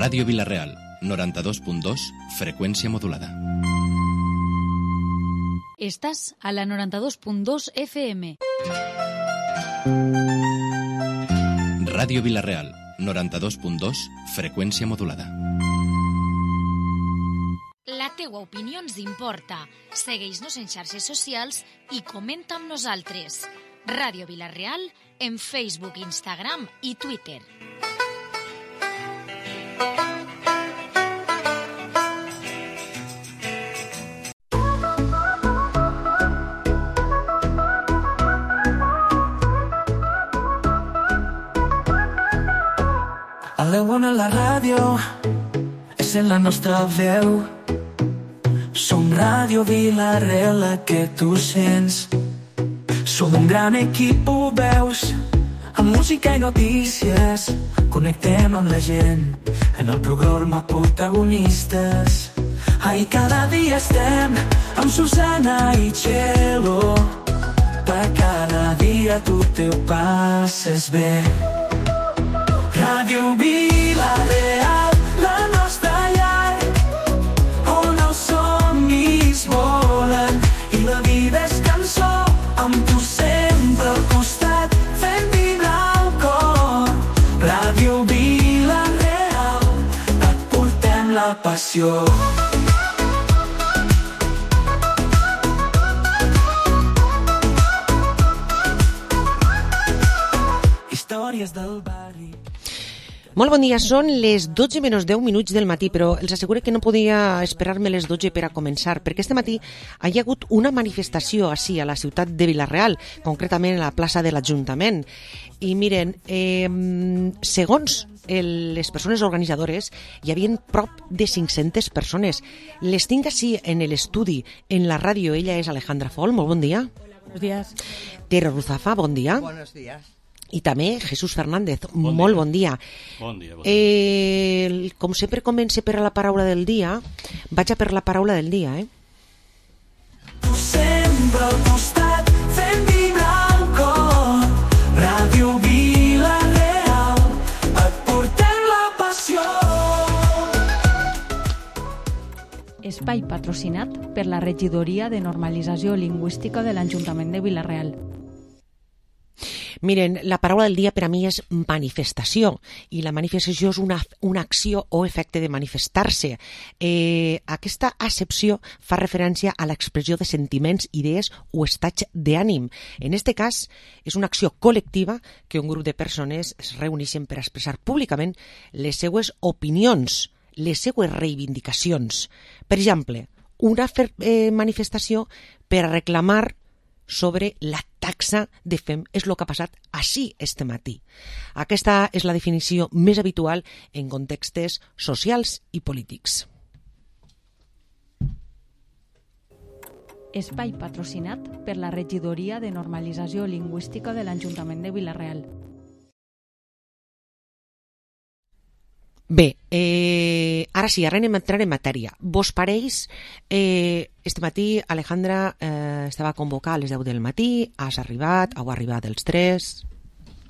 Ràdio Vila-real, 92.2, freqüència modulada. Estàs a la 92.2 FM. Ràdio Vila-real, 92.2, freqüència modulada. La teua opinió ens importa. Segueix-nos en xarxes socials i comenta amb nosaltres. Ràdio Vila-real en Facebook, Instagram i Twitter. A l'Eona la ràdio és en la nostra veu. Som Ràdio Vila-real, la que tu sents. Som un gran equip, ho veus, amb música i notícies. Connectem amb la gent en el programa Protagonistes. Ai, cada dia estem amb Susana i Txelo. Per cada dia tu te ho passes bé. Ràdio Vila-real, la nostra llar, on els somnis volen i la vida és cançó, amb tu sempre al costat, fent vibrar el cor. Ràdio Vila-real, et portem la passió. Històries del barri. Molt bon dia, són les 12 menys 10 minuts del matí, però els asseguro que no podia esperar-me les 12 per a començar, perquè este matí hi ha hagut una manifestació així a la ciutat de Vila-real, concretament a la plaça de l'Ajuntament. I miren, segons les persones organitzadores, hi havia prop de 500 persones. Les tinc així en l'estudi, en la ràdio. Ella és Alejandra Fol, molt bon dia. Hola, buenos días. Tere Ruzafa, bon dia. Buenos días. I també Jesús Fernández, molt bon dia. Bon dia, bon dia. Com sempre comença per la paraula del dia, vaig a per la paraula del dia, Tu sempre al costat, fent vibrar el cor. Ràdio Vila-real, et portem la passió. Espai patrocinat per la Regidoria de Normalització Lingüística de l'Ajuntament de Vila-real. Miren, la paraula del dia per a mi és manifestació, i la manifestació és una acció o efecte de manifestar-se. Aquesta accepció fa referència a l'expressió de sentiments, idees o estats d'ànim. En aquest cas, és una acció col·lectiva que un grup de persones es reuneixen per expressar públicament les seues opinions, les seues reivindicacions. Per exemple, una manifestació per a reclamar sobre la taxa de FEM. És el que ha passat així este matí. Aquesta és la definició més habitual en contextes socials i polítics. Espai patrocinat per la Regidoria de Normalització Lingüística de l'Ajuntament de Vila-real. Bé, ara sí, ara anem a entrar en matèria. Vos pareix, este matí Alejandra estava convocada a les 10 del matí, has arribat, heu arribat els 3.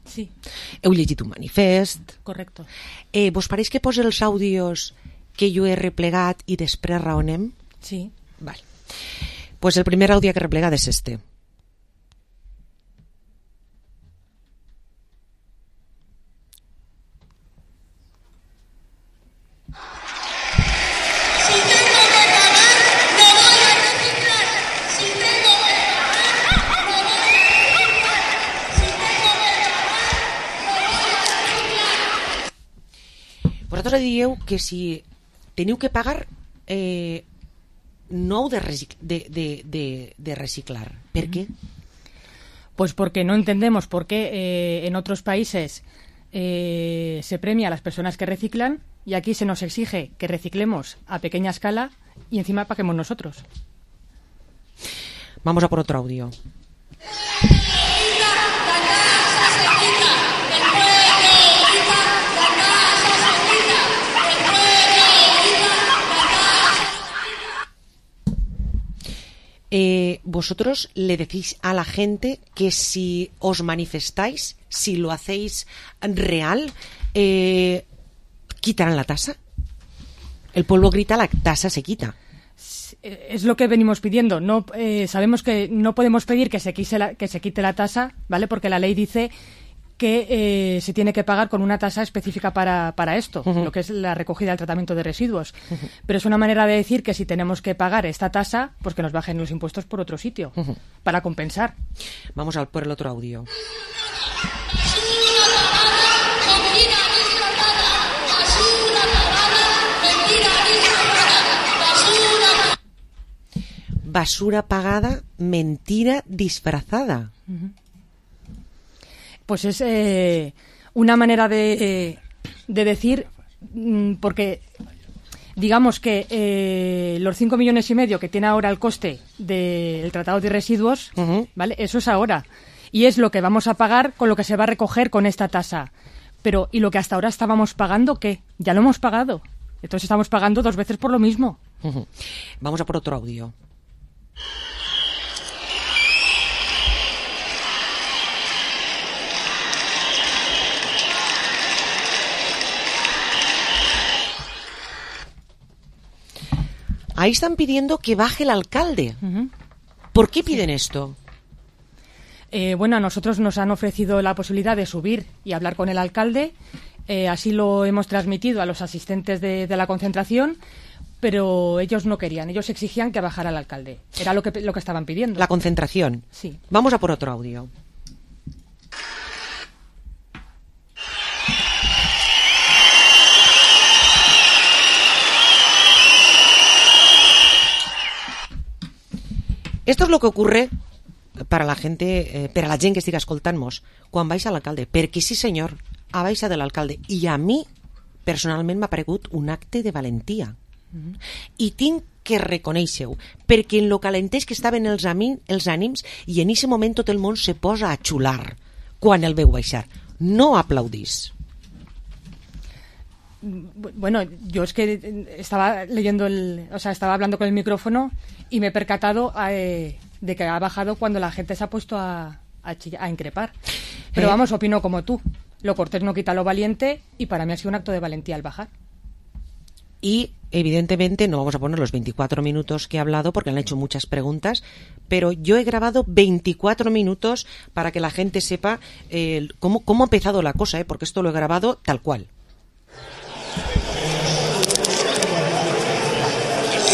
Sí. Heu llegit un manifest. Correcto. Vos pareix que posa els àudios que jo he replegat i després raonem? Sí. Val. Pues el primer àudio que he replegat és este. Vosaltres dieu que si teniu que pagar no heu de reciclar. ¿Per qué? Pues porque no entendemos por qué en otros países se premia a las personas que reciclan y aquí se nos exige que reciclemos a pequeña escala y encima paguemos nosotros. Vamos a por otro audio. Vosotros le decís a la gente que si os manifestáis, si lo hacéis real, quitarán la tasa. El polvo grita, la tasa se quita. Es lo que venimos pidiendo. No, sabemos que no podemos pedir que se quite la tasa, ¿vale? Porque la ley dice que se tiene que pagar con una tasa específica para esto, lo que es la recogida del tratamiento de residuos. Pero es una manera de decir que si tenemos que pagar esta tasa, pues que nos bajen los impuestos por otro sitio, para compensar. Vamos por el otro audio. Basura pagada, mentira disfrazada. Pues es una manera de decir, porque digamos que los 5,5 millones que tiene ahora el coste del tratado de residuos, ¿vale? Eso es ahora. Y es lo que vamos a pagar con lo que se va a recoger con esta tasa. Pero, ¿y lo que hasta ahora estábamos pagando qué? Ya lo hemos pagado. Entonces estamos pagando 2 veces por lo mismo. Vamos a por otro audio. Ahí están pidiendo que baje el alcalde. ¿Por qué piden esto? Bueno, a nosotros nos han ofrecido la posibilidad de subir y hablar con el alcalde. Así lo hemos transmitido a los asistentes de la concentración, pero ellos no querían. Ellos exigían que bajara el alcalde. Era lo que estaban pidiendo. La concentración. Sí. Vamos a por otro audio. Esto es lo que ocurre para la gente, per a la gent que estiga escoltant-nos, quan baixa l'alcalde. Perquè sí, senyor, ha baixat de l'alcalde. I a mi, personalment, m'ha paregut un acte de valentia. I tinc que reconèixer-ho, perquè en lo calenteix que estaven els ànims i en aquest moment tot el món se posa a xular quan el veu baixar. No aplaudís. Bueno, yo es que estaba estaba hablando con el micrófono y me he percatado de que ha bajado cuando la gente se ha puesto a increpar. Pero vamos, opino como tú. Lo cortés no quita lo valiente y para mí ha sido un acto de valentía al bajar. Y evidentemente no vamos a poner los 24 minutos que he hablado porque han hecho muchas preguntas, pero yo he grabado 24 minutos para que la gente sepa cómo ha empezado la cosa, porque esto lo he grabado tal cual.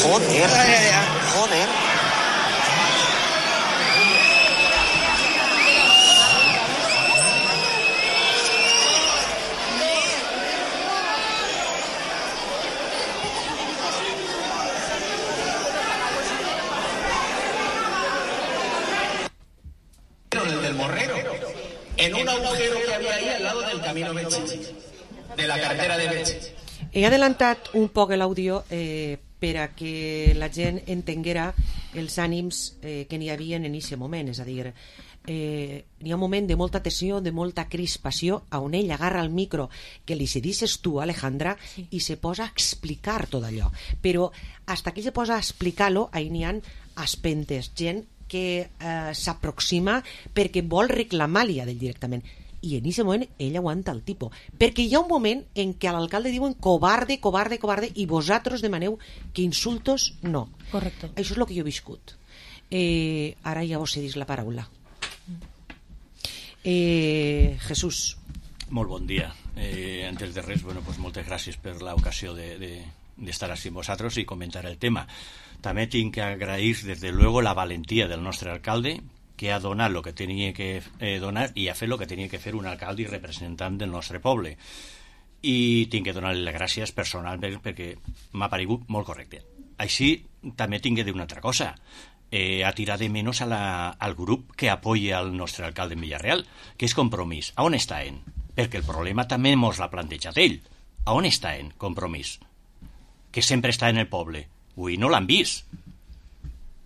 Joder. Del Morrero, en un agujero que había ahí al lado del camino Betxí, de la carretera de Betxí. He adelantat un poc l'àudio per a que la gent entenguera els ànims que n'hi havia en aquest moment, és a dir, n'hi ha un moment de molta tensió, de molta crispació, on ell agarra el micro que li cedisses tu, Alejandra, i se posa a explicar tot allò. Però hasta que se posa a explicar-lo, ahí n'hi ha aspentes, gent que s'aproxima perquè vol reclamar-li a ell directament. I en aquest moment ell aguanta el tipus. Perquè hi ha un moment en què a l'alcalde diuen cobarde, cobarde, cobarde, i vosaltres demaneu que insultos no. Correcto. Això és el que jo he viscut. Ara ja vos cedís la paraula. Jesús. Molt bon dia. Antes de res, bueno, pues moltes gràcies per l'ocasió d'estar així amb vosaltres i comentar el tema. També tinc que agrair, desde luego, la valentia del nostre alcalde, que ha donat el que tenia que donar i ha fet el que tenia que fer un alcalde i representant del nostre poble. I tinc que donar-li les gràcies personalment perquè m'ha paregut molt correcte. Així, també tinc que dir una altra cosa. Ha tirat de menys al grup que apoya al nostre alcalde en Villarreal, que és Compromís. A on està en? Perquè el problema també mos l'ha plantejat ell. A on està en Compromís? Que sempre està en el poble. Avui no l'han vist.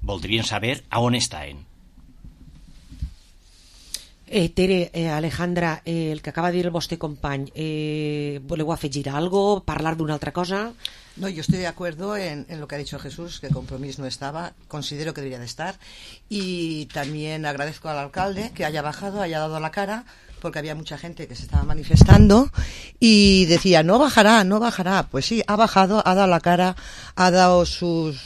Voldrien saber a on està en. Tere, Alejandra, el que acaba de dir el vostre company, voleu afegir algo, parlar d'una altra cosa? No, yo estoy de acuerdo en lo que ha dicho Jesús, que Compromís no estaba, considero que debería de estar, y también agradezco al alcalde que haya bajado, haya dado la cara, porque había mucha gente que se estaba manifestando y decía, no bajará, no bajará. Pues sí, ha bajado, ha dado la cara, ha dado sus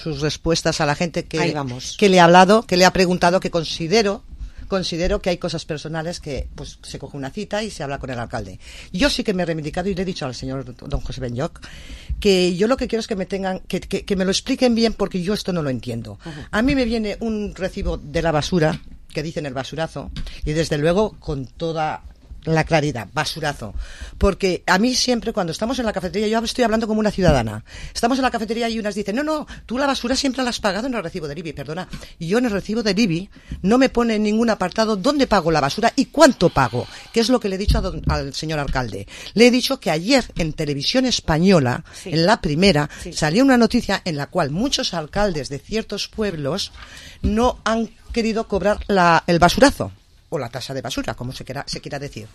respuestas a la gente que le ha hablado, que le ha preguntado, que considero que hay cosas personales que pues se coge una cita y se habla con el alcalde. Yo sí que me he reivindicado y le he dicho al señor don José Benlloch que yo lo que quiero es que me tengan que me lo expliquen bien, porque yo esto no lo entiendo. A mí me viene un recibo de la basura que dicen el basurazo, y desde luego con toda la claridad, basurazo, porque a mí siempre cuando estamos en la cafetería, yo estoy hablando como una ciudadana, estamos en la cafetería y unas dicen, no, tú la basura siempre la has pagado en el recibo del IBI. Perdona, y yo en el recibo del IBI no me pone en ningún apartado dónde pago la basura y cuánto pago, que es lo que le he dicho al señor alcalde. Le he dicho que ayer en Televisión Española, en la primera, salió una noticia en la cual muchos alcaldes de ciertos pueblos no han querido cobrar el basurazo o la tasa de basura, como se quiera decir.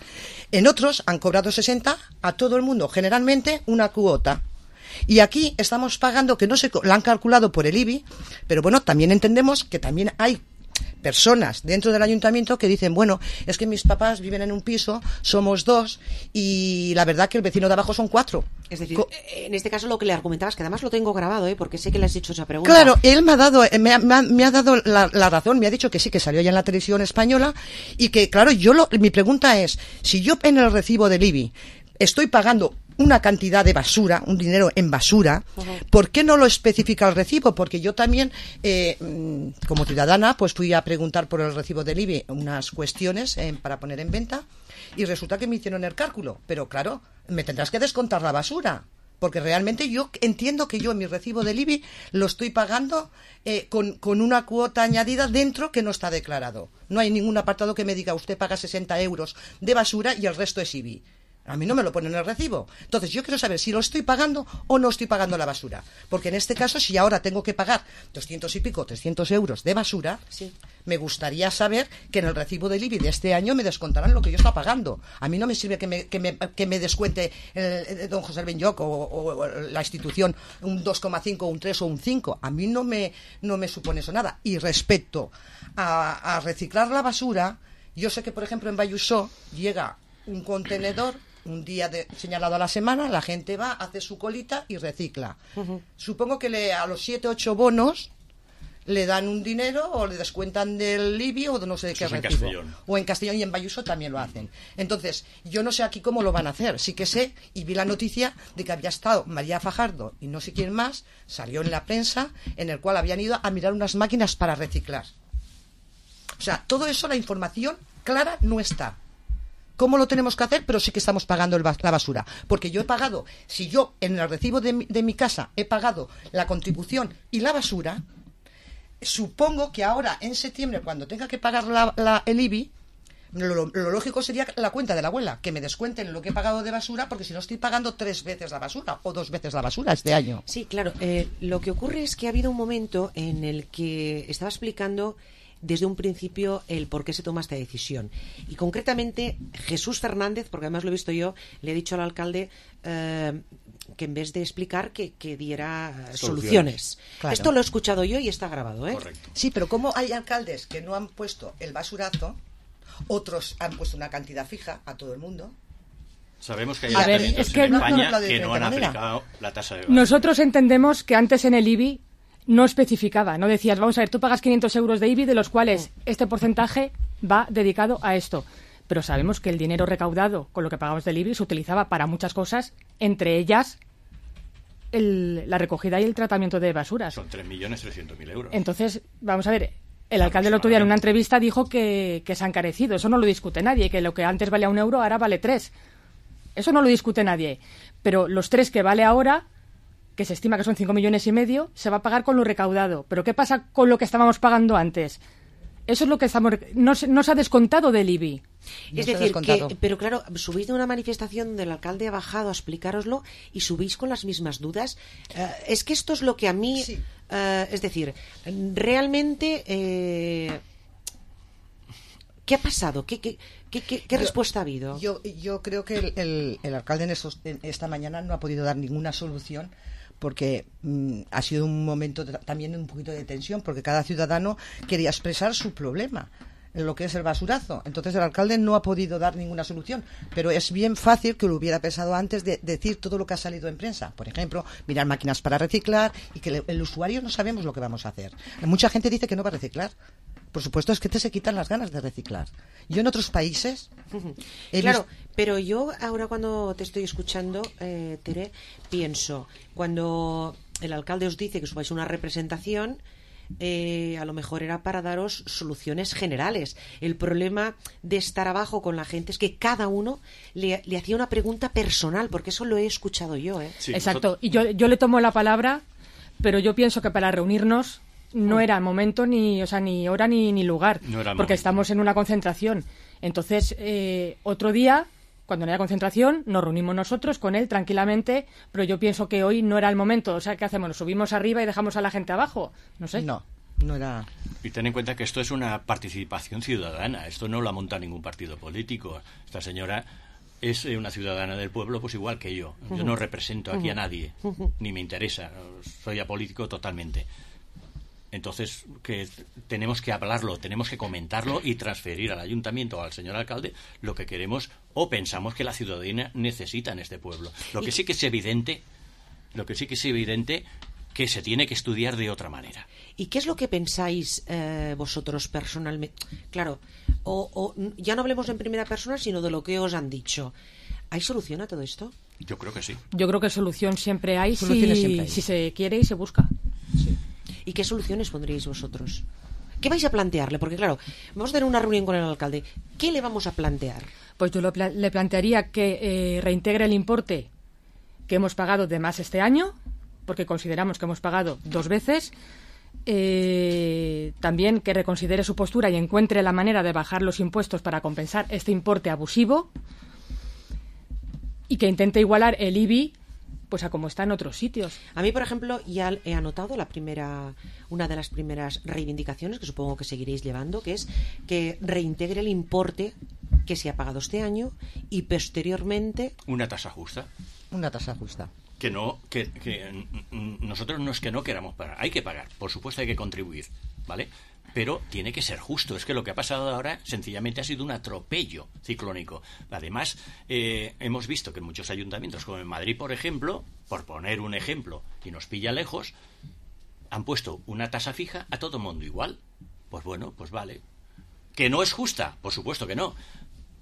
En otros han cobrado 60 a todo el mundo, generalmente una cuota. Y aquí estamos pagando, que no se la han calculado por el IBI, pero bueno, también entendemos que también hay personas dentro del ayuntamiento que dicen, bueno, es que mis papás viven en un piso, somos 2 y la verdad que el vecino de abajo son 4. Es decir, en este caso lo que le argumentabas, que además lo tengo grabado, porque sé que le has hecho esa pregunta. Claro, él me ha dado la razón, me ha dicho que sí, que salió ya en la Televisión Española y que, claro, mi pregunta es, si yo en el recibo del IBI estoy pagando una cantidad de basura, un dinero en basura, ¿por qué no lo especifica el recibo? Porque yo también, como ciudadana, pues fui a preguntar por el recibo del IBI unas cuestiones para poner en venta y resulta que me hicieron el cálculo. Pero claro, me tendrás que descontar la basura, porque realmente yo entiendo que yo en mi recibo del IBI lo estoy pagando con una cuota añadida dentro que no está declarado. No hay ningún apartado que me diga usted paga 60 euros de basura y el resto es IBI. A mí no me lo ponen en el recibo. Entonces yo quiero saber si lo estoy pagando o no estoy pagando la basura. Porque en este caso, si ahora tengo que pagar 200 y pico, 300 euros de basura, me gustaría saber que en el recibo del IBI de este año me descontarán lo que yo estoy pagando. A mí no me sirve que me descuente don José Benlloch o la institución un 2,5, un 3 o un 5. A mí no me supone eso nada. Y respecto a reciclar la basura, yo sé que, por ejemplo, en Bayusó llega un contenedor un día señalado a la semana, la gente va, hace su colita y recicla. Supongo que a los 7, 8 bonos le dan un dinero o le descuentan del IBI o de no sé de qué recibo. O en Castellón y en Bayuso también lo hacen. Entonces, yo no sé aquí cómo lo van a hacer. Sí que sé, y vi la noticia de que había estado María Fajardo y no sé quién más, salió en la prensa, en el cual habían ido a mirar unas máquinas para reciclar. O sea, todo eso, la información clara no está. ¿Cómo lo tenemos que hacer? Pero sí que estamos pagando la basura. Porque yo he pagado, si yo en el recibo de mi casa he pagado la contribución y la basura, supongo que ahora en septiembre, cuando tenga que pagar el IBI, lo lógico sería la cuenta de la abuela, que me descuenten lo que he pagado de basura, porque si no estoy pagando 3 veces la basura o 2 veces la basura este año. Sí, claro. Lo que ocurre es que ha habido un momento en el que estaba explicando desde un principio el por qué se toma esta decisión. Y concretamente Jesús Fernández, porque además lo he visto yo, le he dicho al alcalde que en vez de explicar que diera soluciones. Claro. Esto lo he escuchado yo y está grabado, ¿eh? Correcto. Sí, pero como hay alcaldes que no han puesto el basurazo, otros han puesto una cantidad fija a todo el mundo. Sabemos que hay ayuntamientos en España que no han aplicado la tasa de basura. Nosotros entendemos que antes en el IBI no especificaba, no decías, vamos a ver, tú pagas 500 euros de IBI, de los cuales este porcentaje va dedicado a esto. Pero sabemos que el dinero recaudado con lo que pagamos del IBI se utilizaba para muchas cosas, entre ellas la recogida y el tratamiento de basuras. Son 3.300.000 euros. Entonces, vamos a ver, el alcalde el otro día en una entrevista dijo que se ha encarecido. Eso no lo discute nadie, que lo que antes valía 1 euro ahora vale 3. Eso no lo discute nadie. Pero los 3 que vale ahora, que se estima que son 5,5 millones, se va a pagar con lo recaudado. ¿Pero qué pasa con lo que estábamos pagando antes? Eso es lo que no se ha descontado del IBI. Es decir, pero claro, subís de una manifestación donde el alcalde ha bajado a explicároslo y subís con las mismas dudas. Es que esto es lo que a mí... Sí. Es decir, realmente... ¿Qué ha pasado? ¿Qué respuesta ha habido? Yo creo que el alcalde esta mañana no ha podido dar ninguna solución, porque ha sido un momento también un poquito de tensión, porque cada ciudadano quería expresar su problema en lo que es el basurazo. Entonces el alcalde no ha podido dar ninguna solución, pero es bien fácil que lo hubiera pensado antes de decir todo lo que ha salido en prensa. Por ejemplo, mirar máquinas para reciclar, y que el usuario no sabemos lo que vamos a hacer. Mucha gente dice que no va a reciclar. Por supuesto, es que se quitan las ganas de reciclar. Yo en otros países... Claro, pero yo ahora cuando te estoy escuchando, Tere, pienso, cuando el alcalde os dice que subáis una representación, a lo mejor era para daros soluciones generales. El problema de estar abajo con la gente es que cada uno le hacía una pregunta personal, porque eso lo he escuchado yo. Sí, exacto, y yo le tomo la palabra, pero yo pienso que para reunirnos no era momento, ni hora ni lugar, porque estamos en una concentración. Entonces, otro día, cuando no haya concentración, nos reunimos nosotros con él tranquilamente, pero yo pienso que hoy no era el momento. O sea, ¿qué hacemos? ¿Nos subimos arriba y dejamos a la gente abajo? No sé. No era... Y ten en cuenta que esto es una participación ciudadana. Esto no lo ha montado ningún partido político. Esta señora es una ciudadana del pueblo, pues igual que yo. Yo no represento aquí a nadie, ni me interesa. Soy apolítico totalmente. Entonces, que tenemos que hablarlo, tenemos que comentarlo y transferir al ayuntamiento o al señor alcalde lo que queremos o pensamos que la ciudadanía necesita en este pueblo. Lo que sí que es evidente que se tiene que estudiar de otra manera. ¿Y qué es lo que pensáis vosotros personalmente? Claro, o ya no hablemos en primera persona, sino de lo que os han dicho. ¿Hay solución a todo esto? Yo creo que sí. Yo creo que solución siempre hay, si se quiere y se busca. Sí. ¿Y qué soluciones pondríais vosotros? ¿Qué vais a plantearle? Porque claro, vamos a tener una reunión con el alcalde. ¿Qué le vamos a plantear? Pues yo le plantearía que reintegre el importe que hemos pagado de más este año, porque consideramos que hemos pagado 2 veces. También que reconsidere su postura y encuentre la manera de bajar los impuestos para compensar este importe abusivo, y que intente igualar el IBI pues a como está en otros sitios. A mí, por ejemplo, ya he anotado una de las primeras reivindicaciones, que supongo que seguiréis llevando, que es que reintegre el importe que se ha pagado este año y posteriormente... Una tasa justa. Una tasa justa. Que nosotros no es que no queramos pagar, hay que pagar, por supuesto hay que contribuir, ¿vale? Pero tiene que ser justo. Es que lo que ha pasado ahora sencillamente ha sido un atropello ciclónico. Además, hemos visto que en muchos ayuntamientos, como en Madrid, por ejemplo, por poner un ejemplo, y nos pilla lejos, han puesto una tasa fija a todo mundo igual. Pues bueno, pues vale. ¿Que no es justa? Por supuesto que no.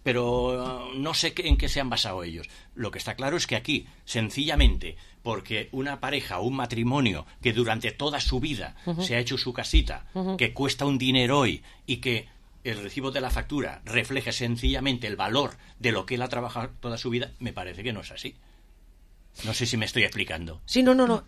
Pero no sé en qué se han basado ellos. Lo que está claro es que aquí, sencillamente, porque una pareja o un matrimonio que durante toda su vida se ha hecho su casita, que cuesta un dinero hoy, y que el recibo de la factura refleja sencillamente el valor de lo que él ha trabajado toda su vida, me parece que no es así. No sé si me estoy explicando. Sí, no,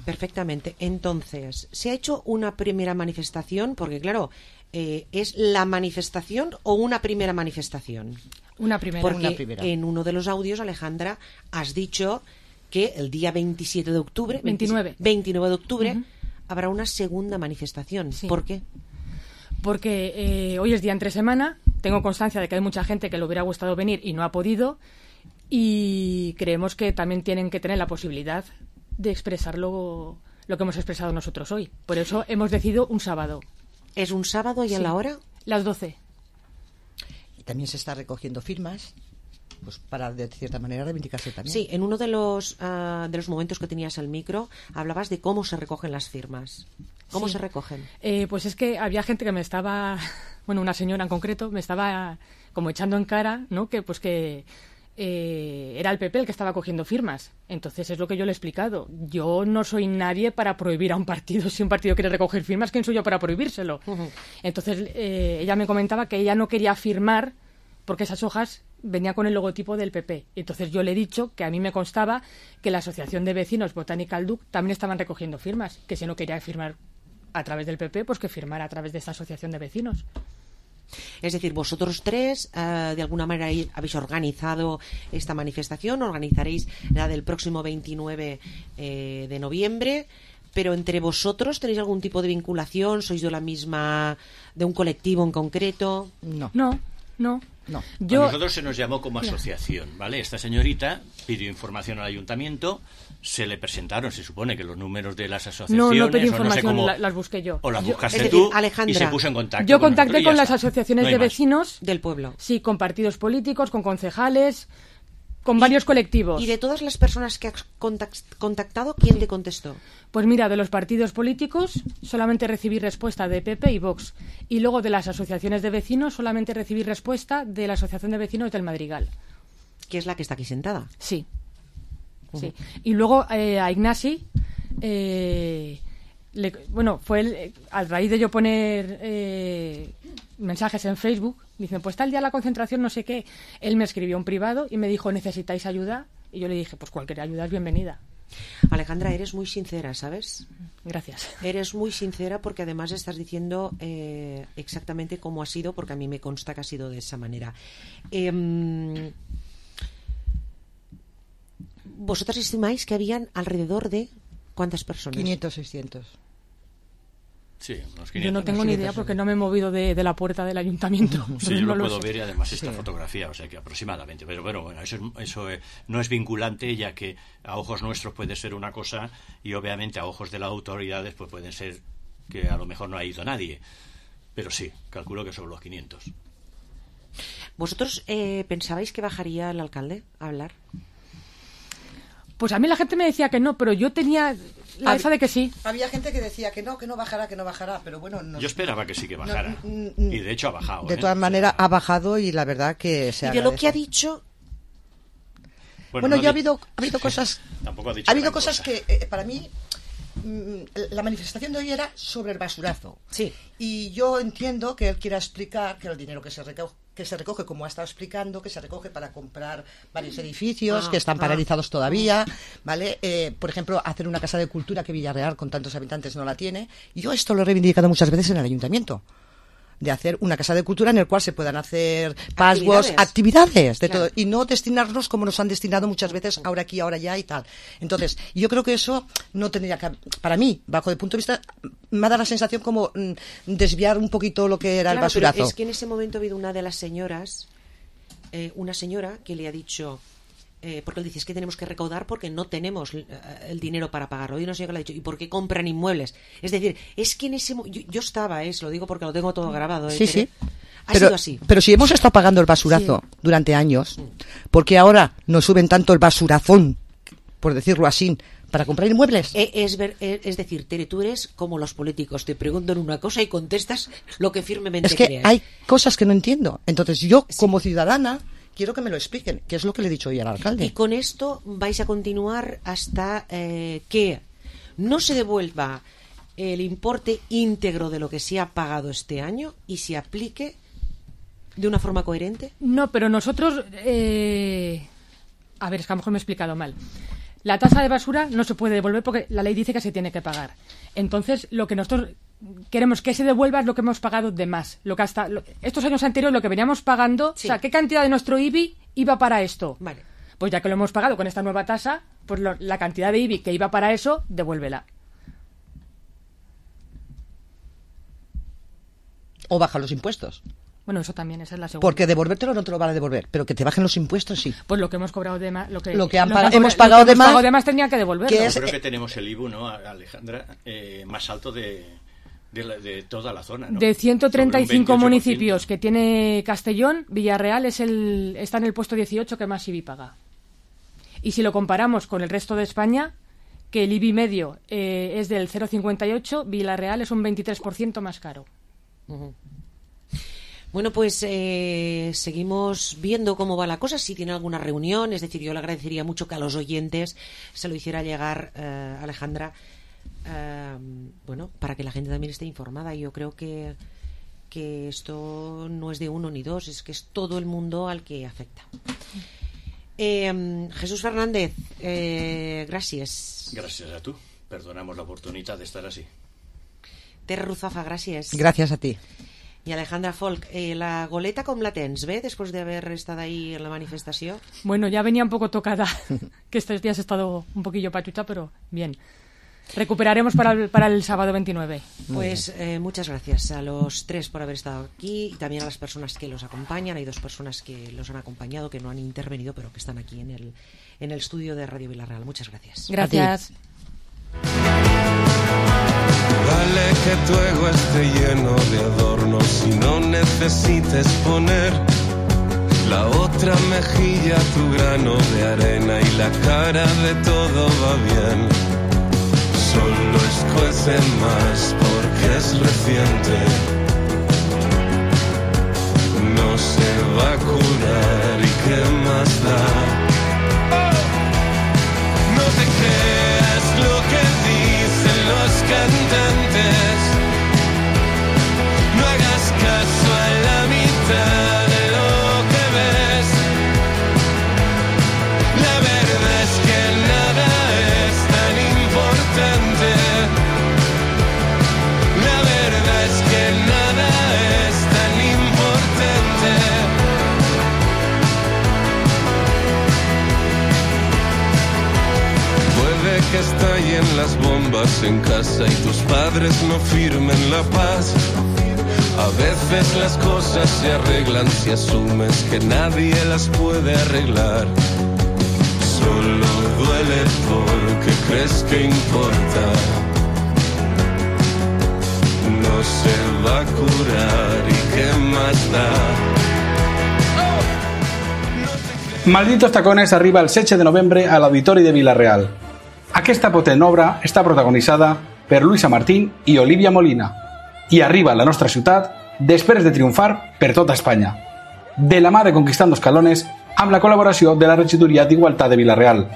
perfectamente. Entonces, ¿se ha hecho una primera manifestación? Porque, claro, ¿es la manifestación o una primera manifestación? Una primera. Porque en uno de los audios, Alejandra, has dicho que el día 27 de octubre... 29 de octubre habrá una segunda manifestación. Sí. ¿Por qué? Porque hoy es día entre semana, tengo constancia de que hay mucha gente que le hubiera gustado venir y no ha podido, y creemos que también tienen que tener la posibilidad de expresar lo que hemos expresado nosotros hoy. Por eso hemos decidido un sábado. ¿Es un sábado y a la hora? Las 12. Y también se está recogiendo firmas, pues para de cierta manera reivindicarse también. Sí, en uno de los momentos que tenías el micro hablabas de cómo se recogen las firmas. ¿Cómo se recogen? Pues es que había gente que me estaba, una señora en concreto, me estaba como echando en cara, ¿no? Que era el PP el que estaba cogiendo firmas. Entonces es lo que yo le he explicado. Yo no soy nadie para prohibir a un partido. Si un partido quiere recoger firmas, ¿quién soy yo para prohibírselo? Entonces ella me comentaba que ella no quería firmar porque esas hojas venían con el logotipo del PP. Entonces yo le he dicho que a mí me constaba que la Asociación de Vecinos Botanical Duc también estaban recogiendo firmas, que si no quería firmar a través del PP, pues que firmara a través de esta asociación de vecinos. Es decir, vosotros tres, de alguna manera habéis organizado esta manifestación, organizaréis la del próximo 29 de noviembre, Pero entre vosotros, ¿tenéis algún tipo de vinculación? ¿Sois de la misma, de un colectivo en concreto? No. No. No. A nosotros se nos llamó como asociación, ¿vale? Esta señorita pidió información al ayuntamiento, se le presentaron, se supone que los números de las asociaciones... No pedí o no sé información, cómo, las busqué yo. O las buscaste es decir, tú, Alejandra, y se puso en contacto Yo con contacté nosotros y con ya las está. asociaciones No hay de más. vecinos, Del pueblo. sí, con partidos políticos, con concejales, con varios colectivos. Y de todas las personas que has contactado, ¿quién te contestó? Pues mira, de los partidos políticos solamente recibí respuesta de PP y Vox. Y luego de las asociaciones de vecinos solamente recibí respuesta de la Asociación de Vecinos del Madrigal. Que es la que está aquí sentada. Sí. Sí. Y luego a Ignasi, fue a raíz de yo poner mensajes en Facebook, dicen, pues tal día la concentración, no sé qué. Él me escribió en privado y me dijo, ¿necesitáis ayuda? Y yo le dije, pues cualquier ayuda es bienvenida. Alejandra, eres muy sincera, ¿sabes? Gracias. Eres muy sincera porque además estás diciendo exactamente cómo ha sido, porque a mí me consta que ha sido de esa manera. ¿Vosotras estimáis que habían alrededor de cuántas personas? 500, 600. Sí, unos 500. Yo no tengo ni idea porque no me he movido de la puerta del ayuntamiento. Sí, yo no lo lo puedo sé. ver y además esta fotografía, o sea que aproximadamente. Pero bueno, eso no es vinculante, ya que a ojos nuestros puede ser una cosa y obviamente a ojos de las autoridades pues pueden ser que a lo mejor no ha ido nadie. Pero sí, calculo que sobre los 500. ¿Vosotros pensabais que bajaría el alcalde a hablar? Pues a mí la gente me decía que no, pero yo tenía esa de que sí. Había gente que decía que no bajará, pero bueno... Yo esperaba que sí que bajara. Y de hecho ha bajado. De todas maneras ha bajado y la verdad que se Y de agradece. lo que ha dicho... Bueno, no ha habido cosas... Tampoco ha dicho Ha habido gran cosas cosa. que para mí... La manifestación de hoy era sobre el basurazo. Sí. Y yo entiendo que él quiera explicar que el dinero que se recoge, como ha estado explicando, que se recoge para comprar varios edificios que están paralizados todavía, ¿vale? Por ejemplo, hacer una casa de cultura que Villarreal, con tantos habitantes, no la tiene. Yo esto lo he reivindicado muchas veces en el ayuntamiento. De hacer una casa de cultura en el cual se puedan hacer actividades de Claro. todo, y no destinarnos como nos han destinado muchas veces, ahora aquí, ahora allá y tal. Entonces, yo creo que eso no tendría que, para mí, bajo el punto de vista, me ha dado la sensación como desviar un poquito lo que era el Claro, basurazo. pero es que en ese momento ha habido una de las señoras, una señora que le ha dicho, porque él dice, es que tenemos que recaudar porque no tenemos el dinero para pagarlo. Y una señora que le ha dicho, ¿y por qué compran inmuebles? Es decir, es que en ese yo estaba, lo digo porque lo tengo todo grabado. Sí, sí. Ha sido así. Pero si hemos estado pagando el basurazo durante años, ¿por qué ahora nos suben tanto el basurazón, por decirlo así, para comprar inmuebles? Es decir, Tere, tú eres como los políticos, te preguntan una cosa y contestas lo que firmemente Es que crees. hay cosas que no entiendo. Entonces yo, como ciudadana, quiero que me lo expliquen, que es lo que le he dicho hoy al alcalde. Y con esto vais a continuar hasta que no se devuelva el importe íntegro de lo que se ha pagado este año y se aplique de una forma coherente. No, pero nosotros... A ver, es que a lo mejor me he explicado mal. La tasa de basura no se puede devolver porque la ley dice que se tiene que pagar. Entonces, lo que nosotros queremos que se devuelva es lo que hemos pagado de más. Lo que estos años anteriores, lo que veníamos pagando, Sí. o sea, ¿qué cantidad de nuestro IBI iba para esto? Vale. Pues ya que lo hemos pagado con esta nueva tasa, pues la cantidad de IBI que iba para eso, devuélvela. O baja los impuestos. Bueno, eso también, esa es la segunda. Porque devolvértelo no te lo van a devolver, pero que te bajen los impuestos sí. Pues lo que hemos cobrado de más... Lo que hemos pagado de más, tendría que devolverlo. que Yo es- creo que tenemos el IBU, ¿no, Alejandra? Más alto de toda la zona, ¿no? De 135 Sobre un 28%. municipios que tiene Castellón, Villarreal está en el puesto 18 que más IBI paga. Y si lo comparamos con el resto de España, que el IBI medio es del 0,58, Villarreal es un 23% más caro. Bueno, pues seguimos viendo cómo va la cosa. Si tiene alguna reunión, es decir, yo le agradecería mucho que a los oyentes se lo hiciera llegar, Alejandra, bueno, para que la gente también esté informada. Yo creo que esto no es de uno ni dos, es que es todo el mundo al que afecta. Jesús Fernández, gracias. Gràcies a tu. Perdonamos la oportunitat d'estar així. Terra Ruzafa, gràcies. Gracias a ti. Y Alejandra Folk, la goleta com la tens, bé, después de haber estado ahí en la manifestación? Bueno, ya venía un poco tocada, que estos días he estado un poquillo pachucha, pero bien. Recuperaremos para el sábado 29. Pues muchas gracias a los tres por haber estado aquí y también a las personas que los acompañan. Hay 2 personas que los han acompañado, que no han intervenido, pero que están aquí en el estudio de Radio Vilarreal. Muchas gracias. Gracias. Vale que tu ego esté lleno de adornos y no necesites poner la otra mejilla, tu grano de arena y la cara de todo va bien. Solo escuece más porque es reciente. No se va a curar y qué más da. No te creas lo que dicen los cantantes. No hagas caso a la mitad de lo que ves. La verdad es que nada es tan importante. La verdad es que nada es tan importante. Puede que estallen las bombas en casa y tus padres no firmen la paz. A veces las cosas se arreglan si asumes que nadie las puede arreglar. Solo duele porque crees que importa. No se va a curar y qué más da. Malditos tacones arriba el 7 de novembre a l'Auditori de Vila-real. Aquesta potent obra està protagonitzada per Luisa Martín i Olivia Molina i arriba a la nostra ciutat després de triomfar per tota Espanya. De la mà de Conquistando Escalones amb la col·laboració de la Regidoria d'Igualtat de Vila-real.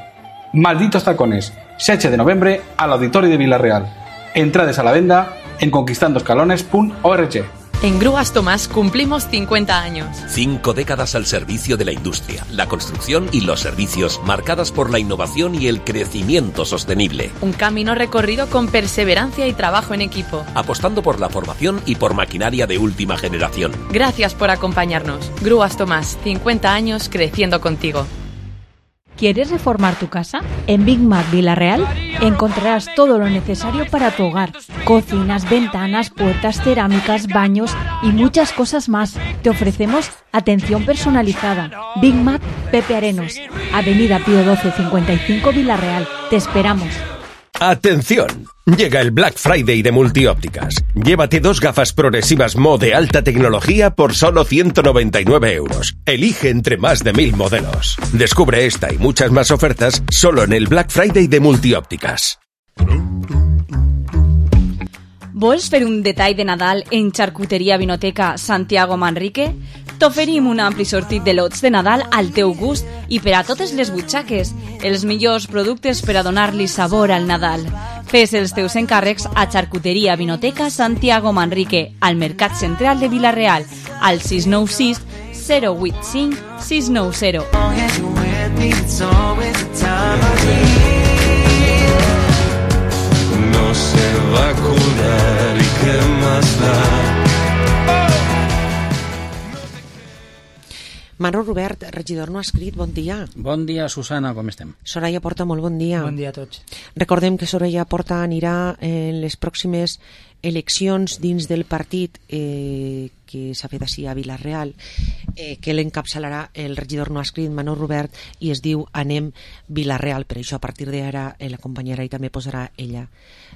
Malditos tacones, 7 de novembre a l'Auditori de Vila-real. Entrades a la venda en conquistandoscalones.org. En Grúas Tomás cumplimos 50 años. 5 décadas al servicio de la industria, la construcción y los servicios, marcadas por la innovación y el crecimiento sostenible. Un camino recorrido con perseverancia y trabajo en equipo. Apostando por la formación y por maquinaria de última generación. Gracias por acompañarnos. Grúas Tomás, 50 años creciendo contigo. ¿Quieres reformar tu casa? En Big Mac Vila-real encontrarás todo lo necesario para tu hogar. Cocinas, ventanas, puertas, cerámicas, baños y muchas cosas más. Te ofrecemos atención personalizada. Big Mac Pepe Arenos, Avenida Pío 12 55 Vila-real. Te esperamos. ¡Atención! Llega el Black Friday de Multiópticas. Llévate 2 gafas progresivas Mo de alta tecnología por solo 199 €. Elige entre más de 1000 modelos. Descubre esta y muchas más ofertas solo en el Black Friday de Multiópticas. Vols fer un detall de Nadal en Charcuteria Vinoteca Santiago Manrique? T'oferim un ampli sortit de lots de Nadal al teu gust i per a totes les butxaques. Els millors productes per a donar-li sabor al Nadal. Fes els teus encàrrecs a Charcuteria Vinoteca Santiago Manrique, al Mercat Central de Vila-real, al 696 085 690. No se va a curar y qué más da. Manolo Robert, regidor no escrit, bon dia. Bon dia, Susana, com estem? Soraya Porta, molt bon dia. Bon dia a tots. Recordem que Soraya Porta anirà en les pròximes eleccions dins del partit que s'ha fet així a Vila-real, que l'encapçalarà el regidor no escrit, Manolo Robert, i es diu Anem Vila-real. Per això, a partir d'ara, l'acompanyarà i també posarà ella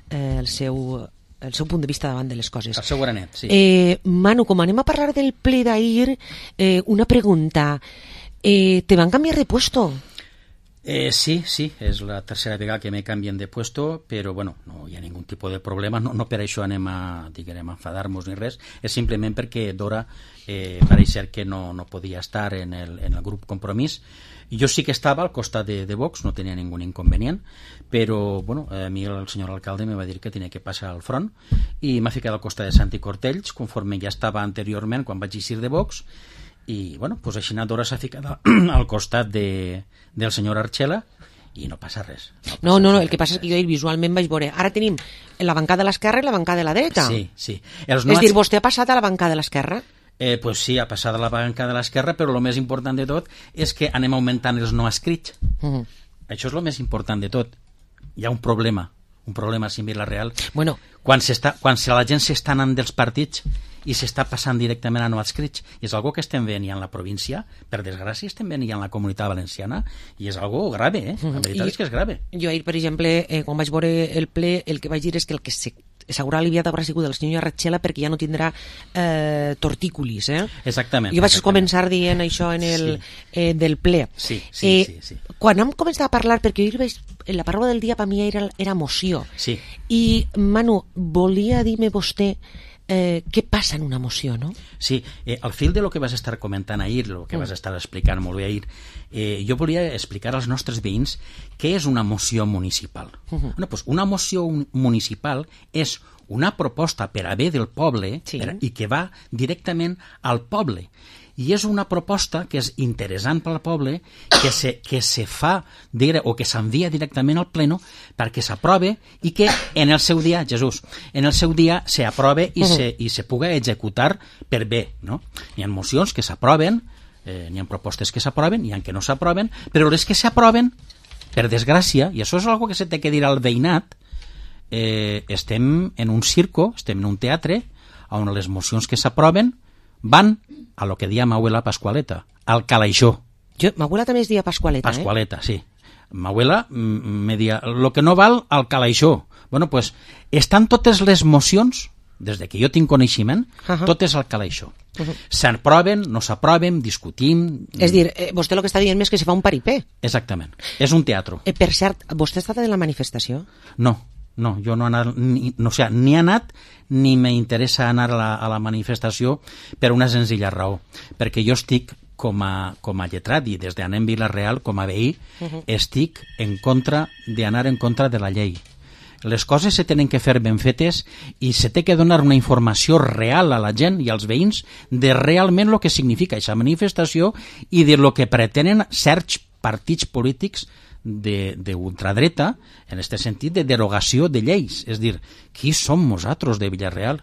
el seu punt de vista davant de les coses. El seu granet, sí. Manu, com anem a parlar del ple d'ahir, una pregunta. ¿Te van cambiar de puesto? Sí, és la tercera vegada que me canvien de puesto, però bueno, no hi ha ningun tipus de problema, no per això anem a enfadar-nos ni res, és simplement perquè Dora pareix ser que no podia estar en el grup Compromís. Jo sí que estava al costat de Vox, no tenia ningun inconvenient, però bueno, a mi el senyor alcalde me va dir que tenia que passar al front i m'ha ficat al costat de Santi Cortells, conforme ja estava anteriorment quan vaig eixir de Vox, i bueno, pues així Dora s'ha ficat al costat del senyor Archela i no passa res. No, el que passa és que jo visualment vaig veure, ara tenim la bancada de l'esquerra i la bancada de la dreta. Sí. És dir, vostè ha passat a la bancada de l'esquerra? Pues sí, ha passat a la bancada de l'esquerra, però el més important de tot és que anem augmentant els no escrits. Això és el més important de tot. Hi ha un problema un problema així en Vila-real. Bueno. Quan la gent s'està anant dels partits i s'està passant directament a no adscrits. I és algo que estem veient ja en la província, per desgràcia estem veient ja en la comunitat valenciana, i és algo grave, la veritat és que és grave. Jo ahir, per exemple, quan vaig veure el ple, el que vaig dir és que el que s'haurà aliviat haurà sigut el senyor Arratxela perquè ja no tindrà tortícolis, Exactament. Jo vaig començar dient això en el del ple. Sí. Quan hem començat a parlar, perquè ahir veig, la paraula del dia per mi era moció. Sí. I, Manu, volia dir-me vostè què passa en una moció, no? Sí, al fil de lo que vas estar comentant ahir, lo que vas estar explicant molt bé ahir, jo volia explicar als nostres veïns què és una moció municipal. Bueno, pues una moció municipal és una proposta per a bé del poble i que va directament al poble. I és una proposta que és interessant per al poble, que se fa o que s'envia directament al pleno perquè s'aprove i que en el seu dia, s'aprove i se pugui executar per bé, no? Hi ha mocions que s'aproven, hi ha propostes que s'aproven, hi ha que no s'aproven, però les que s'aproven, per desgràcia, i això és una cosa que se té que dir al veïnat, estem en un circo, estem en un teatre, on les mocions que s'aproven van a lo que dia ma abuela Pascualeta, al calaixó. Ma abuela també es dia Pascualeta, Pascualeta, sí. Ma abuela me dia, lo que no val, al calaixó. Bueno, pues, estan totes les mocions, des de que jo tinc coneixement, totes al calaixó. S'aproven, no s'aproven, discutim... És dir, vostè el que està dient és que se fa un paripé. Exactament. És un teatre. Per cert, vostè ha estat en la manifestació? No, jo no he anat, ni he anat ni m'interessa anar a la manifestació per una senzilla raó, perquè jo estic com a lletrat i des d'Anem Vila-real, com a veí, estic d'anar en contra de la llei. Les coses se tenen que fer ben fetes i se té que donar una informació real a la gent i als veïns de realment el que significa aquesta manifestació i de lo que pretenen certs partits polítics d'ultradreta, en aquest sentit de derogació de lleis. És dir, qui som nosaltres de Vila-real?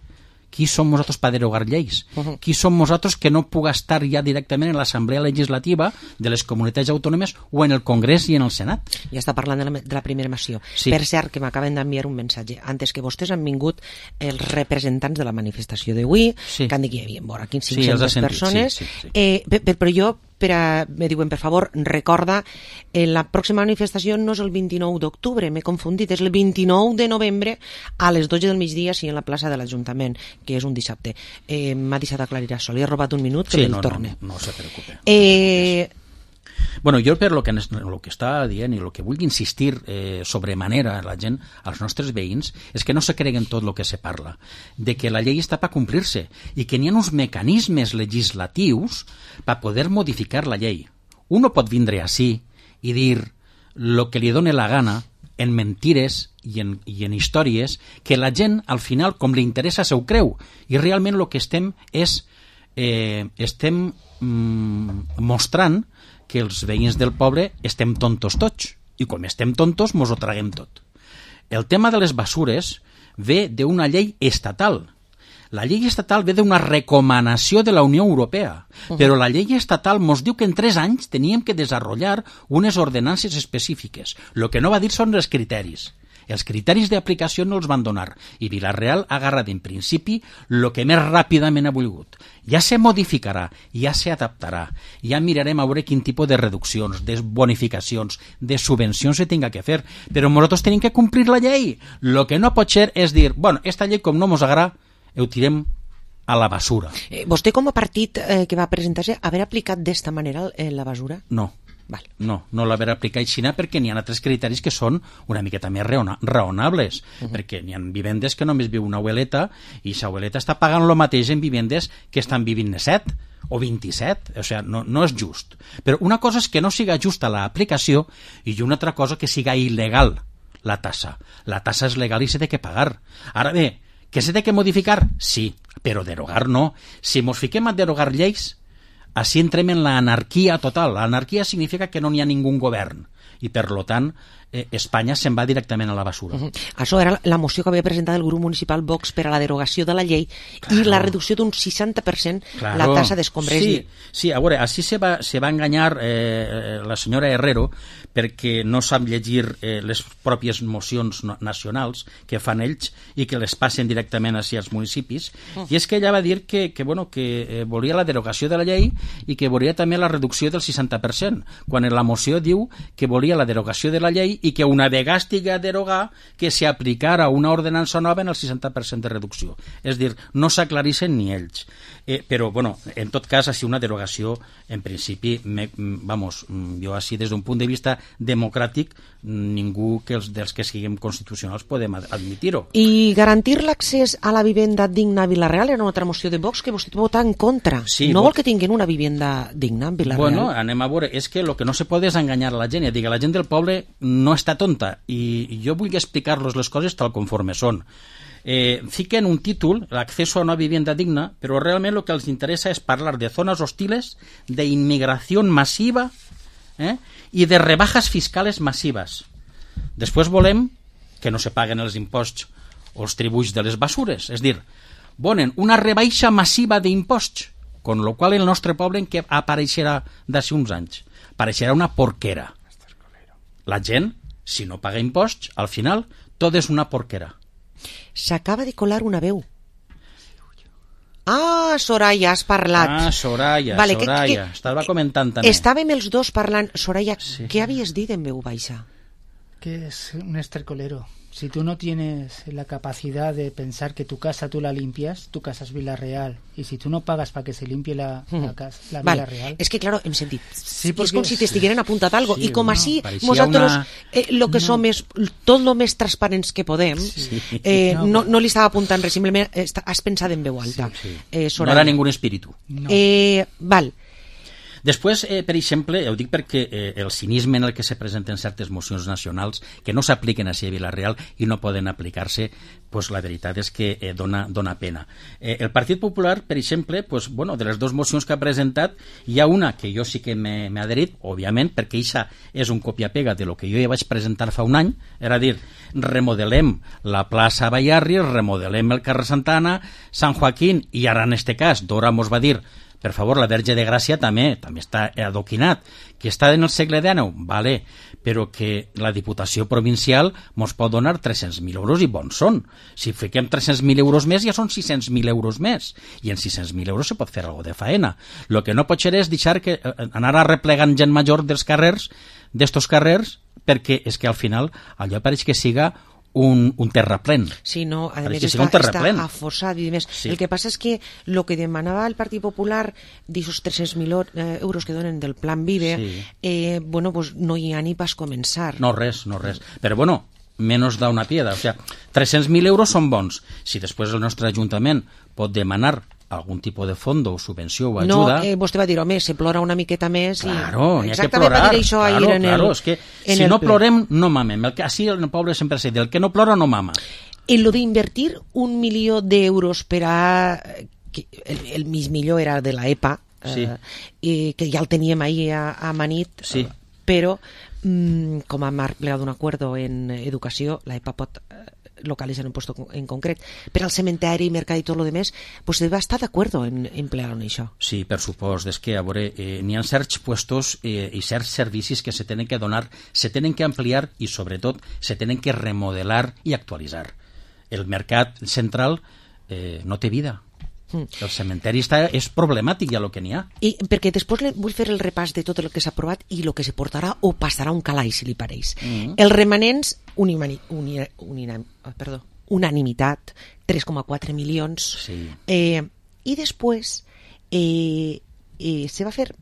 Qui som nosaltres per derogar lleis? Qui som nosaltres que no puga estar ja directament en l'Assemblea Legislativa de les comunitats autònomes o en el Congrés i en el Senat? Ja està parlant de la primera moció. Sí. Per cert, que m'acaben d'enviar un missatge. Antes que vostès han vingut els representants de la manifestació d'avui, que han dit que hi havia vora 500 persones, però jo me diuen, per favor, recorda, la pròxima manifestació no és el 29 d'octubre, m'he confundit, és el 29 de novembre a les 12 del migdia, sí, en la plaça de l'Ajuntament, que és un dissabte. M'ha deixat aclarir això, li he robat un minut, que el torne. No se preocupe. Bueno, jo per lo que està dient i el que vull insistir sobremanera a la gent, als nostres veïns, és que no se creguen tot el que se parla, de que la llei està per complir-se i que n'hi ha uns mecanismes legislatius per poder modificar la llei. Uno pot vindre així i dir el que li doni la gana en mentires i en històries que la gent, al final, com li interessa, se ho creu. I realment el que estem mostrant que els veïns del poble estem tontos tots, i com estem tontos mos ho traguem tot. El tema de les basures ve d'una llei estatal. La llei estatal ve d'una recomanació de la Unió Europea, però la llei estatal mos diu que en 3 anys teníem que desenvolupar unes ordenances específiques. El que no va dir són els criteris. Els criteris d'aplicació no els van donar i Vila-real ha agarrat en principi el que més ràpidament ha volgut. Ja se modificarà, ja se adaptarà, ja mirarem a veure quin tipus de reduccions, de bonificacions, de subvencions se tinga que fer, però nosaltres tenim que complir la llei. El que no pot ser és dir, bueno, esta llei com no mos agrada, ho tirem a la basura. Vostè com a partit que va presentar-se, haver aplicat d'esta manera la basura? No. No l'haver aplicat així perquè n'hi ha altres criteris que són una miqueta més raonables, perquè n'hi ha vivendes que només viu una abueleta i l'abueleta està pagant el mateix en vivendes que estan vivint 7 o 27, o sigui, no és just. Però una cosa és que no siga justa l'aplicació i una altra cosa que siga il·legal la tassa. La tassa és legal i s'ha de pagar. Ara bé, que s'ha de modificar? Sí, però derogar no. Si mos fiquem a derogar lleis, així entrem en l'anarquia total. L'anarquia significa que no n'hi ha ningú govern i, per tant, Espanya se'n va directament a la basura. Això era la moció que havia presentat el grup municipal Vox per a la derogació de la llei i la reducció d'un 60% la tassa d'escombrés. Sí, a veure, així se va enganyar la senyora Herrero perquè no sap llegir les pròpies mocions nacionals que fan ells i que les passen directament així als municipis, i és que ella va dir que volia la derogació de la llei i que volia també la reducció del 60%, quan en la moció diu que volia la derogació de la llei i que una vegada estigui a derogar que s'aplicara una ordenança nova en el 60% de reducció. És dir, no s'aclarixen ni ells. Però, bueno, en tot cas, així una derogació, en principi, jo així des d'un punt de vista democràtic, ningú dels que siguem constitucionals podem admitir-ho. I garantir l'accés a la vivenda digna a Vila-real era una altra moció de Vox que vostè vota en contra. Sí, no vol que tinguin una vivenda digna en Vila-real? Bueno, anem a veure, és que el que no se pot és enganyar a la gent, ja dic, la gent del poble no està tonta, i jo vull explicar-los les coses tal conforme són. Fiquen un títol, l'acceso a una vivienda digna, però realment el que els interessa és parlar de zones hostiles, de inmigració massiva i de rebajas fiscales massives. Després volem que no se paguen els imposts o els tributs de les basures, és dir, volen una rebaixa massiva d'imposts, con lo qual el nostre poble en què apareixerà d'ací uns anys? Apareixerà una porquera. La gent, si no paga imposts, al final tot és una porquera. S'acaba de colar una veu. Ah, Soraya, has parlat. Ah, Soraya, vale, Soraya. Estava comentant també. Estàvem els dos parlant. Soraya, sí. Què havies dit en veu baixa? Que es un estercolero. Si tú no tienes la capacidad de pensar que tu casa tú la limpias, tu casa es Vila-real. Y si tú no pagas para que se limpie la Vila-real... És que, claro, hem sentit. Sí, és com si t'estigueren apuntat algo. Sí, I com així, nosaltres lo que som és tot lo més transparents que podem. Sí. No li estava apuntant res, simplement has pensat en veu alta. Sí. No era ningú espíritu. No. Val. Després, per exemple, ho dic perquè el cinisme en el que se presenten certes mocions nacionals que no s'apliquen així a Vila-real i no poden aplicar-se, pues la veritat és que dona pena. El Partit Popular, per exemple, pues, bueno, de les dues mocions que ha presentat, hi ha una que jo sí que m'he adherit, òbviament, perquè això és un copia-pega de lo que jo ja vaig presentar fa un any, era dir, remodelem la plaça Bayarri, remodelem el carrer Santana, Sant Joaquín, i ara en este cas, Dora mos va dir, per favor, la Verge de Gràcia també està adoquinat, que està en el segle XIX, vale, però que la Diputació Provincial mos pot donar 300.000 euros i bons són. Si fiquem 300.000 euros més, ja són 600.000 euros més, i en 600.000 euros se pot fer alguna de faena. El que no pot ser és deixar que anar arreplegant gent major dels carrers, d'estos carrers, perquè és que al final allò pareix que siga un terraplén. Sí, no, a més està aforçat i demés. Sí. El que passa és que el que demanava el Partit Popular d'aixòs 300.000 euros que donen del Plan Vive, sí. Bueno, pues no hi ha ni pas començar. No, res. Però bueno, menos da una piedra. O sea, 300.000 euros són bons. Si després el nostre Ajuntament pot demanar algun tipus de fons o subvenció o ajuda... No, vostè va dir, home, se plora una miqueta més... Claro, n'hi ha que plorar. Claro, és que si no plorem, no mamem. Així el poble sempre s'ha dit, el que no plora no mama. En lo d'invertir 1 milió d'euros per a... El mig millor era de la EPA, sí. Que ja el teníem ahir a Manit, sí. Però com hem plegat un acuerdo en educació, la EPA pot... localizar un puesto en concret, per al cementeri, mercat i tot lo demés, pues va estar d'acord en emplear-ho en això. Sí, per supost, és que a veure, n'hi ha certs puestos i certs servicis que se tenen que donar, se tenen que ampliar i sobretot se tenen que remodelar i actualitzar. El mercat central no té vida. El cementeri és problemàtic ja el que n'hi ha. I perquè després vull fer el repàs de tot el que s'ha aprovat i el que se portarà o passarà un calaix, si li pareix. Els remanents, unanimitat, 3,4 milions. Sí. I després se va fer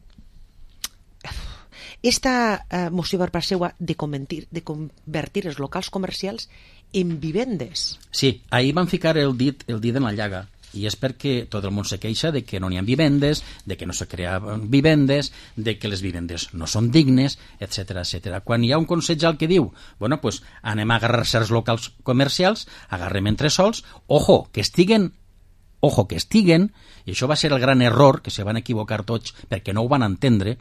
esta moció per part seva de convertir els locals comercials en vivendes. Sí, ahir van ficar el dit en la llaga. I és perquè tot el món se queixa de que no n'hi ha vivendes, de que no se creaven vivendes, de que les vivendes no són dignes, etc. Quan hi ha un consellal que diu, bueno, pues anem a agarrar certs locals comercials, agarrem entresòls, ojo, que estiguen, i això va ser el gran error, que se van equivocar tots perquè no ho van entendre,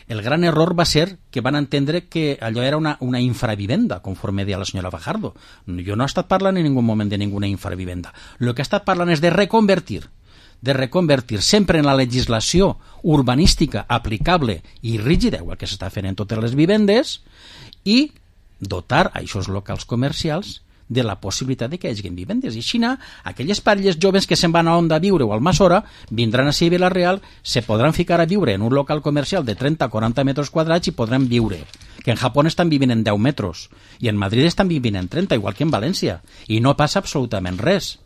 el gran error va ser que van entendre que allò era una infravivenda, conforme deia la senyora Fajardo. Jo no he estat parlant en ningú moment de ninguna infravivenda. El que he estat parlant és de reconvertir sempre en la legislació urbanística aplicable i rígida, igual que s'està fent en totes les vivendes, i dotar a aquests locals comercials de la possibilitat de que hi hagi vivendes. I així, aquelles parelles joves que se'n van a Onda a viure o al Almassora vindran a ser Vila-real, se podran ficar a viure en un local comercial de 30-40 metres quadrats i podran viure. Que en Japó estan vivint en 10 metres i en Madrid estan vivint en 30, igual que en València. I no passa absolutament res.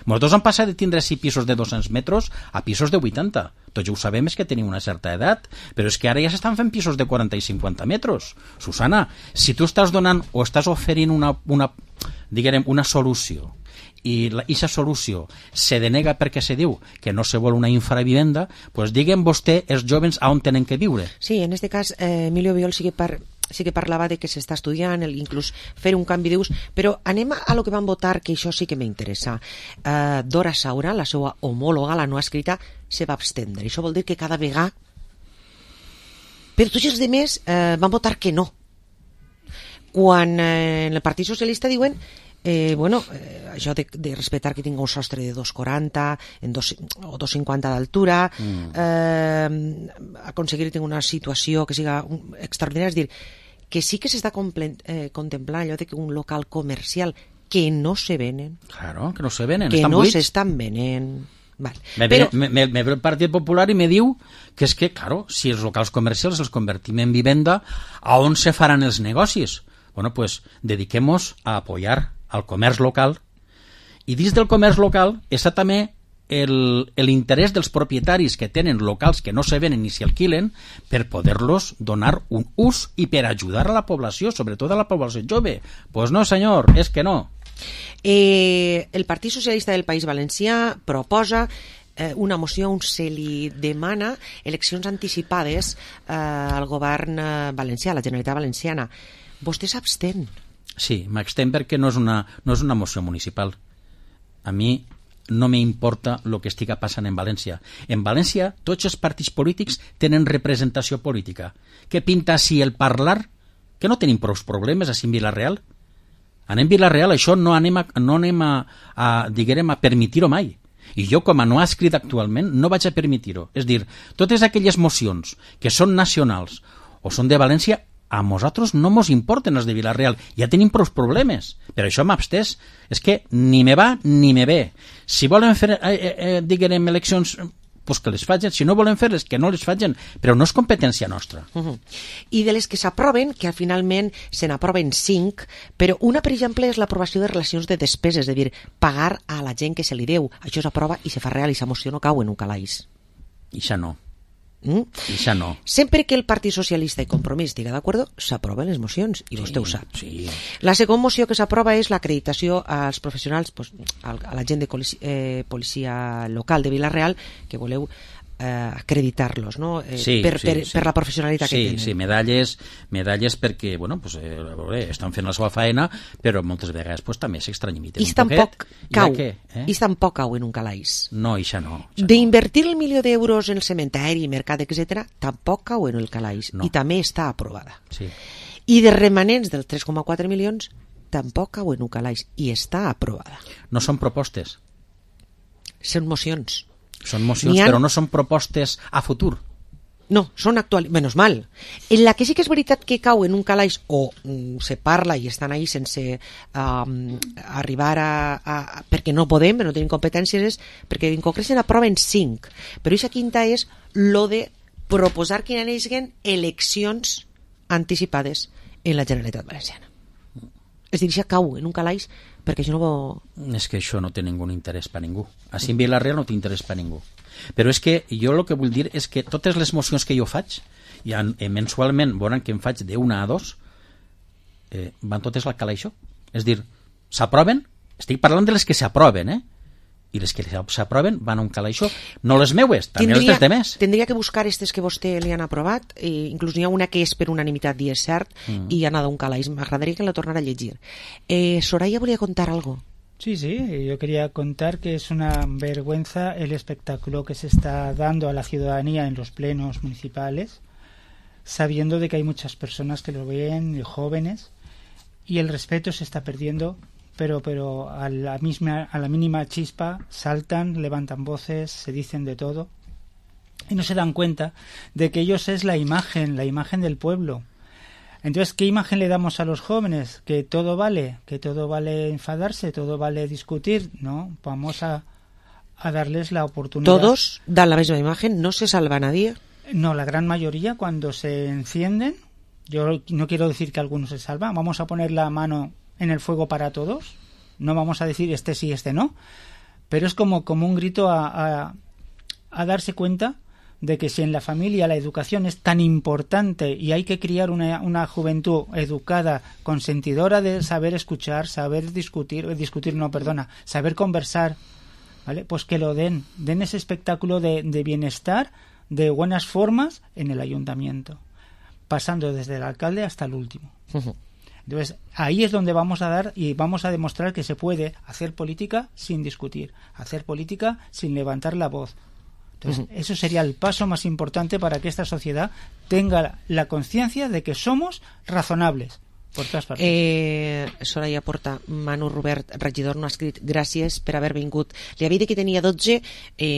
Nosaltres hem passat de tindre 6 pisos de 200 metres a pisos de 80. Tots ja ho sabem, és que tenim una certa edat, però és que ara ja s'estan fent pisos de 40 i 50 metres. Susana, si tu estàs donant o estàs oferint una solució i aquesta solució se denega perquè se diu que no se vol una infravivenda, doncs diguem vostè els jovens on tenen que viure. Sí, en este cas, Emilio Biol sí que parlava de que s'està estudiant, inclús fer un canvi d'ús, però anem a lo que van votar, que això sí que m'interessa. Dora Saura, la seva homòloga, la no escrita, se va abstendre. Això vol dir que cada vegada... Però tots els altres van votar que no. Quan en el Partit Socialista diuen això de respectar que tingui un sostre de 2,40 o 2,50 d'altura, aconseguir tenir una situació que siga extraordinària, és dir, que sí que s'està contemplant allò de que un local comercial que no se venen, claro, que no se venen, que estan no buits. s'estan venent. Vale. Me ve el Partit Popular i me diu que és que, claro, si els locals comercials els convertim en vivenda, a on se faran els negocis? Bueno, pues dediquemos a apoyar al comerç local, i dins del comerç local està també l'interès dels propietaris que tenen locals que no se venen ni s'hi alquilen per poder-los donar un ús i per ajudar a la població, sobretot a la població jove. Pues no, senyor, és que no. El Partit Socialista del País Valencià proposa una moció on se li demana eleccions anticipades al govern valencià, a la Generalitat Valenciana. Vostè s'abstén? Sí, m'abstén perquè no és una moció municipal. A mi no m'importa el que estiga passant en València. En València tots els partits polítics tenen representació política. Què pinta si el parlar? Que no tenim prou problemes a Vila-real? Anem Vila-real, això no anem a permitir-ho mai. I jo, com a no ha escrit actualment, no vaig a permitir-ho. És dir, totes aquelles mocions que són nacionals o són de València, a nosaltres no mos importen els de Vila-real, ja tenim prou problemes, per això m'abstès. És que ni me va ni me ve. Si volen fer, diguem, eleccions, pues que les facin, si no volen fer-les, que no les facin, però no és competència nostra. I de les que s'aproven, que finalment se n'aproven 5, però una, per exemple, és l'aprovació de relacions de despeses, és a dir, pagar a la gent que se li deu. Això s'aprova i se fa real, i la moció no cau en un calaix. I això no. Això no. Sempre que el Partit Socialista i Compromís estiga d'acord, s'aproven les mocions, i vostè ho sap. Sí. La segona moció que s'aprova és l'acreditació als professionals, a la gent de policia local de Vila-real, que voleu acreditar-los, no? Per la professionalitat que tenen. Sí, medalles perquè, bueno, pues, estan fent la seva faena, però moltes vegades pues, també s'extranyimiten un poquet. I tampoc cau en un calaix. No, això no. D'invertir el milió d'euros en el cementeri, mercat, etc., tampoc cau en el calaix. No. I també està aprovada. Sí. I de remanents dels 3,4 milions tampoc cau en un calaix i està aprovada. No són propostes. Són mocions. Són mocions, però no són propostes a futur. No, són actuals, menys mal. En la que sí que és veritat que cau en un calaix o se parla i estan ahí sense arribar perquè no podem, però no tenim competències, és perquè en concret se n'aproven 5. Però aquesta quinta és lo de proposar que hi hagin eleccions anticipades en la Generalitat Valenciana. És a dir, això cau en un calaix perquè això no... És que això no té ningú interès per ningú. Així en Vila-real no té interès per ningú. Però és que jo el que vull dir és que totes les mocions que jo faig, ja mensualment veuran que en faig d'1 a 2, van totes al calaixó. És dir, s'aproven, estic parlant de les que s'aproven, i les que s'aproven van a un calaixó, no les meues, també les de més. Tindria que buscar aquestes que vostè li han aprovat, inclús n'hi ha una que és per unanimitat i és cert, i ha anat a un calaix. M'agradaria que la tornara a llegir. Soraya volia contar algo. Sí, yo quería contar que es una vergüenza el espectáculo que se está dando a la ciudadanía en los plenos municipales, sabiendo de que hay muchas personas que lo ven, jóvenes, y el respeto se está perdiendo, pero a la mínima chispa saltan, levantan voces, se dicen de todo y no se dan cuenta de que ellos es la imagen del pueblo. Entonces, ¿qué imagen le damos a los jóvenes? Que todo vale enfadarse, todo vale discutir, ¿no? Vamos a darles la oportunidad. ¿Todos dan la misma imagen? ¿No se salva nadie? No, la gran mayoría cuando se encienden, yo no quiero decir que algunos se salvan, vamos a poner la mano en el fuego para todos, no vamos a decir este sí, este no, pero es como un grito a darse cuenta de que si en la familia la educación es tan importante y hay que criar una juventud educada, consentidora de saber escuchar, saber saber conversar, ¿vale? Pues que lo den ese espectáculo de bienestar, de buenas formas en el ayuntamiento, pasando desde el alcalde hasta el último. Entonces, ahí es donde vamos a dar y vamos a demostrar que se puede hacer política sin discutir, hacer política sin levantar la voz. Entonces, eso sería el paso más importante para que esta sociedad tenga la conciencia de que somos razonables por totes partes. Soraya Porta, Manu Robert, regidor, no ha escrit gràcies per haver vingut. Li havia dit que tenia 12,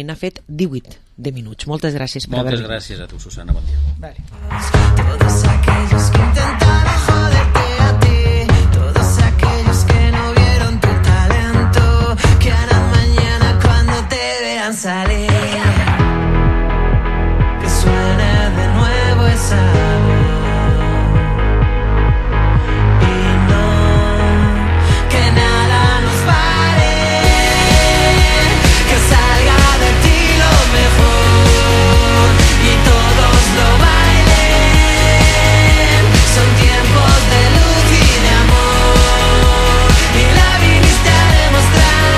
n'ha fet 18 de minuts. Moltes gràcies per haver vingut. Moltes gràcies a tu, Susana, bon dia. Vale. Todos aquellos que intentaron joderte a ti, todos aquellos que no vieron tu talento, que harán mañana cuando te vean salir. Que suene de nuevo esa voz. Y no, que nada nos pare, que salga de ti lo mejor y todos lo bailen. Son tiempos de luz y de amor y la viniste a demostrar.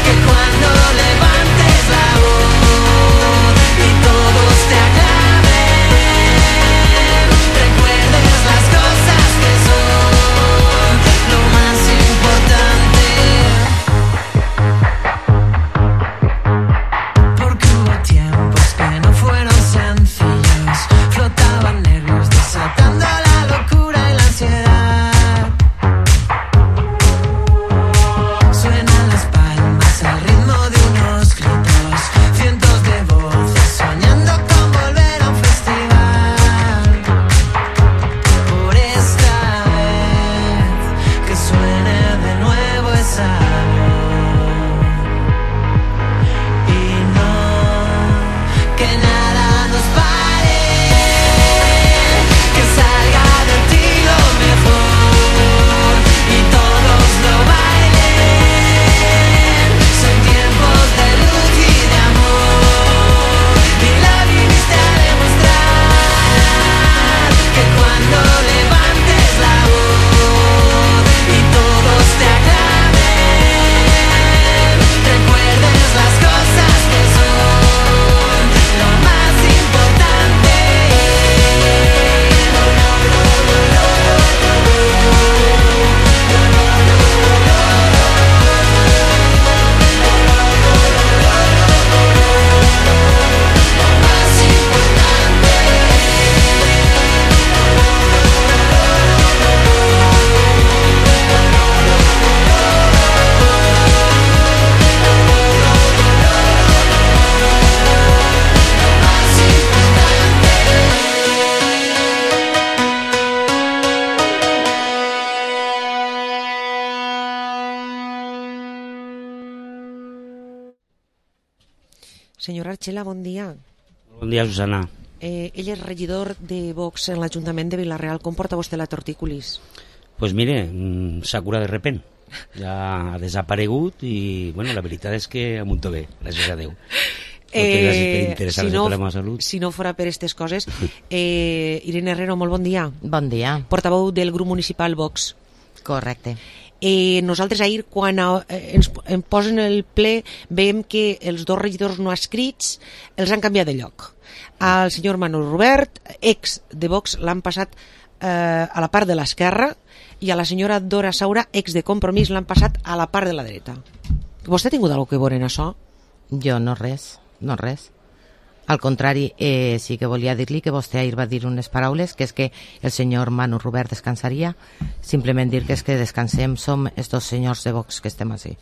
Que cuando levantes la voz y todos te aclamen, recuerdes las cosas que son lo más importante. Porque hubo tiempos que no fueron sencillos, flotaban nervios desatando la locura y la ansiedad. Suenan las palmas al ritmo de unos gritos, cientos de voces soñando con volver a un festival. Por esta vez que suene de nuevo esa voz y no, que nada nos pare, que salga de ti lo mejor y todos lo bailen. Son tiempos de luz y de amor y la viniste a demostrar. Que cuando levantes la voz y todos te aclamen, recuerdes las cosas que son lo más importante. Senyor Archela, bon dia. Bon dia, Susana. Ell és regidor de Vox en l'Ajuntament de Vila-real. Com porta vostè la tortícolis? Pues mire, s'ha curat de repent. Ja ha desaparegut i, bueno, la veritat és que amunto bé, gràcies a Déu. Moltes gràcies per interessar-se per la meva salut. Si no fora per aquestes coses, Irene Herrero, molt bon dia. Bon dia. Portaveu del grup municipal Vox. Correcte. Nosaltres ahir, quan ens posen el ple, veiem que els dos regidors no adscrits els han canviat de lloc. El senyor Manuel Robert, ex de Vox, l'han passat a la part de l'esquerra i a la senyora Dora Saura, ex de Compromís, l'han passat a la part de la dreta. Vostè ha tingut alguna cosa que veure en això? Jo no res, no res. Al contrari, sí que volia dir-li que vostè ahir va dir unes paraules, que és que el senyor Manu Robert descansaria. Simplement dir que és que descansem, som estos senyors de Vox que estem així.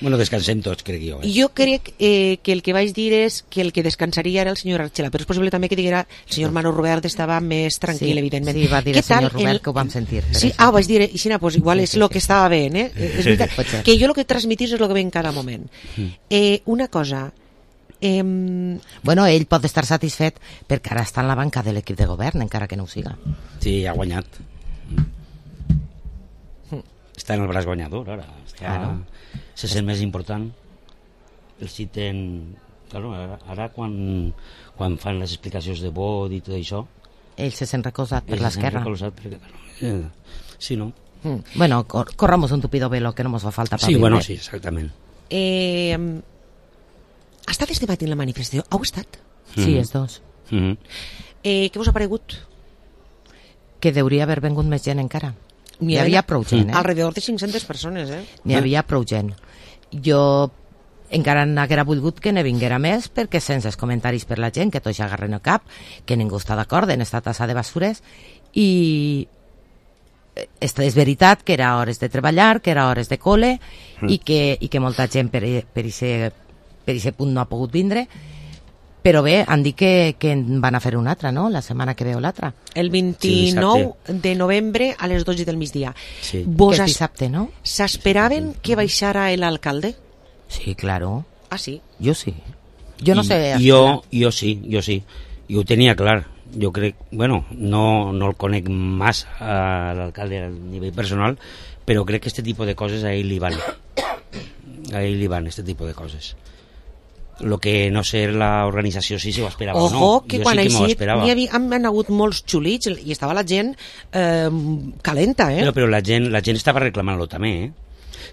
Bueno, descansem tots, crec jo. Jo crec que el que vaig dir és que el que descansaria era el senyor Archela, però és possible també que diguera el senyor Manu Robert estava més tranquil, evidentment. Sí, va dir el senyor Robert, que ho vam sentir. Sí, ho vaig dir, i si no, pues igual és el que estava bé, és veritat, que jo el que transmitís és el que ve en cada moment. Una cosa... Bueno, ell pot estar satisfet perquè ara està en la banca de l'equip de govern, encara que no ho siga. Sí, ha guanyat. Està en el braç guanyador, ara. Se sent més important. El citen... Claro, ara quan fan les explicacions de vot i tot això... Ell se sent recolzat per l'esquerra. Sí, no? Bueno, corramos un tupido velo que no ens fa falta per sí, bueno, sí, exactament. Ha estat este matí en la manifestació? Heu estat? Sí, els dos. Què us ha paregut? Que deuria haver vengut més gent encara. N'hi havia prou gent, Alrededor de 500 persones, N'hi havia prou gent. Jo encara n'haguera volgut que ne vinguera més, perquè sense els comentaris per la gent, que tots agarren el cap, que ningú està d'acord en esta tassa de basures, i és veritat que era hores de treballar, que era hores de col·le, i que molta gent per aquest punt no ha pogut vindre, però bé, han dit que en van a fer una altra, no? La setmana que ve o l'altra. El 29 de novembre a les 12 del migdia. Sí, que és dissabte, no? ¿S'esperaven que baixara l'alcalde? Sí, claro. Ah, sí? Jo sí. Jo no sé... Jo sí. I ho tenia clar. Jo crec... Bueno, no el conec massa a l'alcalde a nivell personal, però crec que este tipus de coses a ell li van. A ell li van, este tipus de coses. Lo que no sé la organització si s'ho esperava o no. Ojo, que jo quan sí que m'ho esperava. han hagut molts xulits i estava la gent calenta, Però la gent estava reclamant-lo també,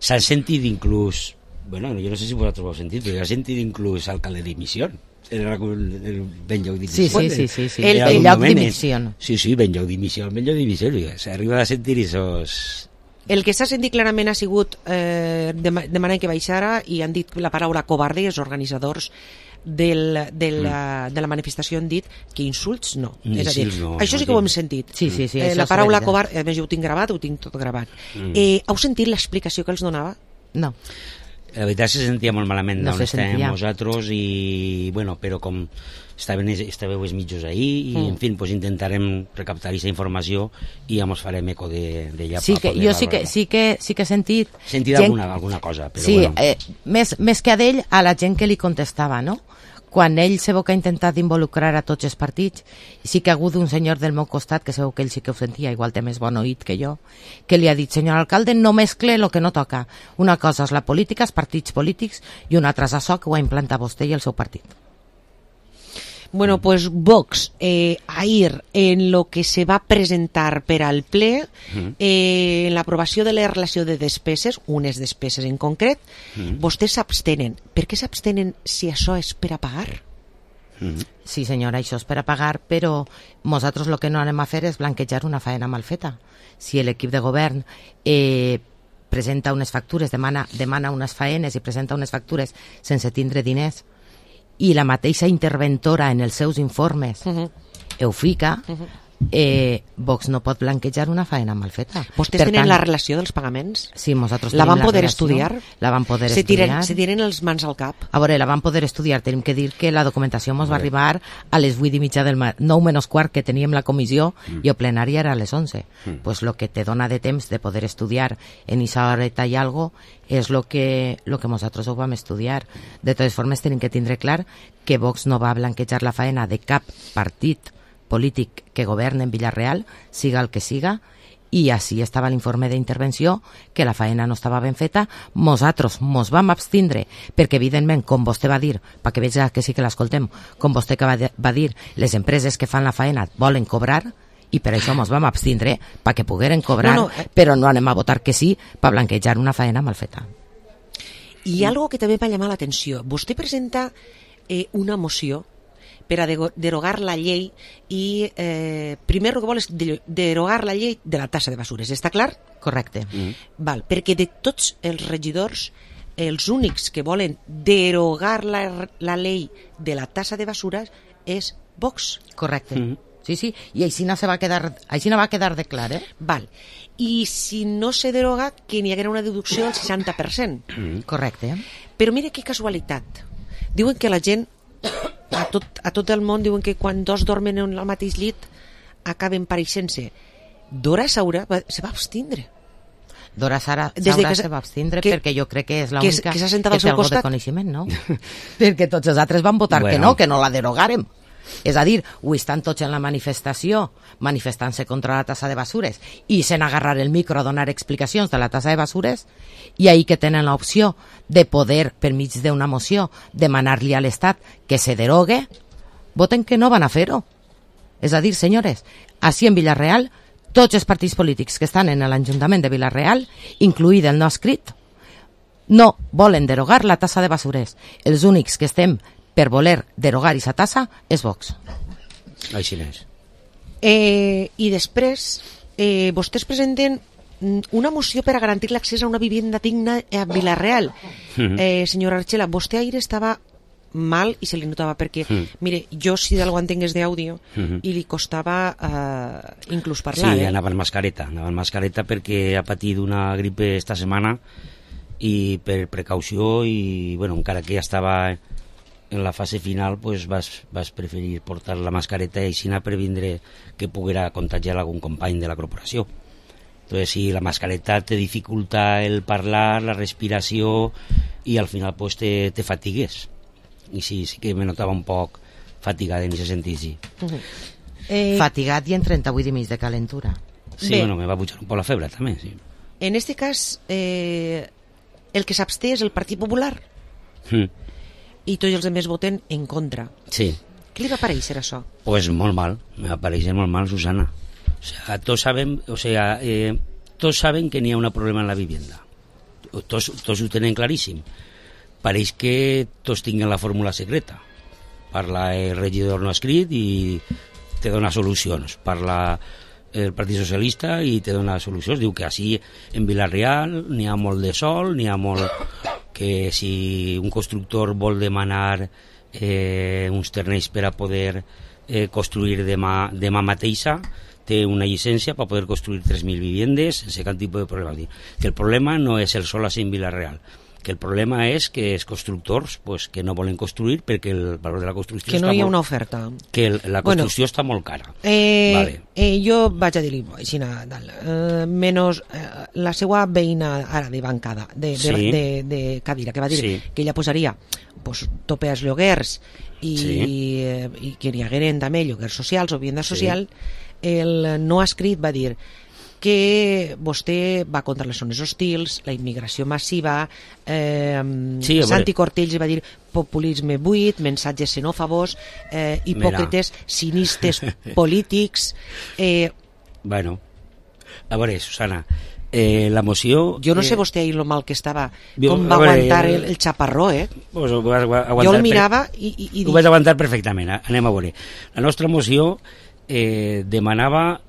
S'han sentit inclús... Bueno, jo no sé si vosaltres ho heu sentit, però s'ha sentit inclús alcalde dimissió. Era el ben lloc dimissió. Sí. El lloc dimissió. Sí, ben lloc dimissió, ben lloc dimissió. S'arriba a sentir esos... El que s'ha sentit clarament ha sigut demanar que baixara i han dit la paraula covarde, els organitzadors de la manifestació han dit que insults no. És a dir, això sí que ho hem sentit. Sí, la paraula covarde, a més jo ho tinc gravat, ho tinc tot gravat. Heu sentit l'explicació que els donava? No. La veritat se sentia molt malament no d'on estàvem nosaltres i, bueno, però com estàveu els mitjos ahir i, en fi, pues intentarem recaptar aquesta informació i ja mos farem eco d'ella. Sí, que jo sí que he sentit... Sentit alguna cosa, però sí, bueno. Més que a d'ell, a la gent que li contestava, no? Quan ell se veu que ha intentat involucrar a tots els partits, sí que ha hagut un senyor del meu costat, que sabeu que ell sí que ho sentia, igual té més bon oït que jo, que li ha dit, senyor alcalde, no mescle el que no toca. Una cosa és la política, els partits polítics, i una altra és això que ho ha implantat vostè i el seu partit. Bueno, pues Vox, ahir, en lo que se va presentar per al ple, en l'aprovació de la relació de despeses, unes despeses en concret, vostès s'abstenen. Per què s'abstenen si això és per a pagar? Sí, senyora, això és per a pagar, però nosaltres el que no anem a fer és blanquejar una faena mal feta. Si l'equip de govern presenta unes factures, demana unes faenes i presenta unes factures sense tindre diners, i la mateixa interventora en els seus informes ho fica, Vox no pot blanquejar una faena mal feta. Vostès tenen la relació dels pagaments? Sí, nosaltres la tenim van poder estudiar? La van poder estudiar. Se tiren els mans al cap? A veure, la van poder estudiar. Tenim que dir que la documentació ens va arribar a les 8:30 del matí, 9:15 que teníem la comissió, i el plenari era a les 11. Pues lo que te dona de temps de poder estudiar en esa horeta i algo és lo que nosaltres ho vam estudiar. De totes formes, tenim que tindre clar que Vox no va blanquejar la faena de cap partit polític que governa en Villarreal, siga el que siga, i així estava l'informe d'intervenció, que la faena no estava ben feta. Nosaltres mos vam abstindre, perquè evidentment, com vostè va dir, perquè veig que sí que l'escoltem, com vostè que va dir, les empreses que fan la faena volen cobrar, i per això mos vam abstindre, perquè pogueren cobrar, però no anem a votar que sí per blanquejar una faena mal feta. I algo que també va llamar l'atenció. Vostè presenta una moció per a derogar la llei i primer el que vol és derogar la llei de la tassa de basures, està clar? Correcte. Val, perquè de tots els regidors els únics que volen derogar la llei de la tasa de basures és Vox. Correcte. Sí, i així no va quedar de clar, Val. I si no se deroga, que n'hi haguera una deducció del 60%. Correcte. Però mira que casualitat. Diuen que la gent, a tot el món, diuen que quan dos dormen en el mateix llit acaben pareixent-se. Dora Saura se va abstindre. Dora Saura se va abstindre perquè jo crec que és l'única que té algo de coneixement, no? Perquè tots els altres van votar que no la derogàrem. És a dir, avui estan tots en la manifestació manifestant-se contra la tassa de basures i se'n agarrar el micro a donar explicacions de la tassa de basures i ahir que tenen l'opció de poder, per mig d'una moció, demanar-li a l'Estat que se derogue, voten que no van a fer-ho. És a dir, senyores, així en Vila-real, tots els partits polítics que estan en l'Ajuntament de Vila-real, incluït el no escrit, no volen derogar la tassa de basures. Els únics que estem per voler derogar aquesta tassa és Vox. Així és. I després, vostès presenten una moció per a garantir l'accés a una vivienda digna a Vila-real. Senyora Archela, vostè ahir estava mal i se li notava perquè, mire, jo si d'algú entengués d'àudio i li costava inclús parlar. Sí, anava en mascareta perquè ha patit una gripe esta setmana i per precaució i, bueno, encara que ja estava en la fase final, pues vas preferir portar la mascareta i així previndre que poguera contagiar algun company de la corporació. Entonces, si la mascareta te dificulta el parlar, la respiració i al final pues te fatigues. I sí que me notava un poc fatigada en aquest sentit, sí. Fatigat i en 38 i mig de calentura. Sí, bueno, me va pujar un poc la febre també, sí. En este cas, el que s'absté és el Partit Popular i tots els altres voten en contra. Sí. Què li va parèixer això? Pues molt mal, me va parèixer molt mal, Susana. Tots saben que n'hi ha un problema en la vivienda. Tots ho tenen claríssim. Pareix que tots tinguen la fórmula secreta. Parla el regidor no escrit i te dona solucions. Parla el Partit Socialista i te dona solucions. Diu que així en Vila-real n'hi ha molt de sol, n'hi ha molt... que si un constructor vol demanar uns terrenys per a poder construir demà mateixa, té una llicència per poder construir 3.000 viviendes sense cap tipus de problema. Que el problema no és el sol així en Vila-real, que el problema és que els constructors pues, que no volen construir perquè el valor de la construcció que no hi ha una oferta, que la construcció està molt cara. Vale. Jo vaig a dir-li així, menys la seva veïna ara de bancada de Cadira, que va dir que ella posaria pues, tope als lloguers i que n'hi hagueren també lloguers socials o vivienda social. El no escrit va dir que vostè va contra les zones hostils, la immigració massiva, Santi Cortells va dir populisme buit, mensatges xenòfobos, hipòcrites, cinistes polítics. Bueno, a veure, Susana, la moció... Jo no sé vostè ahir lo mal que estava, com va aguantar el xaparró, pues jo el mirava i... Ho vaig aguantar perfectament, anem a veure. La nostra moció demanava...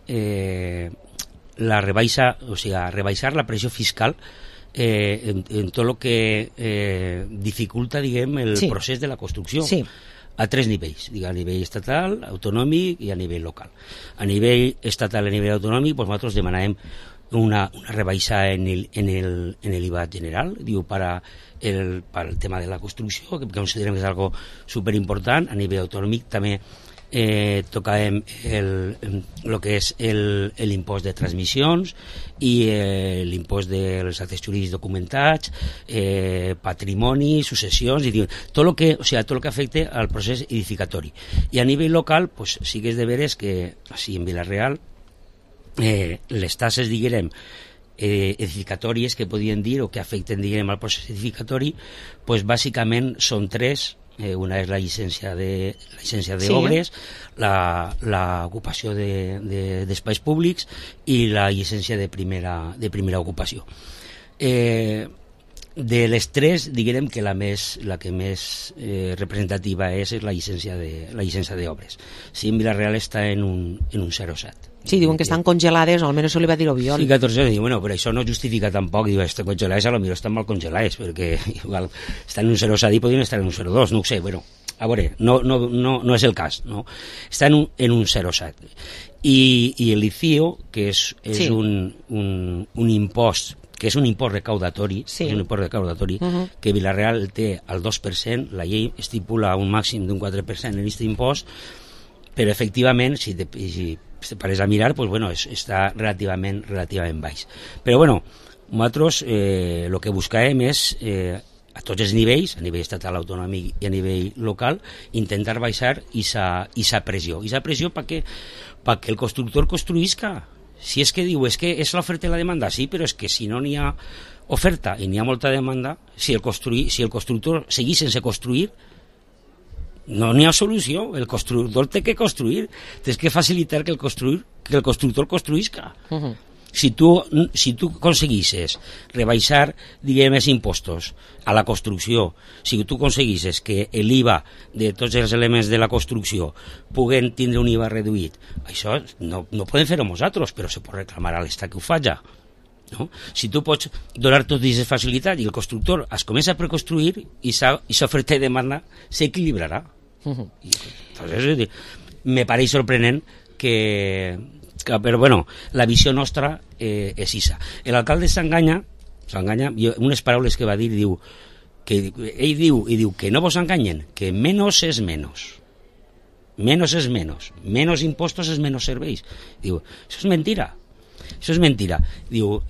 la rebaixa, o sigui, rebaixar la pressió fiscal en tot el que dificulta, diguem, el procés de la construcció a tres nivells, a nivell estatal, autonòmic i a nivell local. A nivell estatal i a nivell autonòmic, doncs nosaltres demanàvem una rebaixa en el IVA general, diu, per el tema de la construcció, que considerem que és algo superimportant. A nivell autonòmic també tocàvem el que és l'impost de transmissions i l'impost dels actes jurídics documentats, patrimoni, successions, i tot el que afecta al procés edificatori. I a nivell local, pues, sí que és de veres que així en Vila-real les tasses, diguem, edificatòries que podien dir o que afecten, diguem, al procés edificatori, pues, bàsicament són tres. Una és la llicència d'obres, l'ocupació d'espais públics i la llicència de primera ocupació. De les tres, diguem que la que més representativa és la llicència d'obres. Sí, en Vila-real està en un 0,7. Sí, diuen que estan congelades, o almenys això li va dir Obiol. Sí, 14 anys, bueno, però això no justifica tampoc, diu, estan congelades, a lo millor estan mal congelades, perquè igual estan en un 0,7 i podrien estar en un 0,2, no ho sé, bueno, a veure, no és el cas, no? Està en un 0,7. I el ICIO, que és sí. un impost, que és un impost recaudatori, sí. És un impost recaudatori, que Vila-real té al 2%, la llei estipula un màxim d'un 4% en aquest impost, però efectivament, si pares a mirar, pues bueno, està relativament baix. Però bueno, nosaltres el que buscàvem és a tots els nivells, a nivell estatal, autonòmic i a nivell local, intentar baixar aquesta pressió. Aquesta pressió perquè el constructor construïsca. Si és que diu, és que és l'oferta i la demanda, sí, però és que si no n'hi ha oferta i n'hi ha molta demanda, si el constructor seguís sense construir, no n'hi ha solució. El constructor té que construir, tens que facilitar que el constructor construïsca. Si tu aconseguissis rebaixar, diguem, els impostos a la construcció, si tu aconseguissis que l'IVA de tots els elements de la construcció puguen tindre un IVA reduït, això no podem fer-ho nosaltres, però se pot reclamar a l'Estat que ho faci. No? Si tu pots donar totes aquestes facilitats i el constructor es comença a preconstruir i s'oferta i demanda s'equilibrarà. Entonces, me pareix sorprenent però bueno, la visió nostra és issa. L'alcalde s'enganya, unes paraules que va dir, ell diu que no vos enganyen, que menos és menos, menos impostos és menos serveis. Diu, això és mentira. Diu,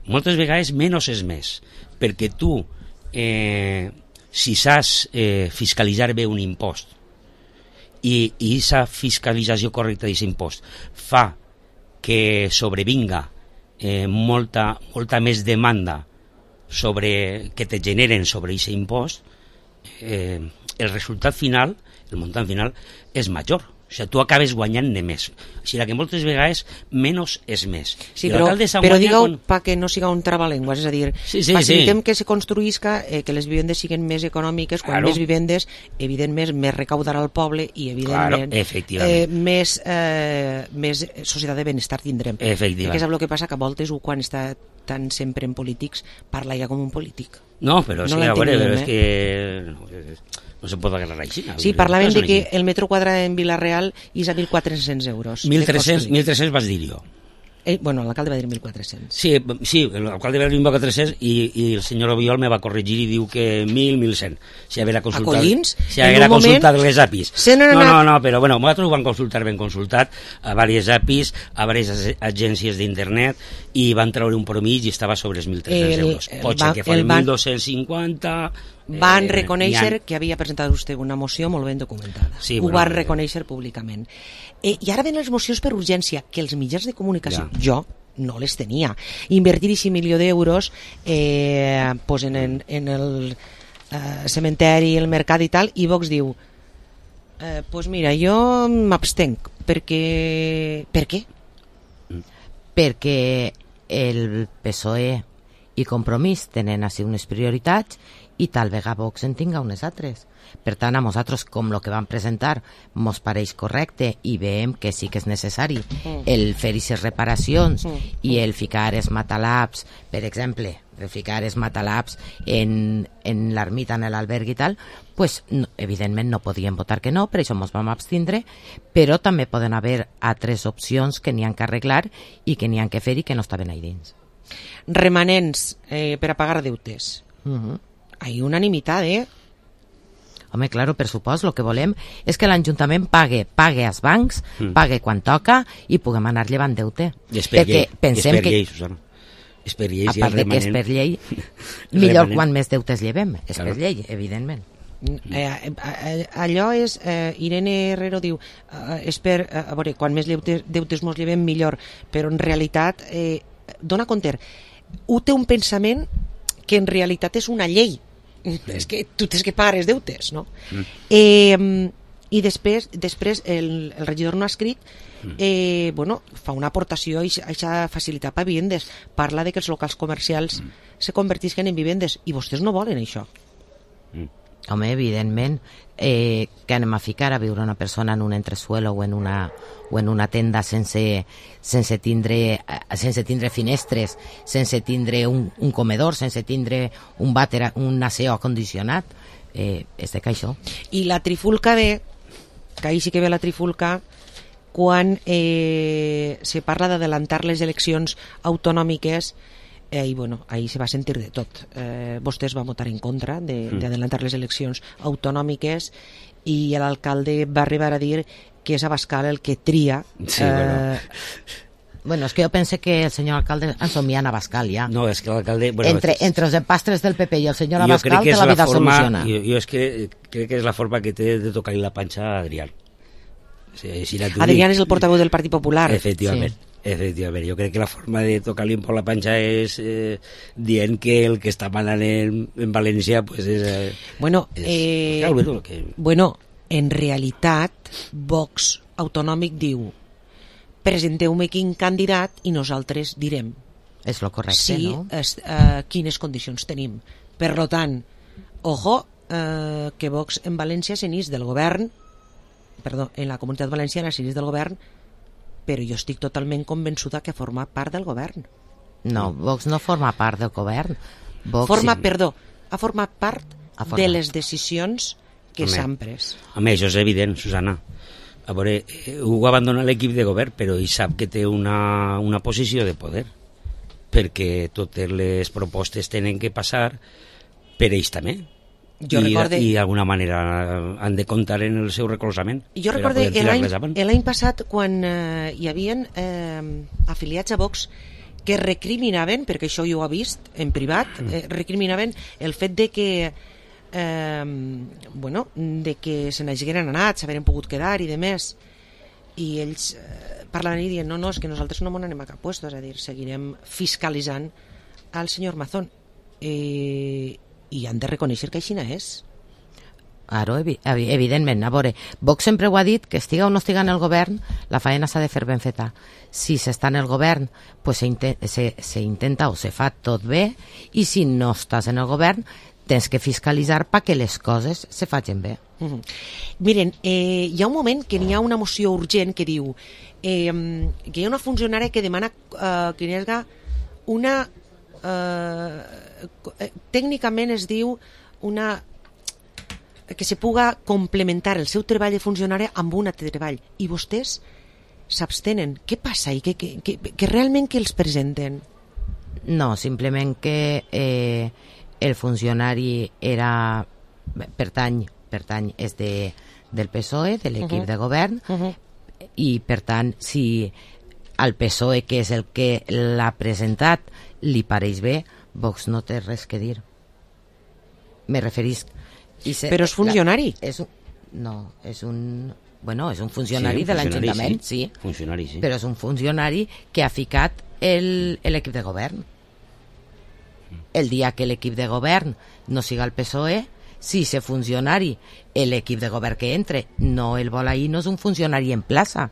moltes vegades menys és més, perquè tu, si saps fiscalitzar bé un impost i aquesta fiscalització correcta d'aquest impost fa que sobrevinga molta més demanda que te generen sobre aquest impost, el resultat final, el muntant final, és major. O sigui, tu acabes guanyant més. O sigui, que moltes vegades menys és més. Sí, però digueu perquè no siga un trabalengües, és a dir, facilitem que se construïsca, que les vivendes siguin més econòmiques, quan més vivendes, evidentment, més recaudarà el poble i, evidentment, més societat de benestar tindrem. Perquè és el que passa que a voltes, quan està tan sempre en polítics, parla ja com un polític. No, però sí, a veure, és que no se pot agarrar així. Sí, parlaven de que el metro quadrat en Vila-real és a 1.400 euros. 1.300 vas dir jo. Bueno, l'alcalde va dir 1.400. Sí, l'alcalde va dir 1.400 i el senyor Obiol me va corregir i diu que 1.100. Si haguera consultat les APIs. No, però bueno, nosaltres ho vam consultar ben consultat a diverses APIs, a diverses agències d'internet i van treure un promís i estava sobre els 1.300 euros. Pot ser que fan 1.250... Van reconèixer que havia presentat vostè una moció molt ben documentada. Ho van reconèixer públicament. I ara ven les mocions per urgència, que els mitjans de comunicació, jo no les tenia. Invertir $1 milió en el cementeri, el mercat i tal, i Vox diu, pues mira, jo m'abstenc, perquè... Per què? Perquè el PSOE i Compromís tenen així unes prioritats i tal vegada Vox en tinga unes altres. Per tant, a nosaltres, com el que vam presentar, mos pareix correcte i veiem que sí que és necessari el fer aquestes reparacions i el ficar els matalabs, per exemple, el ficar els matalabs en l'ermita, en l'alberg i tal, pues, no, evidentment no podíem votar que no, per això mos vam abstindre, però també poden haver altres opcions que n'hi han que arreglar i que n'hi han que fer i que no estaven ahí dins. Remanents per a pagar deutes. Hay unanimitat, Home, claro, per supost, el que volem és que l'Ajuntament pague als bancs, pague quan toca i puguem anar llevant deute. I és per llei, Susana. És per llei, a part de que és per llei, millor quan més deutes llevem. És per llei, evidentment. Allò és... Irene Herrero diu a veure, quan més deutes mos llevem millor, però en realitat dona compte, té un pensament que en realitat és una llei. És que tu tens que pagar els deutes, no? I I després el regidor no ha escrit, fa una aportació a aquesta facilitat per vivendes. Parla de que els locals comercials se convertisquen en vivendes i vostès no volen això. Home, evidentment, que anem a ficar a viure una persona en un entresuelo o en una tenda sense tindre finestres, sense tindre un comedor, sense tindre un vàter, un aseo acondicionat, és de que això. I la trifulca ve, que ahir sí que ve la trifulca, quan se parla d'adelantar les eleccions autonòmiques, i ahí se va sentir de tot. Vostès van votar en contra d'adelantar les eleccions autonòmiques i l'alcalde va arribar a dir que és Abascal el que tria. Sí, Bueno, és que jo pense que el senyor alcalde ensomia en Abascal ja. No, és que l'alcalde... Entre els empastres del PP i el senyor Abascal té la vida soluciona. Jo és que crec que és la forma que té de tocar-li la panxa a Adrián. Adrián és el portaveu del Partit Popular. Efectivament. Efectivament, jo crec que la forma de tocar-li por la panxa és dient que el que està manant en València pues és... Bueno, en realitat Vox autonòmic diu presenteu-me quin candidat i nosaltres direm és lo correcte, no? Quines condicions tenim. Per lo tant, ojo, que Vox en València s'enís del govern, en la Comunitat Valenciana s'enís del govern, però jo estic totalment convençuda que forma part del govern. No, Vox no forma part del govern. Ha format part de les decisions que s'han pres. Home, això és evident, Susana. A veure, Hugo abandona l'equip de govern, però ell sap que té una posició de poder, perquè totes les propostes tenen que passar per ells també. I d'alguna manera han de comptar en el seu recolzament. Jo recordo l'any passat quan hi havia afiliats a Vox que recriminaven, perquè això jo ho he vist en privat, recriminaven el fet de que de que se n'hagueren anat, s'haveren pogut quedar i de més, i ells parlaven i dient no, és que nosaltres no m'on anem a cap puesto, és a dir, seguirem fiscalitzant al senyor Mazón, i han de reconèixer que així és. Claro, evidentment. A veure, Vox sempre ho ha dit, que estiga o no estiga en el govern, la faena s'ha de fer ben feta. Si s'està en el govern, pues se intenta o se fa tot bé, i si no estàs en el govern, tens que fiscalitzar perquè les coses se facin bé. Miren, hi ha un moment que n'hi ha una moció urgent que diu que hi ha una funcionària que demana que hi hagi una... tècnicament es diu que se puga complementar el seu treball de funcionària amb un altre treball, i vostès s'abstenen. Què passa? I que realment que els presenten? No, simplement que el funcionari pertany és del PSOE, de l'equip de govern, i per tant, si al PSOE, que és el que l'ha presentat, li pareix bé, Vox no té res que dir. Me referisc... Però és funcionari? No, és un funcionari de l'Ajuntament, sí. Funcionari, sí. Però és un funcionari que ha ficat l'equip de govern. El dia que l'equip de govern no siga el PSOE, si se funcionari l'equip de govern que entre no el vol ahir, no és un funcionari en plaça,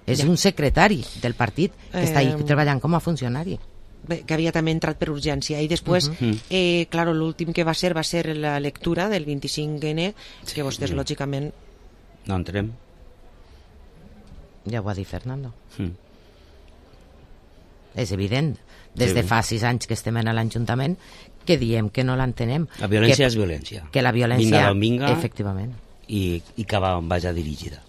és un secretari del partit que està ahí treballant com a funcionari. Bé, que havia també entrat per urgència, i després claro, l'últim que va ser la lectura del 25N, que vostès lògicament no entrem. Ja ho ha dit Fernando. És evident, des de fa 6 anys que estem en l'Ajuntament, que diem que no l'entenem. La violència és violència. Que la violència... Vinga d'on vinga, efectivament. I que vagi dirigida.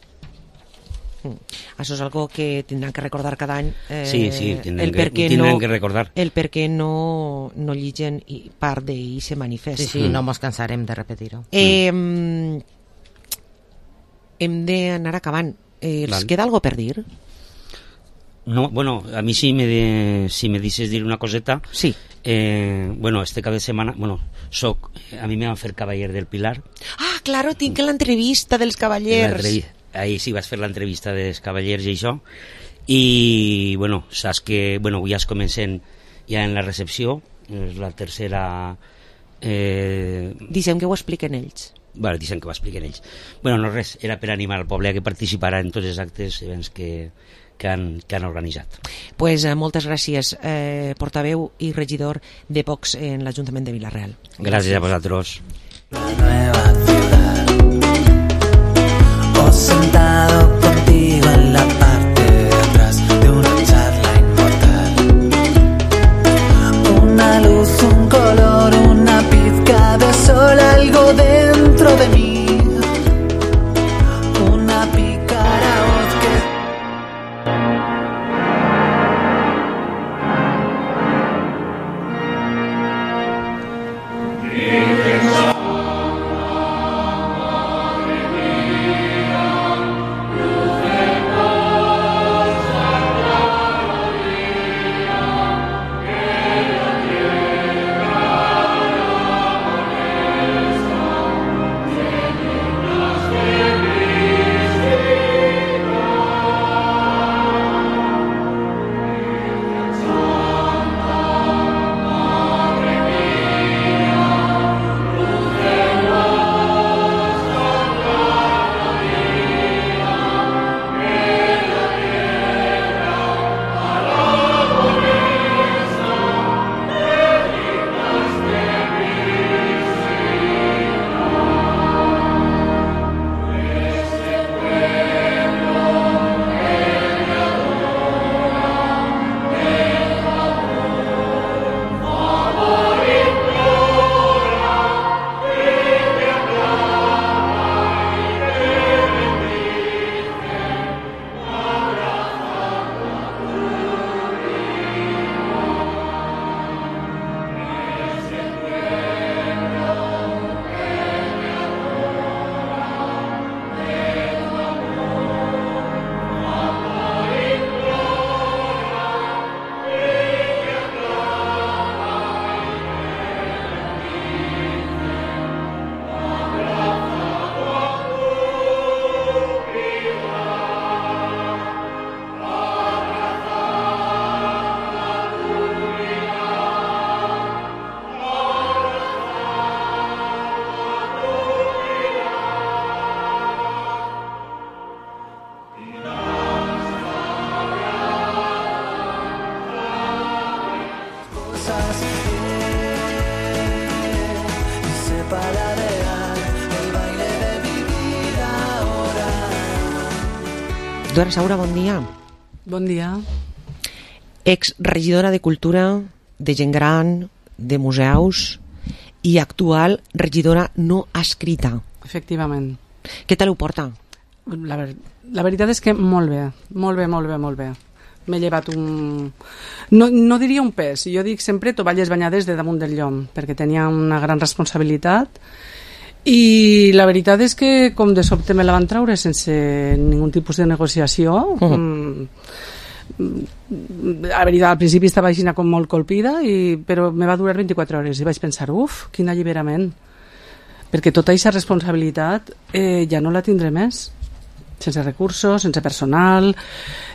Això és algo que tindran que recordar cada any. Sí, tindran que recordar. El per què no lligen part d'ell se manifesta. Sí, no mos cansarem de repetir-ho. Hem d'anar acabant. ¿Els queda algo per dir? No, bueno, a mí si me dices dir una coseta. Sí. Bueno, este cap de setmana, a mi me van fer Cavaller del Pilar. Ah, claro, tinc l'entrevista dels Cavallers. Ahí sí vas fer l'entrevista dels Cavallers i això. I, bueno, saps que, avui ja es comencen ja en la recepció, és la tercera... Dicem que ho expliquen ells. bueno, deixem que ho expliquen ells. Bueno, no res, era per animar el poble a que participara en tots els actes events que han organitzat. Pues moltes gràcies, portaveu i regidor de Vox en l'Ajuntament de Vila-real. Gràcies a vosaltres. O sentado contigo en la parte de atrás de una charla inmortal. Una luz, un color, una pizca de sol, algo dentro de mí. Una pícara voz que... Dora Saura, bon dia. Bon dia. Ex-regidora de Cultura, de gent gran, de museus i actual regidora no escrita. Efectivament. Què tal ho porta? La veritat és que molt bé, molt bé, molt bé, molt bé. M'he llevat un... No diria un pes, jo dic sempre tovalles banyades de damunt del llom, perquè tenia una gran responsabilitat i la veritat és que com de sobte me la van traure sense ningun tipus de negociació. La veritat, al principi estava així com molt colpida, però me va durar 24 hores i vaig pensar, quin alliberament, perquè tota aquesta responsabilitat ja no la tindré més, sense recursos, sense personal,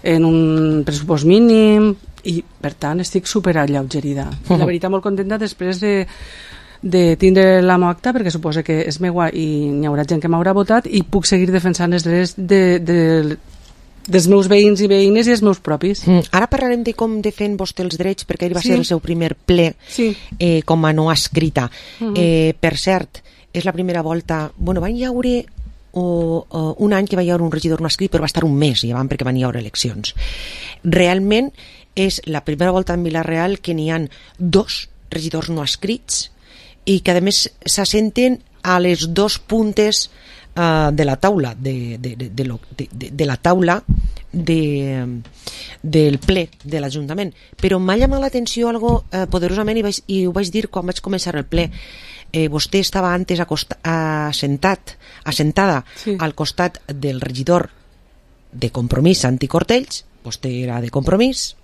en un pressupost mínim, i per tant estic super alleugerida. La veritat, molt contenta després de tindre la meva acta, perquè suposa que és meua i n'hi haurà gent que m'haurà votat i puc seguir defensant els drets dels meus veïns i veïnes i els meus propis. Ara parlarem de com defèn vostè els drets, perquè ahir va ser el seu primer ple com a no escrita. Per cert, és la primera volta... Bueno, van hi haure un any que va hi haure un regidor no escrit, però va estar un mes llevant perquè van hi haure eleccions. Realment és la primera volta en Vila-real que n'hi ha 2 regidors no escrits i que a més s'assenten a les 2 puntes de la taula de la taula del ple de l'Ajuntament. Però m'ha llamat l'atenció algo poderosament i ho vaig dir quan vaig començar el ple. Vostè estava antes assentada al costat del regidor de Compromís, Santi Cortells, vostè era de Compromís,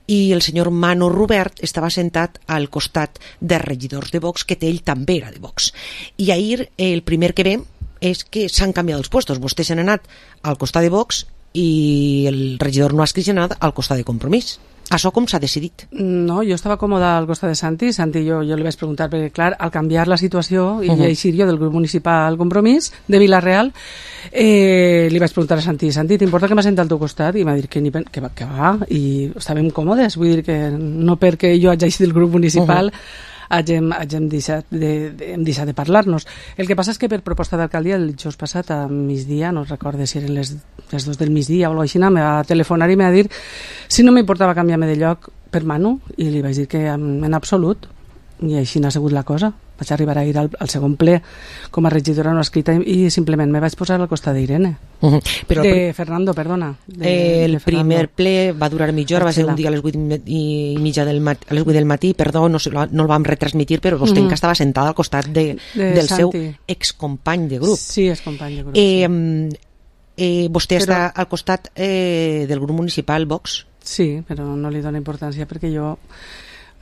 i el senyor Mano Robert estava sentat al costat de regidors de Vox, que ell també era de Vox. I ahir el primer que vam és que s'han canviat els puestos. Vostè s'ha anat al costat de Vox i el regidor no ha escrit anat al costat de Compromís. Això com s'ha decidit? No, jo estava còmoda al costat de Santi. Santi, jo li vaig preguntar, perquè clar, al canviar la situació i eixir jo del grup municipal Compromís de Vila-real, li vaig preguntar a Santi, t'importa que m'assenti al teu costat? I m'ha dit que va, i estàvem còmodes, vull dir que no perquè jo haig eixit del grup municipal hem deixat de parlar-nos. El que passa és que per proposta d'alcaldia el dijous passat a migdia, no recordo si eren les 2 del migdia o alguna cosa així, me va telefonar i me va dir si no m'importava canviar-me de lloc per Manu, i li vaig dir que en absolut, i així n'ha sigut la cosa. Vaig arribar a ir al segon ple com a regidora no escrita i simplement me vaig posar al costat d'Irene. Fernando, perdona. El primer ple va durar mitja hora, va ser un dia a les 8:30 del matí, perdó, no el vam retransmitir, però vostè que estava sentada al costat del seu excompany de grup. Sí, excompany de grup. Vostè està al costat del grup municipal Vox? Sí, però no li dona importància perquè jo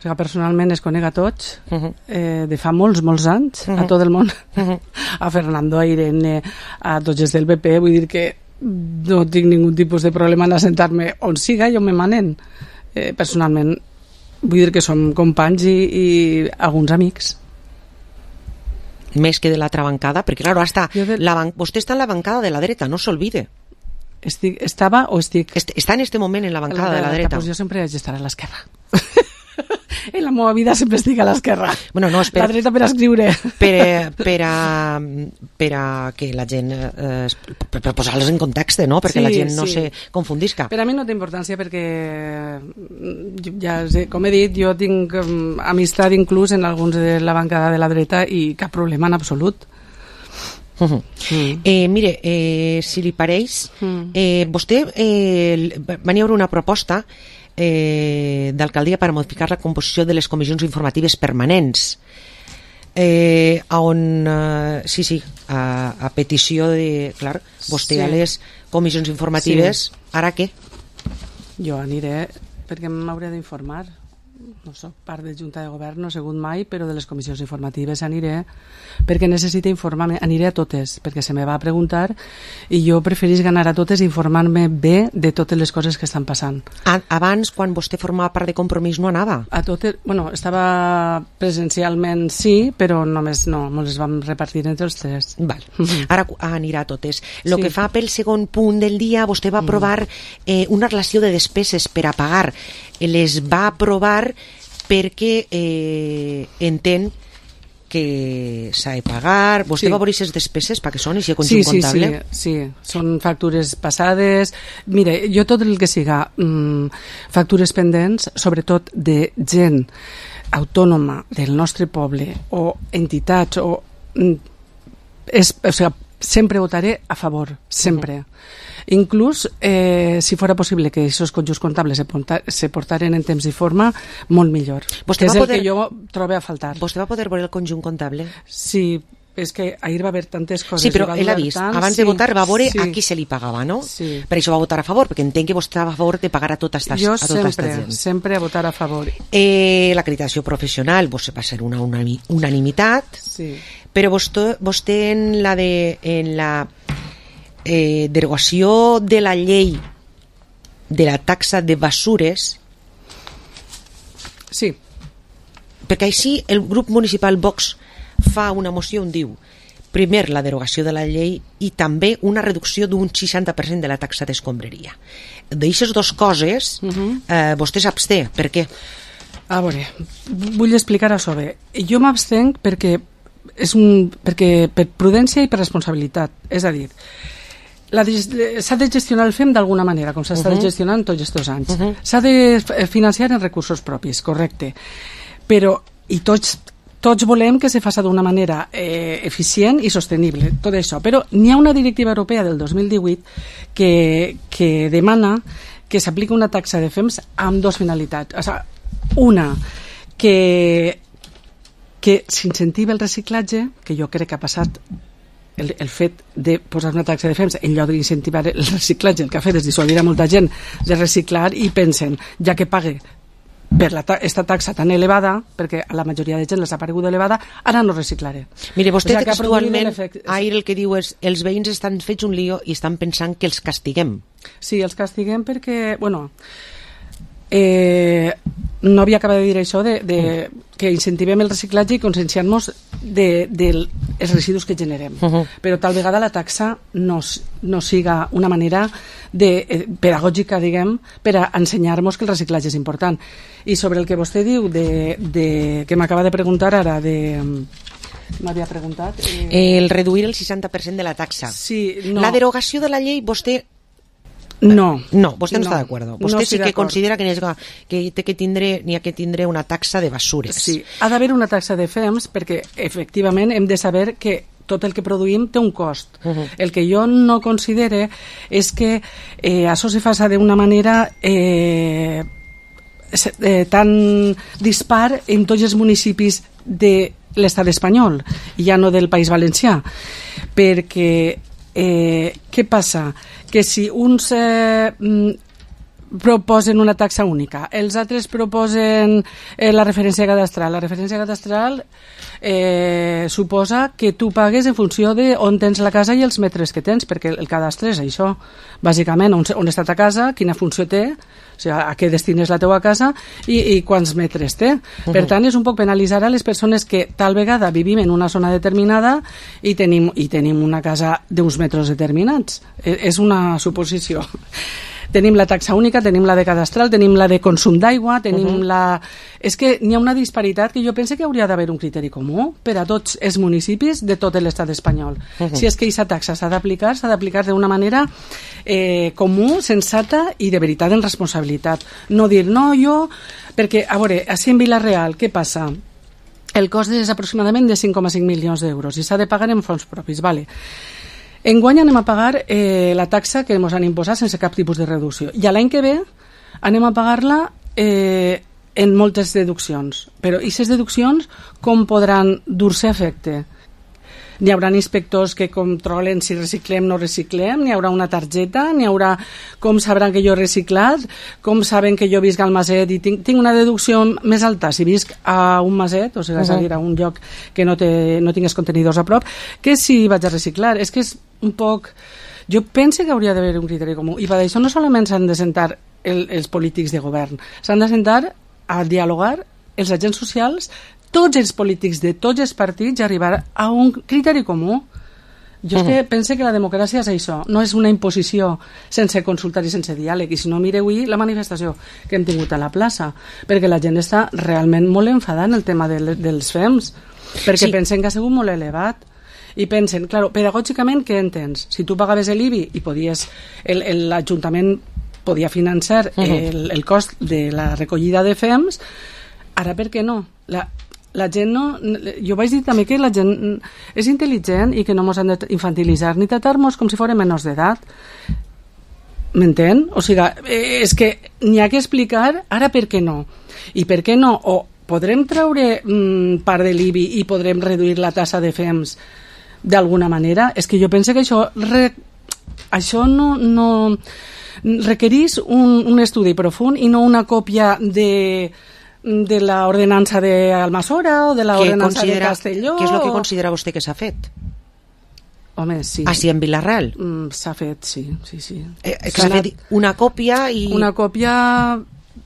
personalment es conec a tots de fa molts anys a tot el món, a Fernando, a Irene, a tots els del PP, vull dir que no tinc ningun tipus de problema en assentar-me on siga i on me manen. Personalment vull dir que som companys i alguns amics. Més que de l'altra bancada, perquè clar, vostè està en la bancada de la dreta, no s'olvide. Estava o estic? Està en este moment en la bancada de la dreta. Pues jo sempre haig d'estar a l'esquerra. En la meva vida sempre estic a l'esquerra. Bueno, no, la dreta per escriure. Per a que la gent... per posar-les en context, no? Perquè la gent no se confundisca. Per a mi no té importància perquè, ja com he dit, jo tinc amistat inclús en alguns de la bancada de la dreta i cap problema en absolut. Mire, si li pareix, vostè va haver una proposta d'alcaldia per modificar la composició de les comissions informatives permanents, on a petició de, clar, vostè a les comissions informatives, ara què? Jo aniré perquè m'hauré d'informar, no soc part de Junta de Govern, no he sigut mai, però de les comissions informatives aniré perquè necessito informar-me, aniré a totes perquè se me va preguntar i jo preferís ganar a totes i informar-me bé de totes les coses que estan passant. Abans, quan vostè formava part de Compromís, no anava? A totes, bueno, estava presencialment sí, però només no, ens les vam repartir entre els tres. Val. Ara anirà a totes. El que fa pel segon punt del dia, vostè va aprovar una relació de despeses per a pagar. Les va aprovar perquè entén que s'ha de pagar. Vostè va veure aquestes despeses perquè són i si conjunt comptable? Sí, són factures passades. Mire, jo tot el que siga factures pendents, sobretot de gent autònoma del nostre poble o entitats sempre votaré a favor, sempre. Inclús, si fora possible que aquests conjunts comptables se portaren en temps i forma, molt millor. Que és el que jo trobo a faltar. Vostè va poder veure el conjunt comptable? Sí, és que ahir va haver tantes coses. Sí, però ell ha vist, abans de votar va veure a qui se li pagava, no? Sí. Per això va votar a favor, perquè entenc que vostè estava a favor de pagar a tota aquesta gent. Jo sempre a votar a favor. L'acreditació professional va ser una unanimitat, però vostè en la derogació de la llei de la taxa de basures, sí, perquè així el grup municipal Vox fa una moció on diu primer la derogació de la llei i també una reducció d'un 60% de la taxa d'escombraria. D'aixes dues coses vostè s'absté, per què? A veure, vull explicar això bé. Jo m'abstenc perquè per prudència i per responsabilitat, és a dir, s'ha de gestionar el FEM d'alguna manera, com s'ha estat gestionant tots aquests anys. S'ha de financiar en recursos propis, correcte. Però, i tots volem que se faci d'una manera eficient i sostenible, tot això. Però n'hi ha una directiva europea del 2018 que demana que s'apliqui una taxa de FEMS amb dues finalitats. O sigui, una, que s'incentiva el reciclatge, que jo crec que ha passat el fet de posar una taxa de FEMS en lloc d'incentivar el reciclatge, el que ha fet és dissuadir a molta gent de reciclar i pensen, ja que pague per aquesta taxa tan elevada, perquè a la majoria de gent les ha paregut elevada, ara no reciclaré. Mire, vostè textualment ahir el que diu és els veïns estan fets un lío i estan pensant que els castiguem. Sí, els castiguem perquè, bueno, no havia acabat de dir això que incentivem el reciclatge i conscienciar-nos dels residus que generem. Però tal vegada la taxa no siga una manera pedagògica, diguem, per a ensenyar-nos que el reciclatge és important. I sobre el que vostè diu que m'acaba de preguntar ara m'havia preguntat el reduir el 60% de la taxa. Sí, no. La derogació de la llei, vostè vostè no està d'acord. Vostè sí que considera que n'hi ha que tindre una taxa de basures. Sí, ha d'haver una taxa de FEMS perquè efectivament hem de saber que tot el que produïm té un cost. El que jo no considere és que això se faça d'una manera tan dispar en tots els municipis de l'estat espanyol i ja no del País Valencià, perquè què passa? Que si uns proposen una taxa única, els altres proposen la referència cadastral. La referència cadastral suposa que tu pagues en funció d'on tens la casa i els metres que tens, perquè el cadastre és això, bàsicament, on està ta casa, quina funció té, o sigui, a què destines la teua casa i quants metres té. Per tant, és un poc penalitzar a les persones que tal vegada vivim en una zona determinada i tenim una casa d'uns metres determinats. És una suposició. Tenim la taxa única, tenim la de cadastral, tenim la de consum d'aigua, tenim la... És que n'hi ha una disparitat que jo penso que hauria d'haver un criteri comú per a tots els municipis de tot l'estat espanyol. Si és que aquesta taxa s'ha d'aplicar d'una manera comú, sensata i de veritat en responsabilitat. No dir, no, jo... Perquè, a veure, així en Vila-real, què passa? El cost és aproximadament de 5,5 milions d'euros i s'ha de pagar en fons propis, vale. Enguany anem a pagar la taxa que ens han imposat sense cap tipus de reducció. I l'any que ve anem a pagar-la en moltes deduccions. Però aquestes deduccions com podran dur-se a efecte? N'hi haurà inspectors que controlen si reciclem o no reciclem, n'hi haurà una targeta, n'hi haurà com sabran que jo he reciclat, com saben que jo visc al Maset i tinc una deducció més alta si visc a un Maset, o sigui, és a dir, a un lloc que no tingués contenidors a prop, que si vaig a reciclar. És que és un poc... Jo penso que hauria d'haver un criteri comú i per això no solament s'han de sentar els polítics de govern, s'han de sentar a dialogar els agents socials, tots els polítics de tots els partits i arribar a un criteri comú. Jo és que penso que la democràcia és això, no és una imposició sense consultar i sense diàleg. I si no, mireu avui la manifestació que hem tingut a la plaça, perquè la gent està realment molt enfadada en el tema dels FEMS, perquè pensen que ha sigut molt elevat. I pensen, clar, pedagògicament què entens? Si tu pagaves l'IBI i podies, l'Ajuntament podia financiar el cost de la recollida de FEMS, ara per què no? La gent no... Jo vaig dir també que la gent és intel·ligent i que no ens han d'infantilitzar ni tratar-nos com si fórem menors d'edat. M'entén? O sigui, és que n'hi ha que explicar ara per què no. I per què no? O podrem treure part de l'IBI i podrem reduir la tassa de FEMS d'alguna manera? És que jo penso que això no requereix un estudi profund i no una còpia de la ordenança d'Almassora o de la ordenança de Castelló. Què és el que considera vostè que s'ha fet? Home, sí. Així en Vila-real? S'ha fet, sí. S'ha fet una còpia i... Una còpia...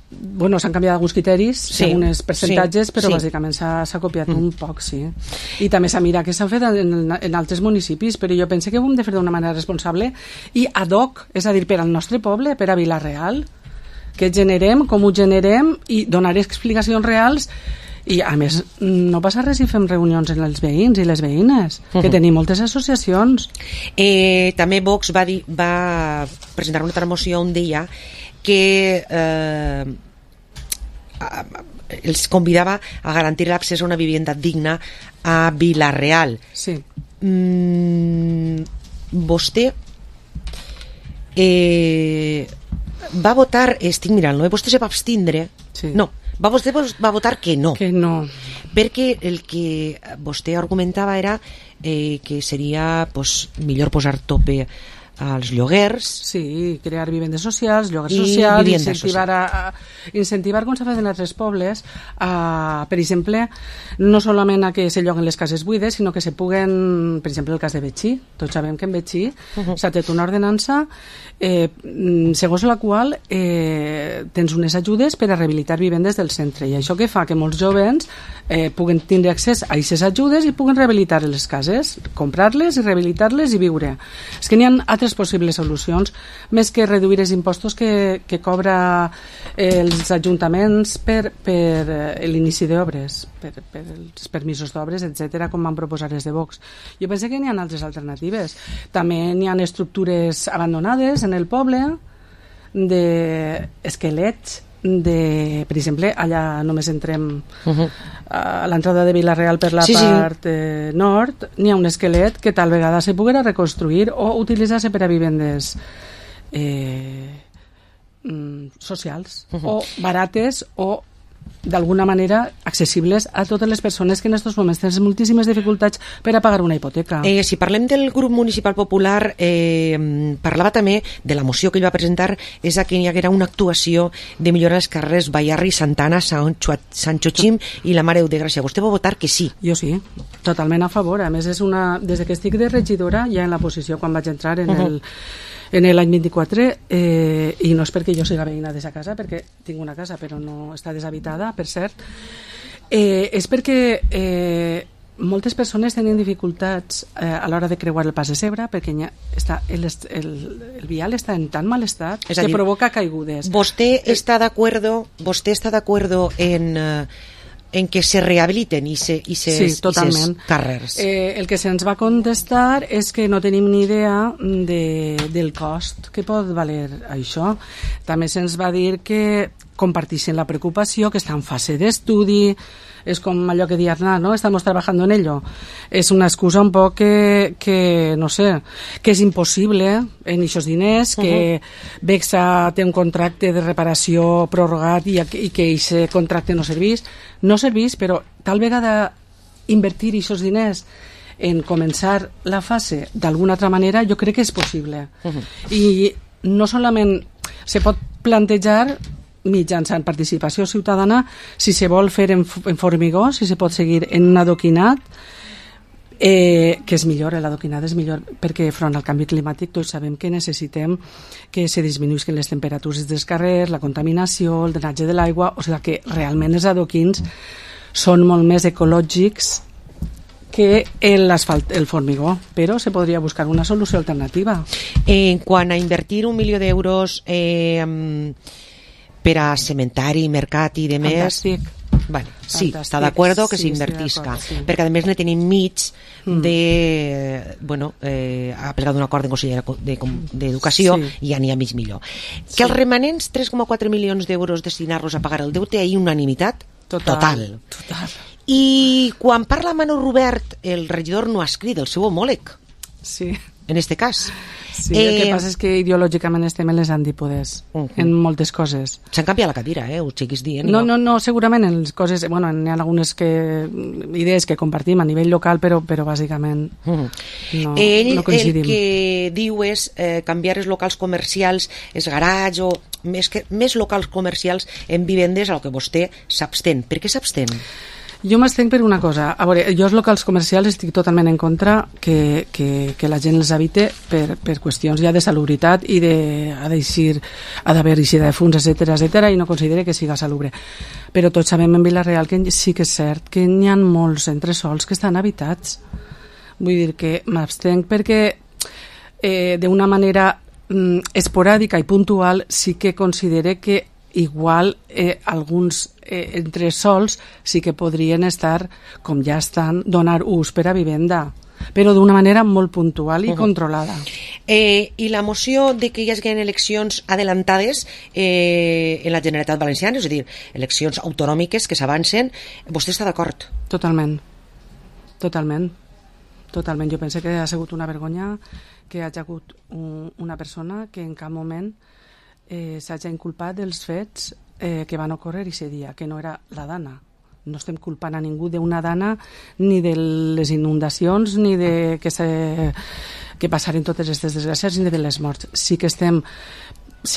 Bueno, s'han canviat alguns criteris segons els percentatges, però bàsicament s'ha copiat un poc, sí. I també s'ha mirat que s'ha fet en altres municipis, però jo penso que ho hem de fer d'una manera responsable i ad hoc, és a dir, per al nostre poble, per a Vila-real. Què generem, com ho generem i donar explicacions reals i a més no passa res si fem reunions en els veïns i les veïnes, que tenim moltes associacions. També Vox va presentar una altra moció on deia que els convidava a garantir l'accés a una vivienda digna a Vila-real. Sí. Vostè va votar, estic mirant, vostè se va abstindre, no, vostè va votar que no, perquè el que vostè argumentava era que seria millor posar tope als lloguers. Sí, crear vivendes socials, lloguers socials, incentivar, com s'ha fet en altres pobles, per exemple, no solament a que se lloguen les cases buides, sinó que se puguen, per exemple, el cas de Betxí. Tots sabem que en Betxí s'ha tret una ordenança segons la qual tens unes ajudes per a rehabilitar vivendes del centre, i això que fa que molts jovens puguen tindre accés a aquestes ajudes i puguen rehabilitar les cases, comprar-les i rehabilitar-les i viure. És que n'hi ha altres possibles solucions, més que reduir els impostos que cobra els ajuntaments per l'inici d'obres, per els permisos d'obres, etc., com van proposar els de Vox. Jo penso que n'hi ha altres alternatives. També n'hi ha estructures abandonades en el poble, d'esquelets, per exemple, allà només entrem a l'entrada de Vila-real per la part nord, n'hi ha un esquelet que tal vegada se poguera reconstruir o utilitzar-se per a vivendes socials o barates o d'alguna manera accessibles a totes les persones que en aquests moments tenen moltíssimes dificultats per a pagar una hipoteca. Si parlem del grup municipal popular, parlava també de la moció que ell va presentar, és que hi haguera una actuació de millorar els carrers Bayarri, Santana, Sant Xochim i la Mare de Gràcia. Vostè va votar que sí? Jo sí, totalment a favor. A més, des que estic de regidora, ja en la posició quan vaig entrar en l'any 24, i no és perquè jo siga veïna d'aquesta casa, perquè tinc una casa però no està deshabitada, per cert, és perquè moltes persones tenen dificultats a l'hora de creuar el pas de Segre, perquè el vial està en tan mal estat que provoca caigudes. ¿Vostè està d'acuerdo en que se rehabiliten i se carrers? El que se'ns va contestar és que no tenim ni idea del cost que pot valer això. També se'ns va dir que comparteixen la preocupació, que està en fase d'estudi. És com allò que diu Aznar, ¿no? Estamos trabajando en ello. És una excusa un poc que no sé, que és impossible en aquests diners, que Bexa té un contracte de reparació prorrogat i que aquest contracte no serveix. No serveix, però tal vegada invertir aquests diners en començar la fase d'alguna altra manera, jo crec que és possible. I no solament se pot plantejar mitjançant participació ciutadana si se vol fer en formigó, si se pot seguir en un adoquinat, que és millor, l'adoquinat és millor perquè front al canvi climàtic tots sabem que necessitem que se disminuïsquen les temperatures dels carrers, la contaminació, el drenatge de l'aigua, o sigui que realment els adoquins són molt més ecològics que l'asfalt, el formigó, però se podria buscar una solució alternativa. En quant a invertir 1 milió d'euros per a cementari, mercat i de més... Vale, sí, està d'acord que s'invertisca, perquè a més ne tenim mig ha plegat un acord en Consell d'Educació i ja n'hi ha mig milió. Que els remanents 3,4 milions d'euros destinar-los a pagar el deute, hi ha unanimitat total. I quan parla Manu Robert, el regidor no ha escrit el seu homòleg, en este cas. Sí, el que passa és que ideològicament estem en les antípodes en moltes coses. S'han canviat la cadira, ho estiguis dient. No, segurament en les coses, hi ha algunes idees que compartim a nivell local, però bàsicament no coincidim. El que diu és canviar els locals comercials, els garats, o més locals comercials en vivendes, a lo que vostè s'abstén. Per què s'abstén? Jo m'estenc per una cosa. A veure, jo els locals comercials estic totalment en contra que la gent els habite per qüestions ja de salubritat i ha d'haver eixida de fums, etc, i no considere que siga salubre. Però tots sabem en Vila-real que sí que és cert que n'hi ha molts entresols que estan habitats. Vull dir que m'abstenc perquè d'una manera esporàdica i puntual sí que considere que igual alguns entresols sí que podrien estar, com ja estan, donar ús per a vivenda, però d'una manera molt puntual i controlada. I la moció de que hi hagin eleccions adelantades en la Generalitat Valenciana, és a dir, eleccions autonòmiques que s'avancen, vostè està d'acord? Totalment. Jo penso que ha sigut una vergonya que hi hagi hagut una persona que en cap moment s'hagi inculpat dels fets que van ocórrer aquest dia, que no era la Dana. No estem culpant a ningú d'una Dana, ni de les inundacions, ni de que que passaren totes aquestes desgràcies ni de les morts. Sí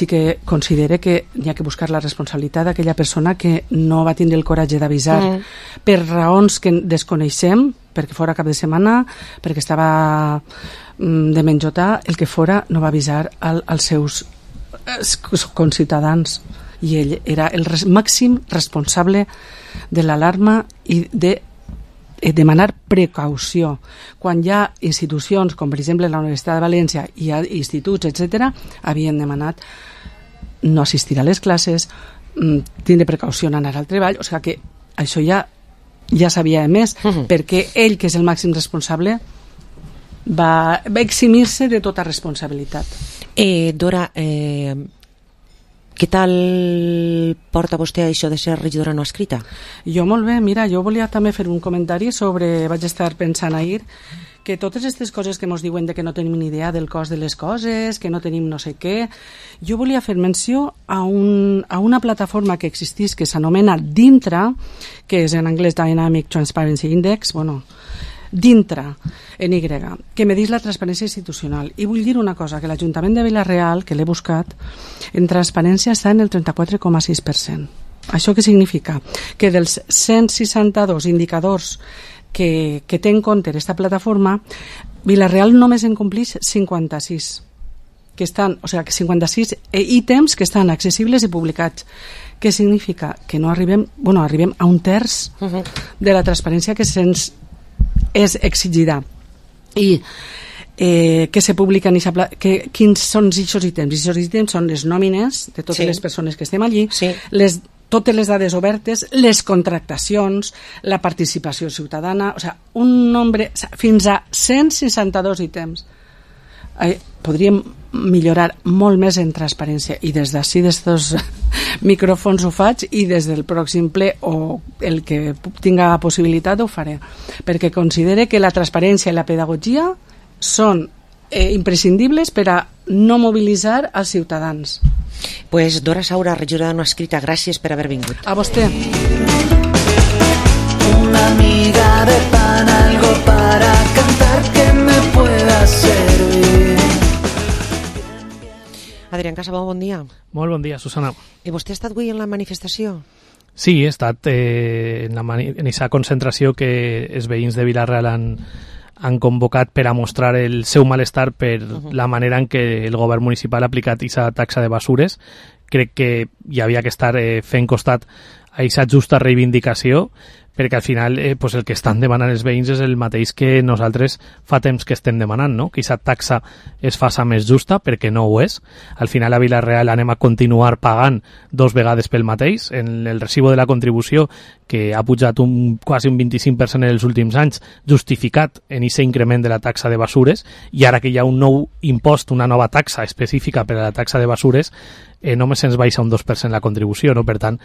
que considere que hi ha que buscar la responsabilitat d'aquella persona que no va tindre el coratge d'avisar per raons que desconeixem, perquè fora cap de setmana, perquè estava de menjotar, el que fora, no va avisar als seus conciutadans, i ell era el màxim responsable de l'alarma i de demanar precaució. Quan hi ha institucions com per exemple la Universitat de València, hi ha instituts, etc., havien demanat no assistir a les classes, tindre precaució en anar al treball, o sigui que això ja s'havia emès, perquè ell, que és el màxim responsable, va eximir-se de tota responsabilitat. Dora, què tal porta vostè això de ser regidora no escrita? Jo molt bé, mira, jo volia també fer un comentari sobre, vaig estar pensant ahir, que totes aquestes coses que ens diuen de que no tenim ni idea del cost de les coses, que no tenim no sé què, jo volia fer menció a una plataforma que existís que s'anomena Dintra, que és en anglès Dynamic Transparency Index, Dintra, en Y, que medís la transparència institucional. I vull dir una cosa, que l'Ajuntament de Vila-real, que l'he buscat, en transparència està en el 34,6%. Això què significa? Que dels 162 indicadors que té en compte aquesta plataforma, Vila-real només en complix 56, que estan, o sigui, que 56 ítems que estan accessibles i publicats. Què significa? Que no arribem a un terç de la transparència que se'ns és exigida. I que se publiquen quins són aquests ítems? Aquests ítems són les nòmines de totes les persones que estem allí, totes les dades obertes, les contractacions, la participació ciutadana, o sigui, un nombre, fins a 162 ítems. Podríem millorar molt més en transparència, i des d'ací, d'estos micròfons ho faig, i des del pròxim ple o el que tinga possibilitat ho faré, perquè considere que la transparència i la pedagogia són imprescindibles per a no mobilitzar els ciutadans. Pues Dora Saura, regidora no escrita, gràcies per haver vingut. A vostè. Una miga de pan, algo para cantar que me pueda servir. Adrián Casabó, bon dia. Molt bon dia, Susana. I vostè ha estat avui en la manifestació? Sí, he estat en aquesta concentració que els veïns de Vila-real han convocat per a mostrar el seu malestar per la manera en què el govern municipal ha aplicat aquesta taxa de basures. Crec que hi havia que estar fent costat a aquesta justa reivindicació, perquè al final pues el que estan demanant els veïns és el mateix que nosaltres fa temps que estem demanant, no? Que aquesta taxa es faça més justa, perquè no ho és. Al final a Vila-real anem a continuar pagant 2 vegades pel mateix. En el recibo de la contribució, que ha pujat quasi un 25% en els últims anys, justificat en aquest increment de la taxa de basures, i ara que hi ha un nou impost, una nova taxa específica per a la taxa de basures, només se'ns baixa un 2% la contribució, no? Per tant,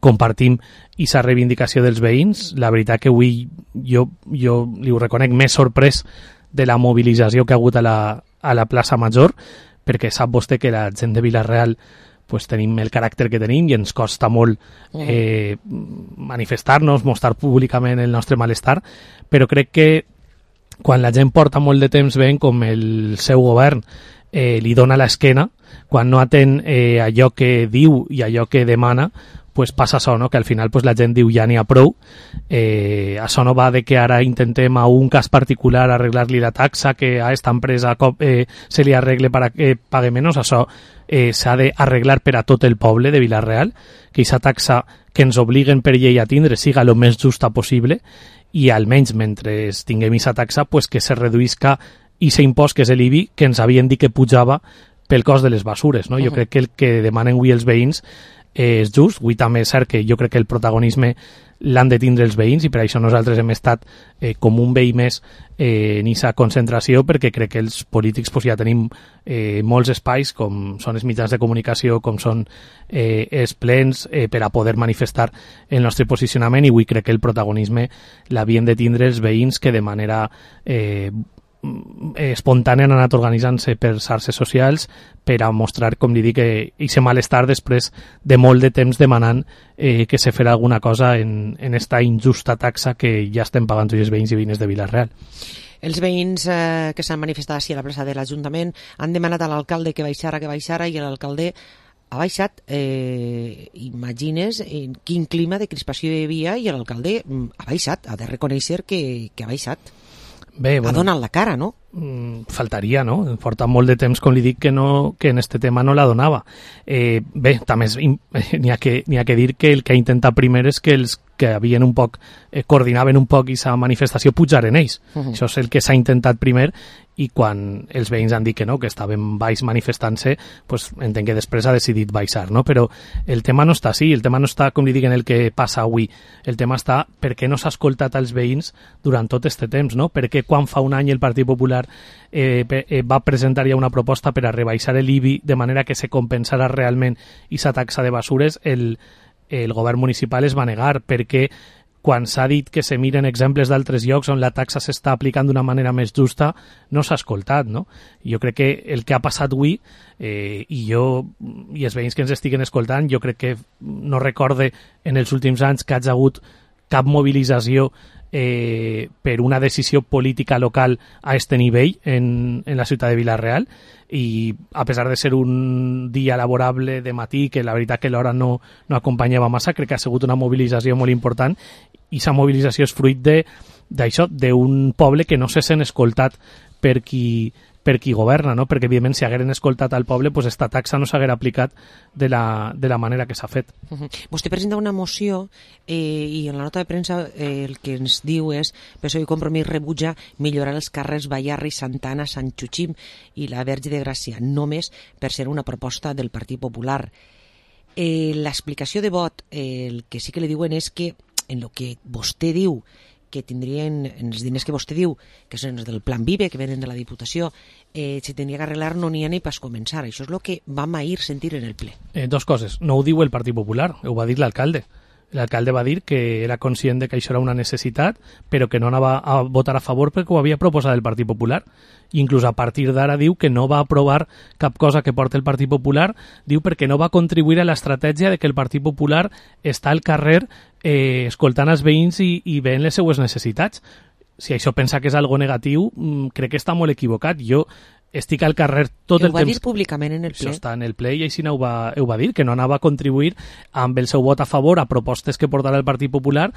compartim aquesta reivindicació dels veïns. La veritat que avui jo li ho reconec més sorprès de la mobilització que ha hagut a la plaça Major, perquè sap vostè que la gent de Vila-real pues tenim el caràcter que tenim i ens costa molt manifestar-nos, mostrar públicament el nostre malestar, però crec que quan la gent porta molt de temps veient com el seu govern li dona l'esquena, quan no atén allò que diu i allò que demana, pues passa això, no? Que al final pues la gent diu ja n'hi ha prou. Això no va de que ara intentem a un cas particular arreglar-li la taxa, que a esta empresa se li arregle para que pague menys. Això s'ha d'arreglar per a tot el poble de Vila-real, que aquesta taxa que ens obliguen per llei a tindre siga el més justa possible, i almenys mentre tinguem aquesta taxa pues que se reduïsca aquest impost que és l'IBI, que ens havien dit que pujava pel cost de les basures, no? Jo crec que el que demanen avui els veïns és just. Avui també és cert que jo crec que el protagonisme l'han de tindre els veïns, i per això nosaltres hem estat com un veí més en aquesta concentració, perquè crec que els polítics pues, ja tenim molts espais, com són els mitjans de comunicació, com són els plens, per a poder manifestar el nostre posicionament, i avui crec que el protagonisme l'havien de tindre els veïns, que de manera espontània han anat organitzant-se per xarxes socials per a mostrar, com li dic, aquest malestar després de molt de temps demanant que se farà alguna cosa en esta injusta taxa que ja estem pagant tots els veïns i veïnes de Vila-real. Els veïns que s'han manifestat així a la plaça de l'Ajuntament han demanat a l'alcalde que baixara, i l'alcalde ha baixat. Imagines quin clima de crispació hi havia i l'alcalde ha baixat, ha de reconèixer que ha baixat. Bé, ha donat la cara, no? Faltaria, no? Porta molt de temps, com li dic, que en este tema no la donava. Bé, també n'hi ha que dir que el que ha intentat primer és que els que havien un poc, coordinaven un poc aquesta manifestació pujaren ells. Això és el que s'ha intentat primer, i quan els veïns han dit que no, que estaven baix manifestant-se, pues entenc que després ha decidit baixar, no? Però el tema no està així, el tema no està, com li dic, en el que passa avui. El tema està per què no s'ha escoltat als veïns durant tot aquest temps, no? Per què quan fa un any el Partit Popular va presentar ja una proposta per a rebaixar l'IBI de manera que se compensara realment aquesta taxa de basures, el govern municipal es va negar, perquè quan s'ha dit que se miren exemples d'altres llocs on la taxa s'està aplicant d'una manera més justa, no s'ha escoltat, no? Jo crec que el que ha passat avui, i els veïns que ens estiguen escoltant, jo crec que no recorde en els últims anys que hagi hagut cap mobilització per una decisió política local a este nivell en la ciutat de Vila-real, i a pesar de ser un dia laborable de matí, que la veritat que l'hora no acompanyava massa, crec que ha sigut una mobilització molt important, i aquesta mobilització és fruit d'això, d'un poble que no se sent escoltat per qui governa, no? Perquè evidentment si hagueren escoltat al poble, pues esta taxa no s'haguera aplicat de la manera que s'ha fet. Vostè presenta una moció i en la nota de premsa el que ens diu és PSOE i Compromís rebutja millorar els carrers Bayarri, Santana, Sant Xuxim i la Verge de Gràcia, només per ser una proposta del Partit Popular. L'explicació de vot, el que sí que li diuen és que en el que vostè diu que tindrien, en els diners que vostè diu, que són els del Plan Vive, que venen de la Diputació, se tenia que arreglar, no n'hi ha ni pas començar. Això és el que vam ahir sentir en el ple. Dos coses. No ho diu el Partit Popular, ho va dir l'alcalde. L'alcalde va dir que era conscient de que això era una necessitat, però que no anava a votar a favor perquè ho havia proposat el Partit Popular. I inclús a partir d'ara diu que no va aprovar cap cosa que porta el Partit Popular, diu perquè no va contribuir a l'estratègia de que el Partit Popular està al carrer escoltant els veïns i veient les seues necessitats. Si això pensa que és algo negatiu, crec que està molt equivocat. Jo estic al carrer tot el temps... Ho va dir públicament en el ple. Això està en el ple i així ho va dir, que no anava a contribuir amb el seu vot a favor a propostes que portarà el Partit Popular,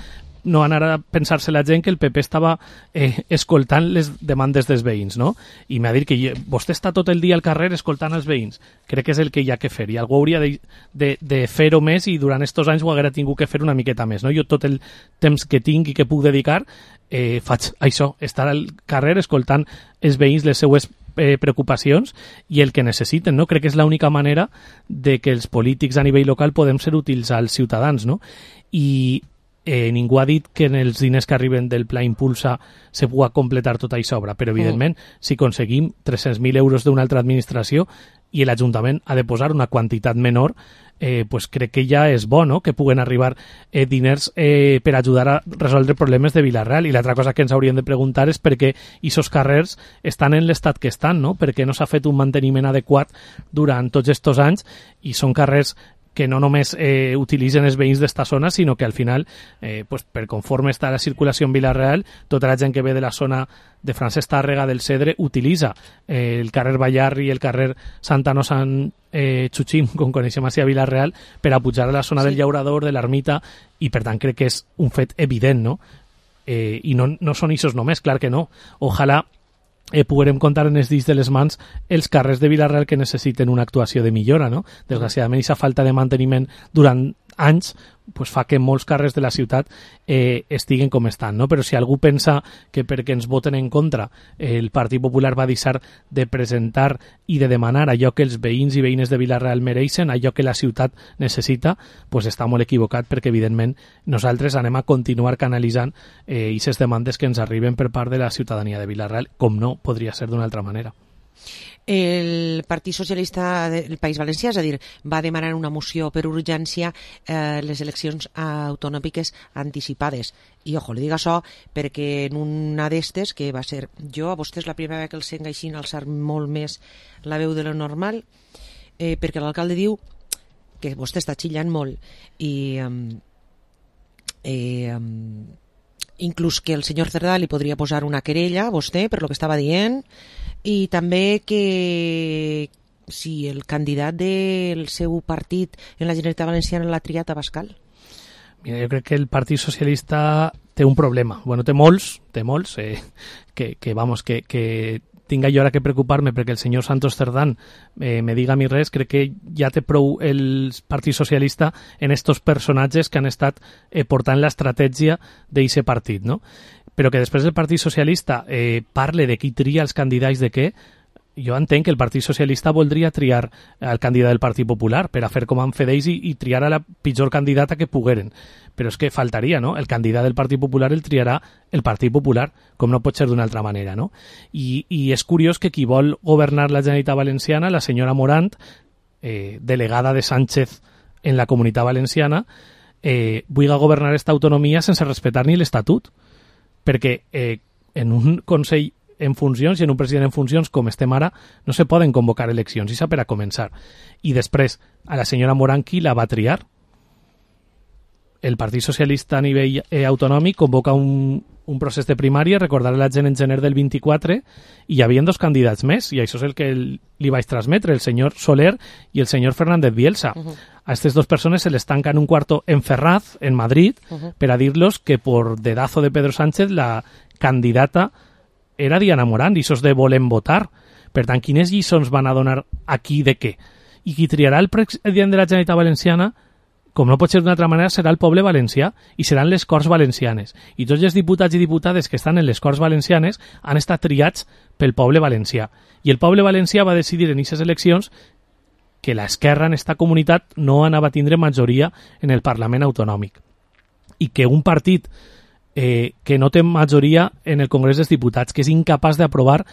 no anar a pensar-se la gent que el PP estava escoltant les demandes dels veïns, no? I m'ha dit que vostè està tot el dia al carrer escoltant els veïns. Crec que és el que hi ha que fer, i algú hauria de fer-ho més, i durant aquests anys ho haguera tingut que fer una miqueta més, no? Jo tot el temps que tinc i que puc dedicar faig això, estar al carrer escoltant els veïns les seues preocupacions i el que necessiten, no? Crec que és l'única manera de que els polítics a nivell local podem ser útils als ciutadans, no? I ningú ha dit que en els diners que arriben del Pla Impulsa se pugui completar tota aquesta obra, però evidentment si aconseguim 300.000 euros d'una altra administració i l'Ajuntament ha de posar una quantitat menor, pues crec que ja és bo, no?, que puguen arribar diners per ajudar a resoldre problemes de Vila-real. I l'altra cosa que ens hauríem de preguntar és per què aquests carrers estan en l'estat que estan, no? Per què no s'ha fet un manteniment adequat durant tots aquests anys i són carrers que no només utilitzen els veïns d'esta zona, sinó que al final, pues, per conforme està la circulació en Vila-real, tota la gent que ve de la zona de Francesc Tàrrega, del Cedre, utilitza el carrer Bayarri i el carrer Santano Sant Xuxim, com coneixem així a Vila-real, per a pujar a la zona del Llaurador, de l'Ermita, i per tant crec que és un fet evident, no? I no són ixos només, clar que no. Ojalà puguem comptar en els dits de les mans els carrers de Vila-real que necessiten una actuació de millora, no? Desgraciadament, aquesta falta de manteniment durant anys pues fa que molts carrers de la ciutat estiguen com estan, no? Però si algú pensa que perquè ens voten en contra el Partit Popular va deixar de presentar i de demanar allò que els veïns i veïnes de Vila-real mereixen, allò que la ciutat necessita, pues està molt equivocat, perquè evidentment nosaltres anem a continuar canalitzant aquestes demandes que ens arriben per part de la ciutadania de Vila-real, com no podria ser d'una altra manera. El Partit Socialista del País Valencià, és a dir, va demanar una moció per urgència les eleccions autonòmiques anticipades. I, ojo, li dic això perquè en una d'estes, que va ser jo, a vostès la primera vegada que els sent així alçar molt més la veu de lo normal, perquè l'alcalde diu que vostè està xillant molt i inclús que el senyor Cerdà li podria posar una querella a vostè per lo que estava dient, i també que si el candidat del seu partit en la Generalitat Valenciana l'ha triat a Bascal. Mira, jo crec que el Partit Socialista té un problema. Bueno, té molts, que tinga jo ara que preocupar-me perquè el senyor Santos Cerdán me diga a mi res. Crec que ja té prou el Partit Socialista en estos personatges que han estat portant l'estratègia d'aquest partit, no? Però que després el Partit Socialista parle de qui tria els candidats de què. Jo entenc que el Partit Socialista voldria triar el candidat del Partit Popular per a fer com han fet ells i triar a la pitjor candidata que pogueren. Però és que faltaria, no? El candidat del Partit Popular el triarà el Partit Popular, com no pot ser d'una altra manera, no? I és curiós que qui vol governar la Generalitat Valenciana, la senyora Morant, delegada de Sánchez en la Comunitat Valenciana, vulgui governar esta autonomia sense respectar ni l'Estatut. Perquè en un Consell en funcions i en un president en funcions com estem ara no se poden convocar eleccions, i per a començar. I després a la senyora Morant qui la va triar? El Partit Socialista a nivell autonòmic convoca un procés de primària, recordar la gent en gener del 24, i hi havia 2 candidats més, i això és el que li vaig transmetre, el senyor Soler i el senyor Fernández Bielsa. A aquestes 2 persones se les tanca en un cuarto en Ferraz, en Madrid, per a dir-los que por dedazo de Pedro Sánchez la candidata era Diana Morant, i això és de volem votar. Per tant, quines lliçons van a donar aquí de què? I qui triarà el president de la Generalitat Valenciana, com no pot ser d'una altra manera, serà el poble valencià i seran les Corts Valencianes. I tots els diputats i diputades que estan en les Corts Valencianes han estat triats pel poble valencià. I el poble valencià va decidir en aquestes eleccions que l'esquerra en esta comunitat no anava a tindre majoria en el Parlament Autonòmic. I que un partit que no té majoria en el Congrés dels Diputats, que és incapaç d'aprovar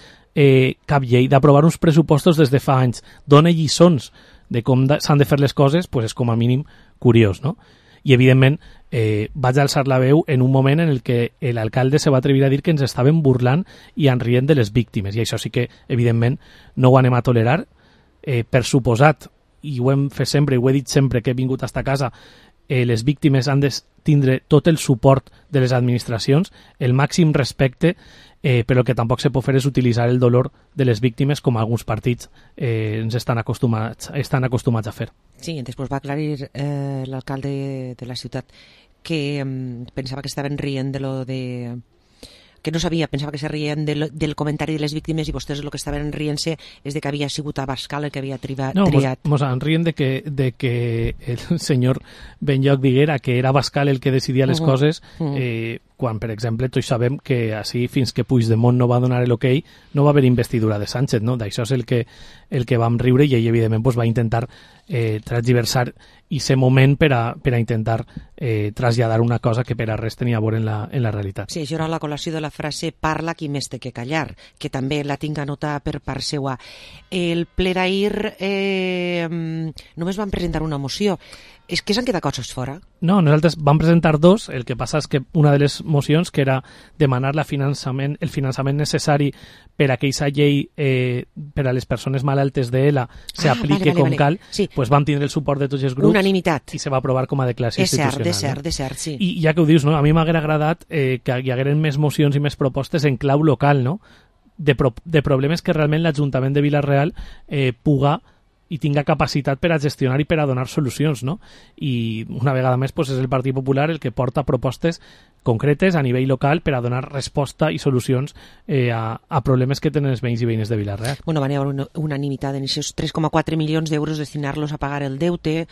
cap llei, d'aprovar uns pressupostos des de fa anys, dona lliçons de com s'han de fer les coses, pues és com a mínim curiós, no? I evidentment vaig alçar la veu en un moment en el que l'alcalde se va atrevir a dir que ens estaven burlant i enrient de les víctimes, i això sí que evidentment no ho anem a tolerar. Per suposat, i ho hem fet sempre, i ho he dit sempre que he vingut a esta casa, les víctimes han de tindre tot el suport de les administracions, el màxim respecte, però el que tampoc se pot fer és utilitzar el dolor de les víctimes com alguns partits ens estan acostumats a fer. Sí, després va aclarir l'alcalde de la ciutat que pensava que estaven rient de lo de... que no sabia, pensava que se rien del comentari de les víctimes, i vostès el que estaven rient-se és de que havia sigut Abascal el que havia triat. No, mos en rient de que el senyor Benlloc diguera que era Abascal el que decidia les coses, quan, per exemple, tots sabem que així, fins que Puigdemont no va donar l'ok, no va haver investidura de Sánchez, no? D'això és el que vam riure, i ell, evidentment, va intentar transversar aquest moment per a intentar traslladar una cosa que per a res tenia a veure en la realitat. Sí, això era la col·lació de la frase "parla qui més té que callar", que també la tinc anotada per part seua. El ple d'ahir només van presentar una moció. És que s'han quedat coses fora? No, nosaltres vam presentar 2. El que passa és que una de les mocions, que era demanar el finançament necessari per a aquesta llei per a les persones malaltes d'ELA s'aplique com cal, pues vam tindre el suport de tots els grups. Unanimitat. I se va aprovar com a declaració institucional. De cert, sí. I ja que ho dius, no? A mi m'hauria agradat que hi hagueren més mocions i més propostes en clau local, no? De problemes que realment l'Ajuntament de Vila-real puga i tinga capacitat per a gestionar i per a donar solucions, no? I una vegada més pues, és el Partit Popular el que porta propostes concretes a nivell local per a donar resposta i solucions a problemes que tenen els veïns i veïnes de Vila-real. Bueno, van haver unanimitat en aquests 3,4 milions d'euros destinar-los a pagar el deute,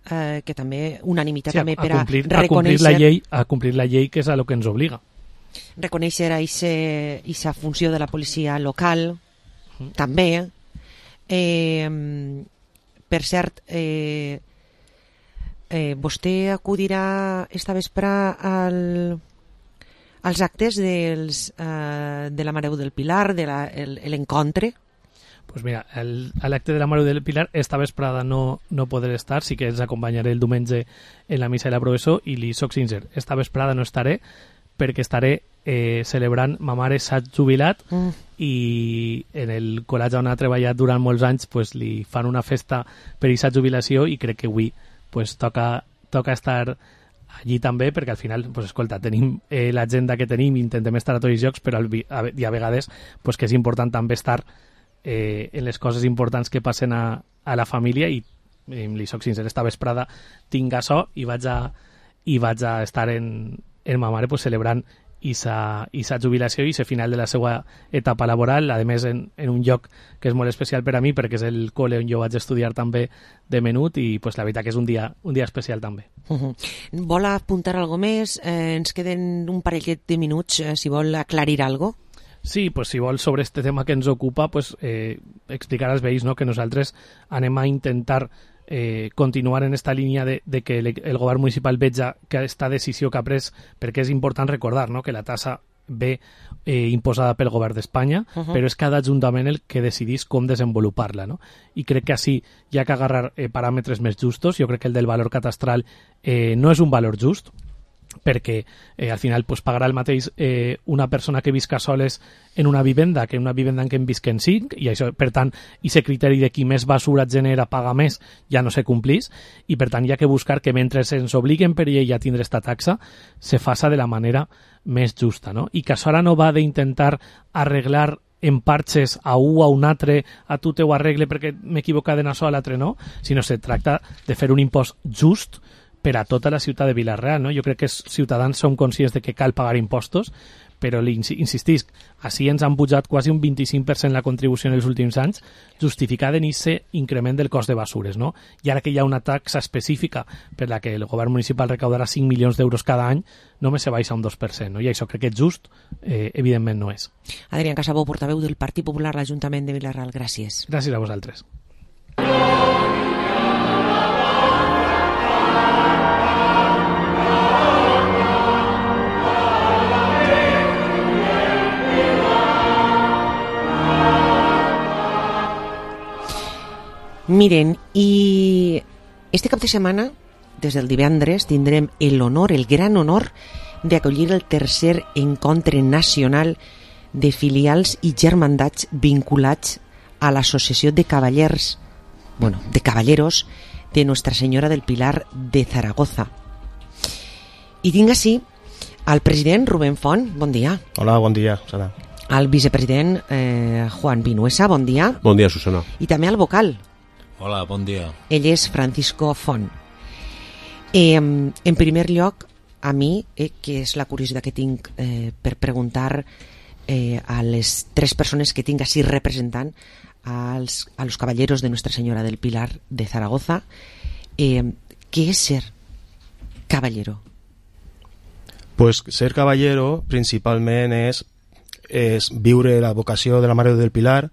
que també unanimitat també per a reconèixer... A complir la llei, que és a lo que ens obliga. Reconèixer aquesta funció de la policia local, també. Per cert, vostè acudirà esta vespre als actes de la Mareu del Pilar, de l'encontre? Pues mira, a l'acte de la Mareu del Pilar esta vesprada no podré estar, sí que els acompanyaré el diumenge en la missa de la professó, i li soc sincer, esta vesprada no estaré perquè estaré celebrant ma mare s'ha jubilat i en el col·legi on ha treballat durant molts anys pues, li fan una festa per aquesta jubilació, i crec que avui pues, toca estar allí també, perquè al final, pues, escolta, tenim l'agenda que tenim, intentem estar a tots els llocs, però a vegades pues, que és important també estar en les coses importants que passen a la família, i li soc sincer, esta vesprada tinc açò i vaig a estar en ma mare pues, celebrant esa jubilació i ese final de la seva etapa laboral, a més en un lloc que és molt especial per a mi, perquè és el col·le on jo vaig estudiar també de menut, i pues, la veritat que és un dia especial també. Vol apuntar alguna més? Ens queden un parellet de minuts, si vol aclarir alguna cosa. Sí, pues si vol, sobre este tema que ens ocupa, pues explicar als veïns, no?, que nosaltres anem a intentar continuar en esta línia de que el govern municipal veja que aquesta decisió que ha pres, perquè és important recordar, no?, que la tassa ve imposada pel govern d'Espanya, però és cada ajuntament el que decidís com desenvolupar-la, no? I crec que així hi ha que agarrar paràmetres més justos. Jo crec que el del valor catastral no és un valor just, perquè al final pues, pagarà el mateix una persona que visca soles en una vivenda que en una vivenda en què en visquen 5, i això, per tant, aquest criteri de qui més basura genera paga més ja no se complís, i per tant hi ha que buscar que mentre ens obliguen per llei a tindre esta taxa se faça de la manera més justa, no? I que això ara no va d'intentar arreglar en parxes a un o a un altre, a tu te ho arregle perquè m'he equivocat en això, a l'altre no, sinó se tracta de fer un impost just per a tota la ciutat de Vila-real, no? Jo crec que els ciutadans som conscients de que cal pagar impostos, però insistisc, així ens han pujat quasi un 25% la contribució en els últims anys, justificada en aquest increment del cost de basures, no? I ara que hi ha una taxa específica per la que el govern municipal recaudarà 5 milions d'euros cada any, només se baixa un 2%, no? I això crec que és just, evidentment no és. Adrián Casabó, portaveu del Partit Popular a l'Ajuntament de Vila-real, gràcies. Gràcies a vosaltres. Miren, i este cap de setmana, des del divendres, tindrem l'honor, el gran honor, d'acollir el tercer encontre nacional de filials i germandats vinculats a l'Associació de Cavallers, de Caballeros de Nuestra Senyora del Pilar de Zaragoza. I tinc així al president Rubén Font, bon dia. Hola, bon dia, Susana. Al vicepresident Juan Vinuesa, bon dia. Bon dia, Susana. I també al vocal. Hola, bon dia. Ell és Francisco Font. En primer lloc, a mi, que és la curiositat que tinc per preguntar a les 3 persones que tinc així representant a los caballeros de Nuestra Señora del Pilar de Zaragoza, què és ser caballero? Pues ser caballero principalment és viure la vocació de la Mare del Pilar,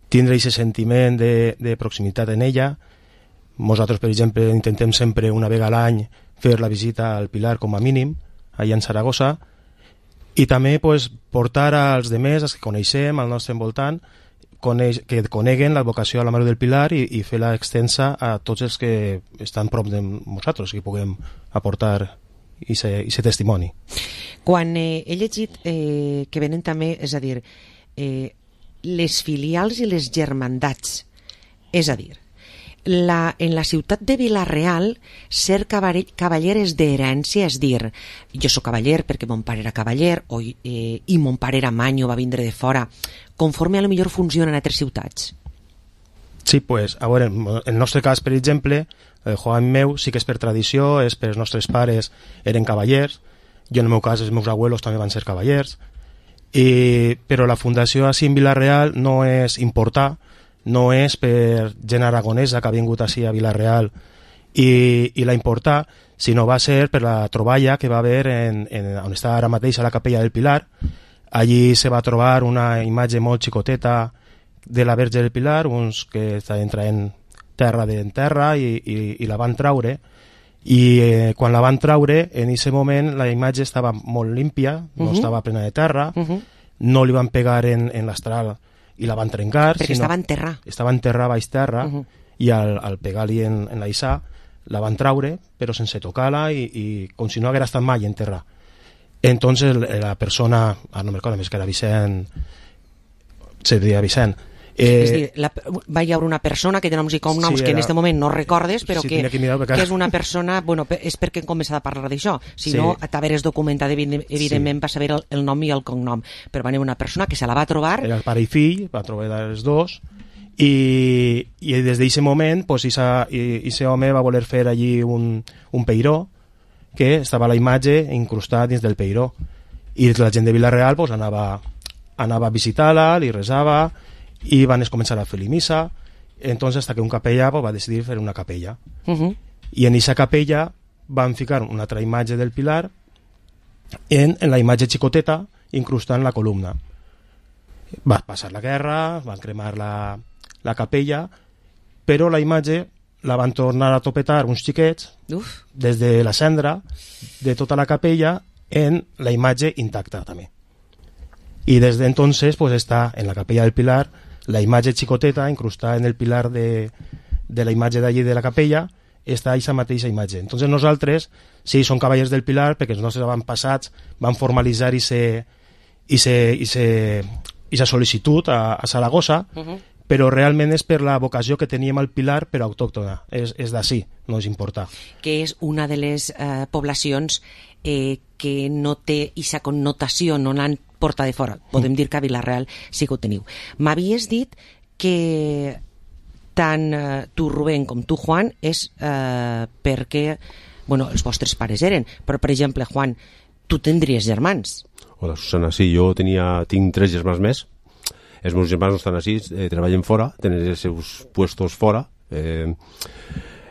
tindre aquest sentiment de proximitat en ella. Nosaltres, per exemple, intentem sempre una vegada a l'any fer la visita al Pilar com a mínim, allà en Saragossa, i també pues, portar als demés, els que coneixem al nostre envoltant, que coneguen la vocació a la Mare del Pilar i fer-la extensa a tots els que estan prop de nosaltres, que puguem aportar aquest testimoni. Quan he llegit que venen també, és a dir, les filials i les germandats, és a dir, en la ciutat de Vila-real ser cavaller és d'herència, és dir, jo soc cavaller perquè mon pare era cavaller i mon pare era manyo, va vindre de fora, conforme a lo millor funciona en altres ciutats. Sí, pues, a veure, en el nostre cas, per exemple, el Joan meu sí que és per tradició, és per els nostres pares eren cavallers, jo en el meu cas els meus abuelos també van ser cavallers, però la fundació així en Vila-real no és importar, no és per gent aragonesa que ha vingut així a Vila-real i la importar, sinó va ser per la troballa que va haver on està ara mateix a la capella del Pilar. Allí se va trobar una imatge molt xicoteta de la Verge del Pilar, uns que estaven traient terra d'enterra i la van traure, i quan la van traure, en aquest moment la imatge estava molt límpia, no estava plena de terra, no li van pegar en l'astral i la van trencar, perquè estava en terra. Estava en terra, baix terra, i al pegar-li en l'aissà la van traure, però sense tocar-la i com si no haguera estat mai en terra. Entonces la persona, no me recordo més que era Vicent, se deia Vicent, És dir, va hi haure una persona que té noms i cognoms que en aquest moment no recordes, però que és una persona, bueno, és perquè hem començat a parlar d'això, si no t'haveres documentat evidentment per saber el nom i el cognom, però va haver una persona que se la va trobar, era el pare i fill, va trobar els dos, i des d'aquest moment pues, ese home va voler fer allí un peiró que estava la imatge incrustada dins del peiró, i la gent de Vila-real pues, anava a visitar-la, li resava, i van començar a fer-li missa. Entonces hasta que un capellà pues, va decidir fer una capella, i en aquesta capella van ficar una altra imatge del Pilar en la imatge xicoteta incrustant la columna. Va passar la guerra, van cremar la capella, però la imatge la van tornar a topetar uns xiquets des de la cendra de tota la capella en la imatge intacta també. Y desde entonces pues está en la capella del Pilar la imatge xicoteta incrustada en el pilar de la imatge d'allí de la capella, està aquesta mateixa imatge. Entonces nosaltres, sí, som cavallers del Pilar perquè els nostres avantpassats van formalitzar aquesta sol·licitud a Saragossa, però realment és per la vocació que teníem al Pilar, però autòctona, és d'ací, no ens importa. Que és una de les poblacions que no té aquesta connotació, no l'han portat de fora. Podem dir que a Vila-real sí que ho teniu. M'havies dit que tant tu, Rubén, com tu, Juan, és perquè els vostres pares eren, però, per exemple, Juan, tu tindries germans. Hola, Susana, sí, jo tinc 3 germans més. Els meus germans no estan així, treballen fora, tenen els seus puestos fora.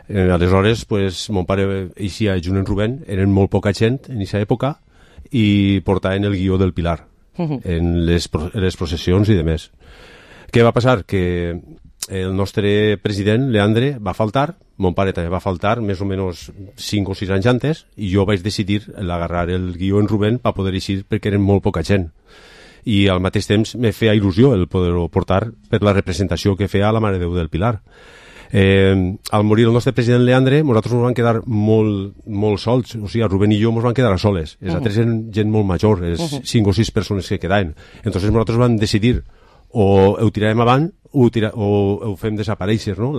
Aleshores, mon pare eixia junt amb Rubén, eren molt poca gent en aquesta època i portaven el guió del Pilar en les processions i demés. Què va passar? Que el nostre president, Leandre, va faltar, mon pare també va faltar més o menys 5 o 6 anys antes, i jo vaig decidir agarrar el guió en Rubén per poder eixir perquè eren molt poca gent. I al mateix temps me feia il·lusió el poder-ho portar per la representació que feia la Mare de Déu del Pilar. Al morir el nostre president Leandre, nosaltres ens vam quedar molt sols, o sigui, Rubén i jo ens vam quedar a soles. Els altres eren gent molt major, les 5 o 6 persones que quedaven. Entonces nosaltres vam decidir o ho tirarem avant o ho fem desaparèixer, no?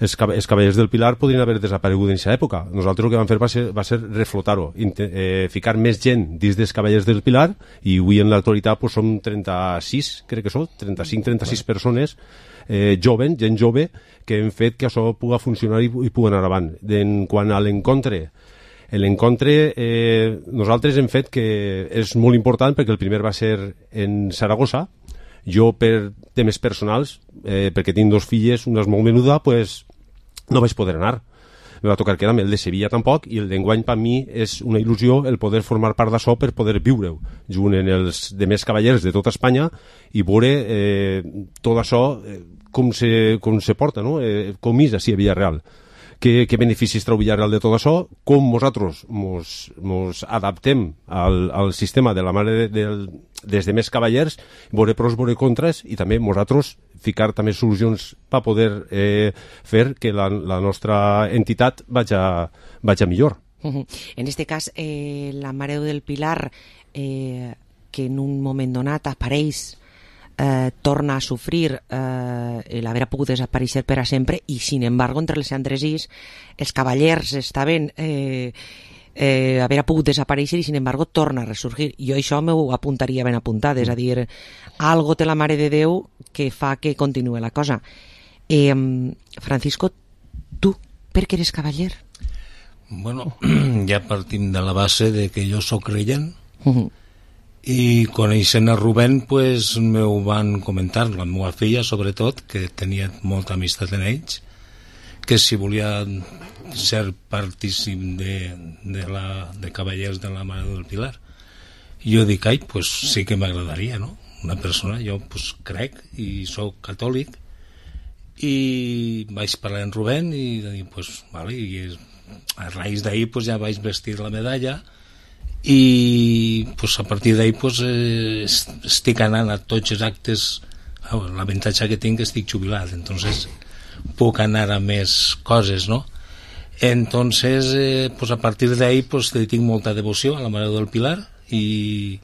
Els cavallers del Pilar podrien haver desaparegut en aquesta època. Nosaltres el que vam fer va ser reflotar-ho, ficar més gent dins dels cavallers del Pilar, i avui en l'actualitat som 36, crec que són, 35-36 persones gent jove, que hem fet que això pugui funcionar i pugui anar avant. Quant a l'encontre, nosaltres hem fet que és molt important perquè el primer va ser en Saragossa. Jo, per temes personals, perquè tinc 2 filles, una és molt menuda, no vaig poder anar. Me va tocar quedar-me el de Sevilla tampoc, i el d'enguany per mi és una il·lusió el poder formar part d'això per poder viure-ho junt en els demés cavallers de tota Espanya i veure tot això com se porta, no? Com és així a Villarreal. Què beneficis treu Villarreal de tot això, com nosaltres mos adaptem al sistema de la mare des de més cavallers, veure pros, veure contres, i també nosaltres ficar també solucions per poder fer que la nostra entitat vagi millor. En aquest cas, la Mare del Pilar, que en un moment donat apareix, torna a sofrir l'haver pogut desaparèixer per a sempre, i sin embargo entre les Andresís els cavallers estaven haver pogut desaparèixer i sin embargo torna a ressurgir. Jo això m'ho apuntaria ben apuntat, és a dir, algo té la Mare de Déu que fa que continuï la cosa. Francisco, tu per què eres cavaller? Bueno, ja partim de la base de que jo sóc creient, i coneixent a Rubén pues m'ho van comentar, la meva filla sobretot, que tenia molta amistat en ells, que si volia ser partícip de cavallers de la Mare del Pilar. I jo dic, pues sí que m'agradaria, no? Una persona, jo pues crec i sóc catòlic, i vaig parlar amb Rubén i pues vale, i a raïs d'ahir pues ja vaig vestir la medalla, i pues, a partir d'ahir pues, estic anant a tots els actes. L'avantatge que tinc és que estic jubilat, entonces puc anar a més coses, no? Entonces pues, a partir d'ahir pues, tinc molta devoció a la Mare del Pilar, i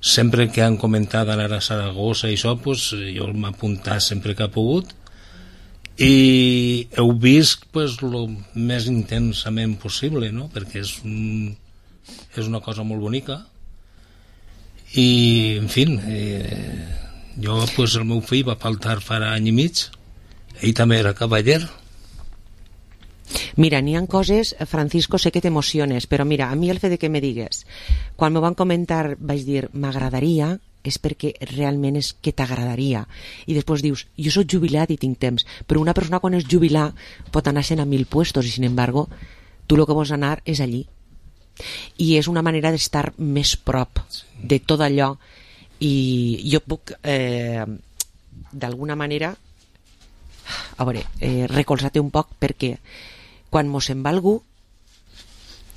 sempre que han comentat anar a Saragossa i això, pues, jo m'he apuntat sempre que he pogut i heu vist pues, lo més intensament possible, no? Perquè és una cosa molt bonica i en fi jo pues, el meu fill va faltar fa any i mig, ell també era cavaller. Mira, n'hi ha coses, Francisco, sé que t'emociones, però mira, a mi el fet de que me digues, quan m'ho van comentar vaig dir, m'agradaria, és perquè realment és que t'agradaria. I després dius, jo soc jubilat i tinc temps, però una persona quan és jubilar pot anar-se'n a 1000 puestos i, sin embargo, tu el que vols anar és allí. I és una manera d'estar més prop de tot allò i jo puc, d'alguna manera, a veure, recolzar-te un poc perquè quan mos se'n va algú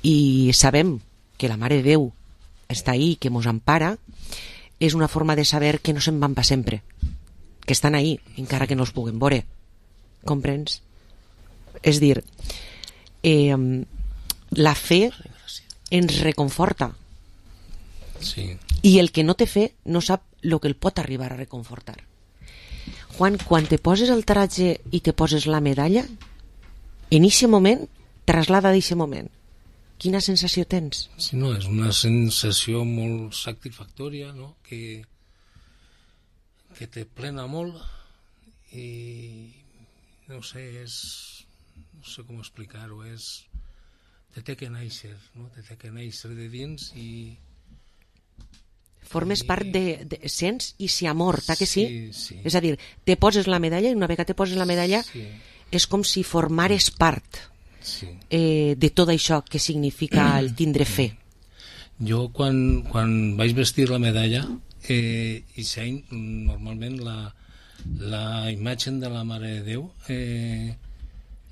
i sabem que la Mare de Déu està ahí, que mos empara, és una forma de saber que no se'n van per sempre, que estan ahí, encara que no els puguem veure. Comprens? És dir, la fe ens reconforta. Sí. I el que no té fe no sap el que el pot arribar a reconfortar. Juan, quan te poses el traje i te poses la medalla, en aquest moment, traslada d'aquest moment. Quina sensació tens? Sí, no, és una sensació molt satisfactòria, no? Que te plena molt i no sé, no sé com explicar-ho, te té que néixer, no? Te té que néixer de dins i formes part de sents i si amor, que sí? Sí. És a dir, te poses la medalla i una vegada te poses la medalla és com si formares part de tot això que significa el tindre fe. Jo quan vaig vestir la medalla i sei, normalment la imatge de la Mare de Déu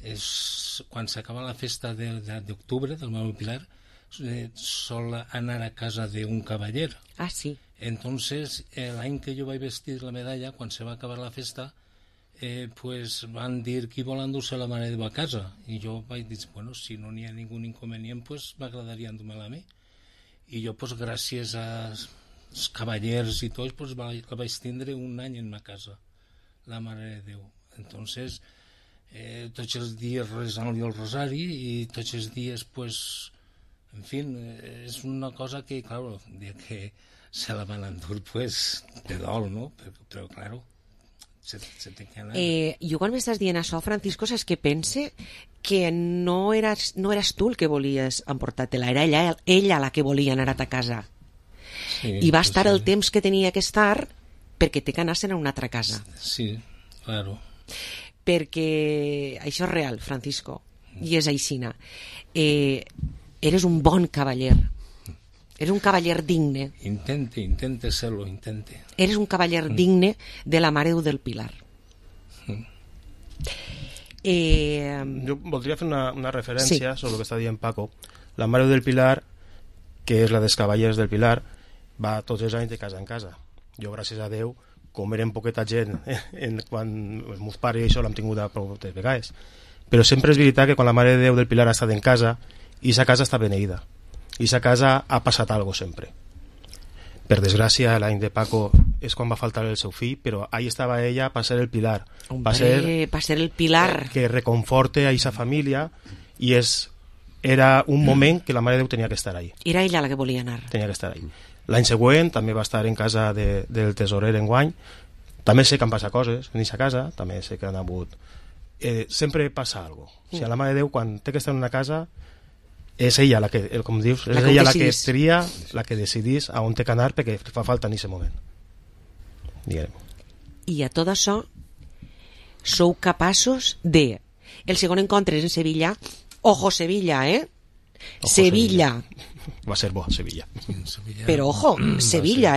és quan s'acaba la festa d'octubre del Mare Pilar, sol anar a casa d'un cavaller. Ah, sí. Entonces, l'any que jo vaig vestir la medalla, quan se va acabar la festa, pues van dir qui vol endur-se la Mare de Déu a casa. I jo vaig dir, bueno, si no n'hi ha ningú inconvenient, pues m'agradaria endur-me-la a mi. I jo, pues gràcies als cavallers i tots, pues la vaig tindre un any en ma casa, la Mare de Déu. Entonces, tots els dies resant-li el rosari i tots els dies, pues, en fi, és una cosa que, claro, que se la van endur, pues, de dol, ¿no? Però claro, se té que anar. Jo quan m'estàs dient això, Francisco, saps que pense que no eres tu el que volies emportar-te-la, era ella la que volia anar a ta casa. Sí, i va estar el temps que tenia que estar perquè té que anar-se'n a una altra casa. Sí, claro. Perquè això és real, Francisco, i és aixina. Eres un bon cavaller. Eres un cavaller digne. Intente ser-lo, intente. Eres un cavaller digne de la Mare de Déu del Pilar. Jo voldria fer una referència sobre el que està dient Paco. La Mare de Déu del Pilar, que és la dels cavallers del Pilar, va tots els anys de casa en casa. Jo, gràcies a Déu, com érem poqueta gent quan els meus pares i això l'hem tingut a prou de vegades, però sempre és veritat que quan la Mare de Déu del Pilar ha estat en casa, i sa casa està beneïda, i sa casa ha passat algo sempre. Per desgràcia, l'any de Paco és quan va faltar el seu fill, però ahí estava ella per ser el pilar, per ser el pilar que reconforte a aquesta família, i era un moment que la Mare de Déu tenia que estar ahí. Era ella la que volia anar. Tenia que estar ahí. L'any següent també va estar en casa del tesorer enguany. També sé que han passat coses en aquesta casa, també sé que han hagut... sempre passa alguna cosa. O sigui, la Mare de Déu, quan té que estar en una casa, és ella la que, com dius, és ella la que tria, la que decidís a on té que anar perquè fa falta en aquest moment. Diguem. I a tot això sou capaços de... El segon encontre és en Sevilla. Ojo, Sevilla, Ojo, Sevilla. Va ser bo, Sevilla. Però ojo, Sevilla,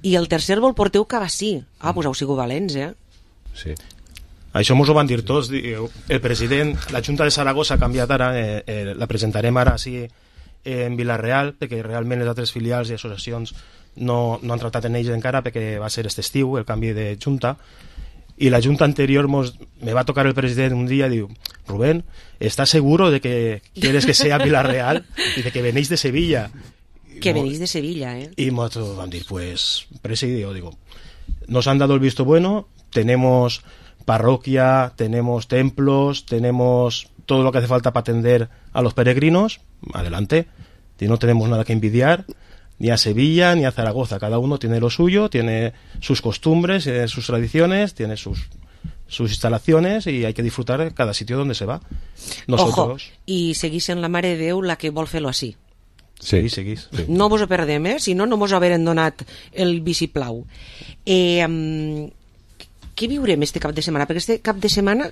I el tercer vol porteu Cabassí. Pues heu sigut valents, Sí. Això mos ho van dir tots. El president, la Junta de Saragossa ha canviat ara, la presentarem ara sí en Vila-real, perquè realment les altres filials i associacions no han tratat en ells encara, perquè va ser este estiu el canvi de Junta, i la Junta anterior me va tocar el president un dia i diu, Rubén, ¿estás seguro de que quieres que sea Vila-real y de que venís de Sevilla? Que venís de Sevilla, ¿eh? Y nosotros van a decir, pues, presidio, digo, nos han dado el visto bueno, tenemos parroquia, tenemos templos, tenemos todo lo que hace falta para atender a los peregrinos, adelante, y no tenemos nada que envidiar, ni a Sevilla ni a Zaragoza, cada uno tiene lo suyo, tiene sus costumbres, sus tradiciones, tiene sus instalaciones y hay que disfrutar cada sitio donde se va. Nosotros... Ojo, i seguís en la Mare de Déu la que vol fer-lo així. Sí, seguís. Sí. No vos ho perdem, si no, no mos haurem donat el vistiplau. Què viurem este cap de setmana? Perquè este cap de setmana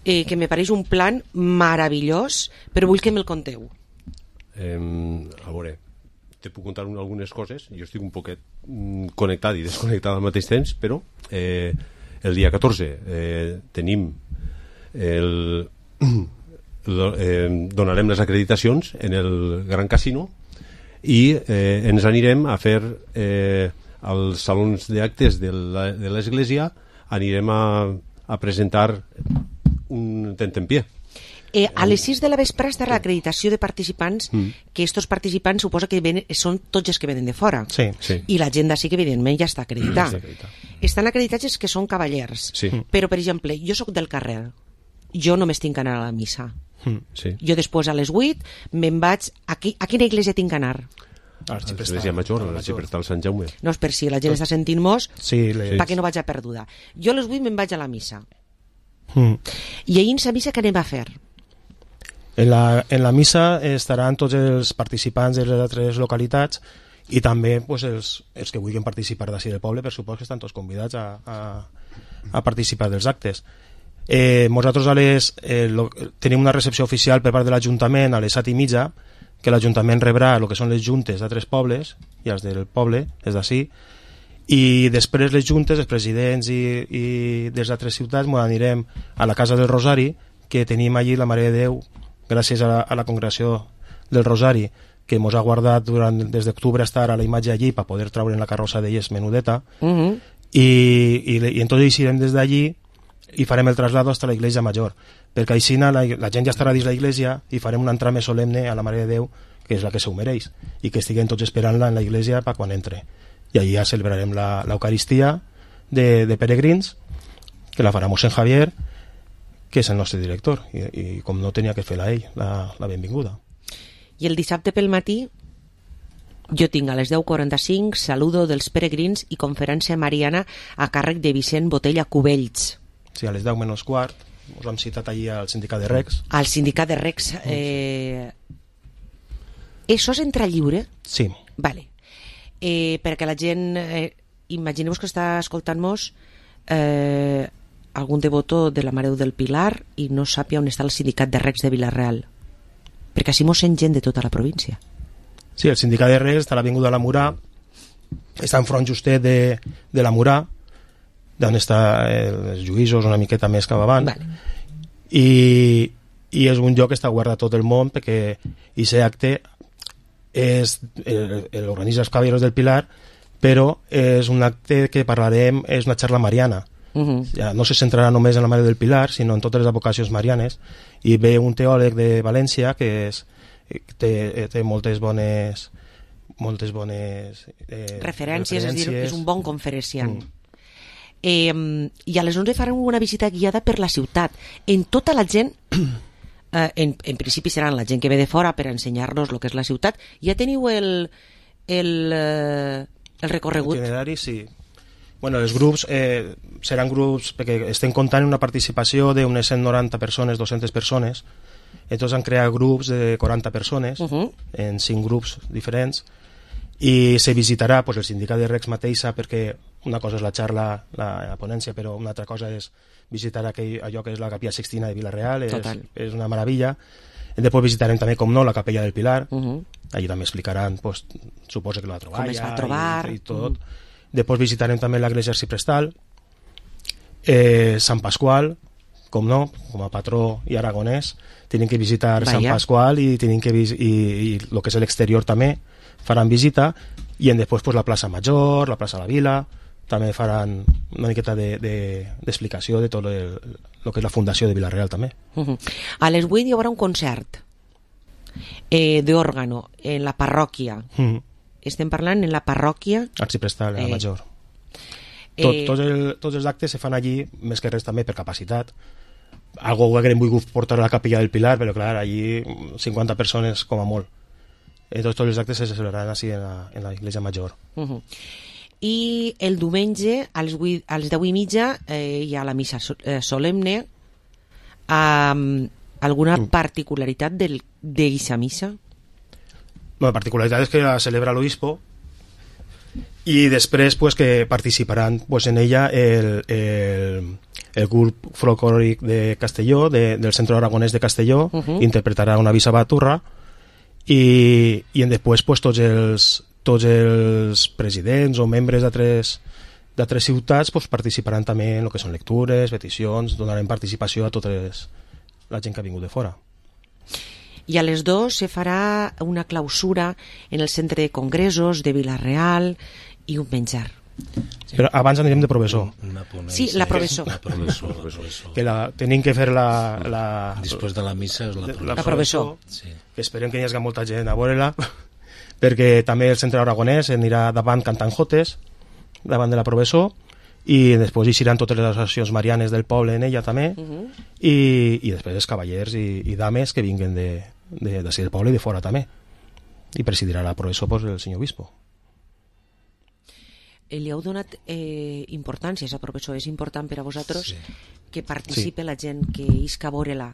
que me pareix un plan meravellós, però vull que me'l conteu. A veure, te puc contar algunes coses. Jo estic un poquet connectat i desconnectat al mateix temps, però el dia 14 tenim donarem les acreditacions en el Gran Casino i ens anirem a fer als salons d'actes de l'església, anirem a presentar un tentempié. A les 6 de la vespre estarà l'acreditació de participants, que estos participants suposa que són tots els que venen de fora. Sí. I la gent d'ací que evidentment ja està acreditada. Estan acreditats els que són cavallers. Sí. Però, per exemple, jo sóc del carrer. Jo només tinc que anar a la missa. Sí. Jo després a les 8 me'n vaig... A quina iglesia tinc que anar? A l'Església Major, a l'Arxiprestal Sant Jaume. No, és per si la gent està sentint-nos, sí, perquè no vaig a perduda. Jo a les 8 me'n vaig a la missa. I ahir en la missa què anem a fer? En la missa estaran tots els participants de les altres localitats i també pues, els que vulguin participar d'ací del poble, per supost que estan tots convidats a participar dels actes. Nosaltres tenim una recepció oficial per part de l'Ajuntament a les 7:30, que l'Ajuntament rebrà el que són les juntes d'altres pobles i els del poble, els d'ací, i després les juntes, els presidents i des d'altres ciutats ens anirem a la Casa del Rosari, que tenim allí la Mare de Déu, gràcies a la congregació del Rosari, que ens ha guardat des d'octubre a estar a la imatge allí per poder treure en la carrossa d'elles menudeta, i entonces irem des d'allí i farem el traslado hasta la Iglesia Major, perquè així la gent ja estarà dins la iglesia i farem una entrada més solemne a la Mare de Déu, que és la que s'ho mereix, i que estiguem tots esperant-la en la iglesia per quan entre. I allí ja celebrarem l'Eucaristia de peregrins, que la farà mossèn Javier, que és el nostre director, i com no tenia que fer-la ell, la benvinguda. I el dissabte pel matí jo tinc a les 10:45 saludo dels peregrins i conferència mariana a càrrec de Vicent Botella Cubells. Sí, a les 10 menys quart us hem citat allí al sindicat de Recs. Al sindicat de Recs. Això és entrada lliure? Sí. Vale. Perquè la gent, imagineu-vos que està escoltant-nos algun devoto de la Mare del Pilar i no sàpia on està el sindicat de Recs de Vila-real, perquè així mos sent gent de tota la província. Sí, el sindicat de Recs està a l'Avinguda de la Murà, està enfront justet de la Murà, d'on està els Lluïsos una miqueta més cap avant, i és un lloc que està obert a tot el món, perquè aquest acte l'organitza els Caballeros del Pilar, però és un acte que parlarem, és una xarxa mariana. Ja no se centrarà només en la Mare del Pilar, sinó en totes les advocacions marianes, i ve un teòleg de València que té moltes bones referències, és dir, és un bon conferenciant. I a les 11 farem una visita guiada per la ciutat. En tota la gent, en principi seran la gent que ve de fora per ensenyar-nos el que és la ciutat. Ja teniu el recorregut? L'itinerari, sí. Bueno, els grups seran grups, perquè estem comptant una participació d'unes 190 persones, 200 persones, entonces han creat grups de 40 persones, en 5 grups diferents, i se visitarà pues, el sindicat de Recs mateixa, perquè una cosa és la xarxa, la ponència, però una altra cosa és visitar allò que és la Capella Sixtina de Vila-real, és una meravella. Després visitarem també, com no, la Capella del Pilar, allí també explicaran, pues, suposo que la troballa, com es va trobar i tot. Després visitarem també l'església Arxiprestal, Sant Pasqual, com no, com a patró i aragonès, tenim que visitar Sant Pasqual i tenim que i el que és l'exterior també faran visita, i després pues, la plaça Major, la plaça de la Vila, també faran una miqueta d'explicació de tot el que és la fundació de Vila-real també. A les 8 hi haurà un concert d'òrgano en la parròquia. estem parlant en la parròquia Arxiprestal, la major. Tots els actes se fan allí, més que res també per capacitat. Algo que hem volgut portar a la capella del Pilar, però clar, allí 50 persones com a molt. Tots els actes se celebraran així en la iglesia major. I el diumenge a les 10:30 hi ha la missa solemne. Alguna particularitat d'aquesta missa? La particularitat és que la celebra l'obispo i després pues, que participaran pues, en ella el grup folclòric de Castelló, del Centre Aragonès de Castelló, interpretarà una visa baturra i després pues, tots els presidents o membres d'altres ciutats pues, participaran també en el que són lectures, peticions, donarem participació a tota la gent que ha vingut de fora. I a les 2 se farà una clausura en el centre de congressos de Vila-real i un menjar. Però abans anirem de professor. Sí, la professor. Que tenim que fer Després de la missa és la professor. Que esperem que hi hagi molta gent a veure-la, perquè també el centre aragonès anirà davant cantant jotes, davant de la professor, i després hi seran totes les associacions marianes del poble en ella també, i després els cavallers i dames que vinguen d'ací del poble i de fora també, i presidirà la professor pues, el senyor obispo. Li heu donat importància a aquesta professor? És important per a vosaltres que participe la gent que isca a veure-la?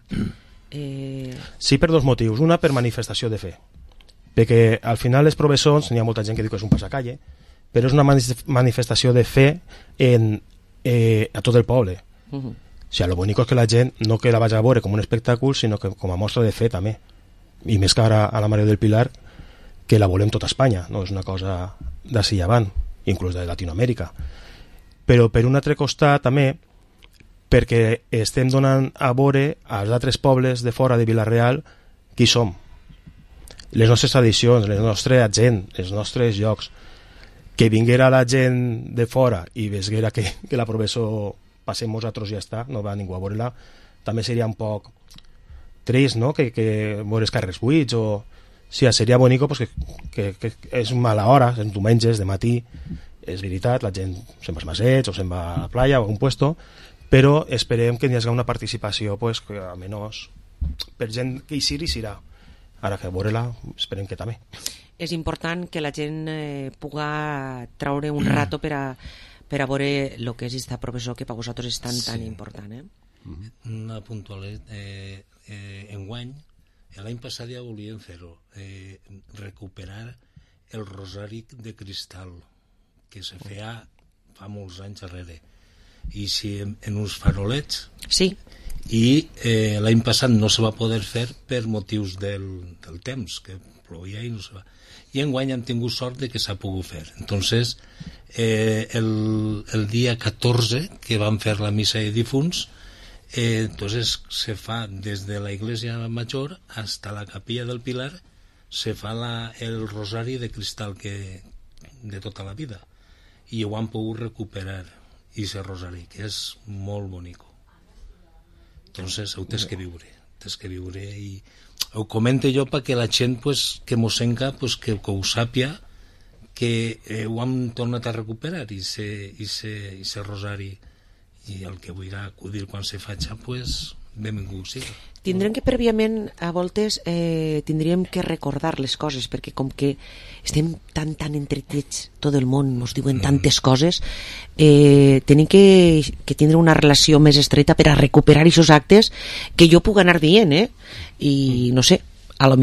Sí, per dos motius. Una, per manifestació de fe, perquè al final les professors, n'hi ha molta gent que diu que és un passacalle, però és una manifestació de fe a tot el poble. O sigui, lo bonic és que la gent no que la vagi a veure com un espectacle, sinó que com a mostra de fe també. I més que ara a la Mare del Pilar, que la volem tota Espanya, no és una cosa d'ací avant, inclús de Latinoamèrica. Però per un altre costat també, perquè estem donant a veure als altres pobles de fora de Vila-real qui som. Les nostres tradicions, la nostra gent, els nostres llocs. Que vinguera la gent de fora i vesguera que la professor passem nosaltres i ja està, no va ningú a veure-la, també seria un poc trist, no?, que veure els carrers buits, o... Sí, seria bonic pues, que és mala hora, en diumenges, de matí, és veritat, la gent se'n va als masets o se'n va a la playa o a un puesto, però esperem que hi hagi una participació pues, que almenys per gent que hi serà. Ara que veure-la, esperem que també. És important que la gent puga treure un rato per a veure el que és aquesta professor que per vosaltres és tan important. Una puntualitat. Enguany, l'any passat ja volíem fer-ho, recuperar el rosari de cristal que se feia fa molts anys darrere, i si en uns farolets, i l'any passat no se va poder fer per motius del temps, que plovia i no se va, i enguany hem tingut sort de que s'ha pogut fer. Entonces el dia 14 que vam fer la missa de difunts, entonces se fa des de la iglesia major hasta la capilla del Pilar, se fa el rosari de cristal de tota la vida, i ho han pogut recuperar, i ese rosari, que és molt bonic. Entonces ho tens que viure, i ho comente jo perquè la gent pues, que mos senca pues, que ho sàpia, que ho hem tornat a recuperar, i se rosari, i el que vull acudir quan se faci, pues, benvingut sigui. Tindrem que prèviament, a voltes, tindríem que recordar les coses, perquè com que estem tan entretets, tot el món ens diuen tantes coses, tenim que tindre una relació més estreta per a recuperar aquests actes que jo puc anar dient, i no sé,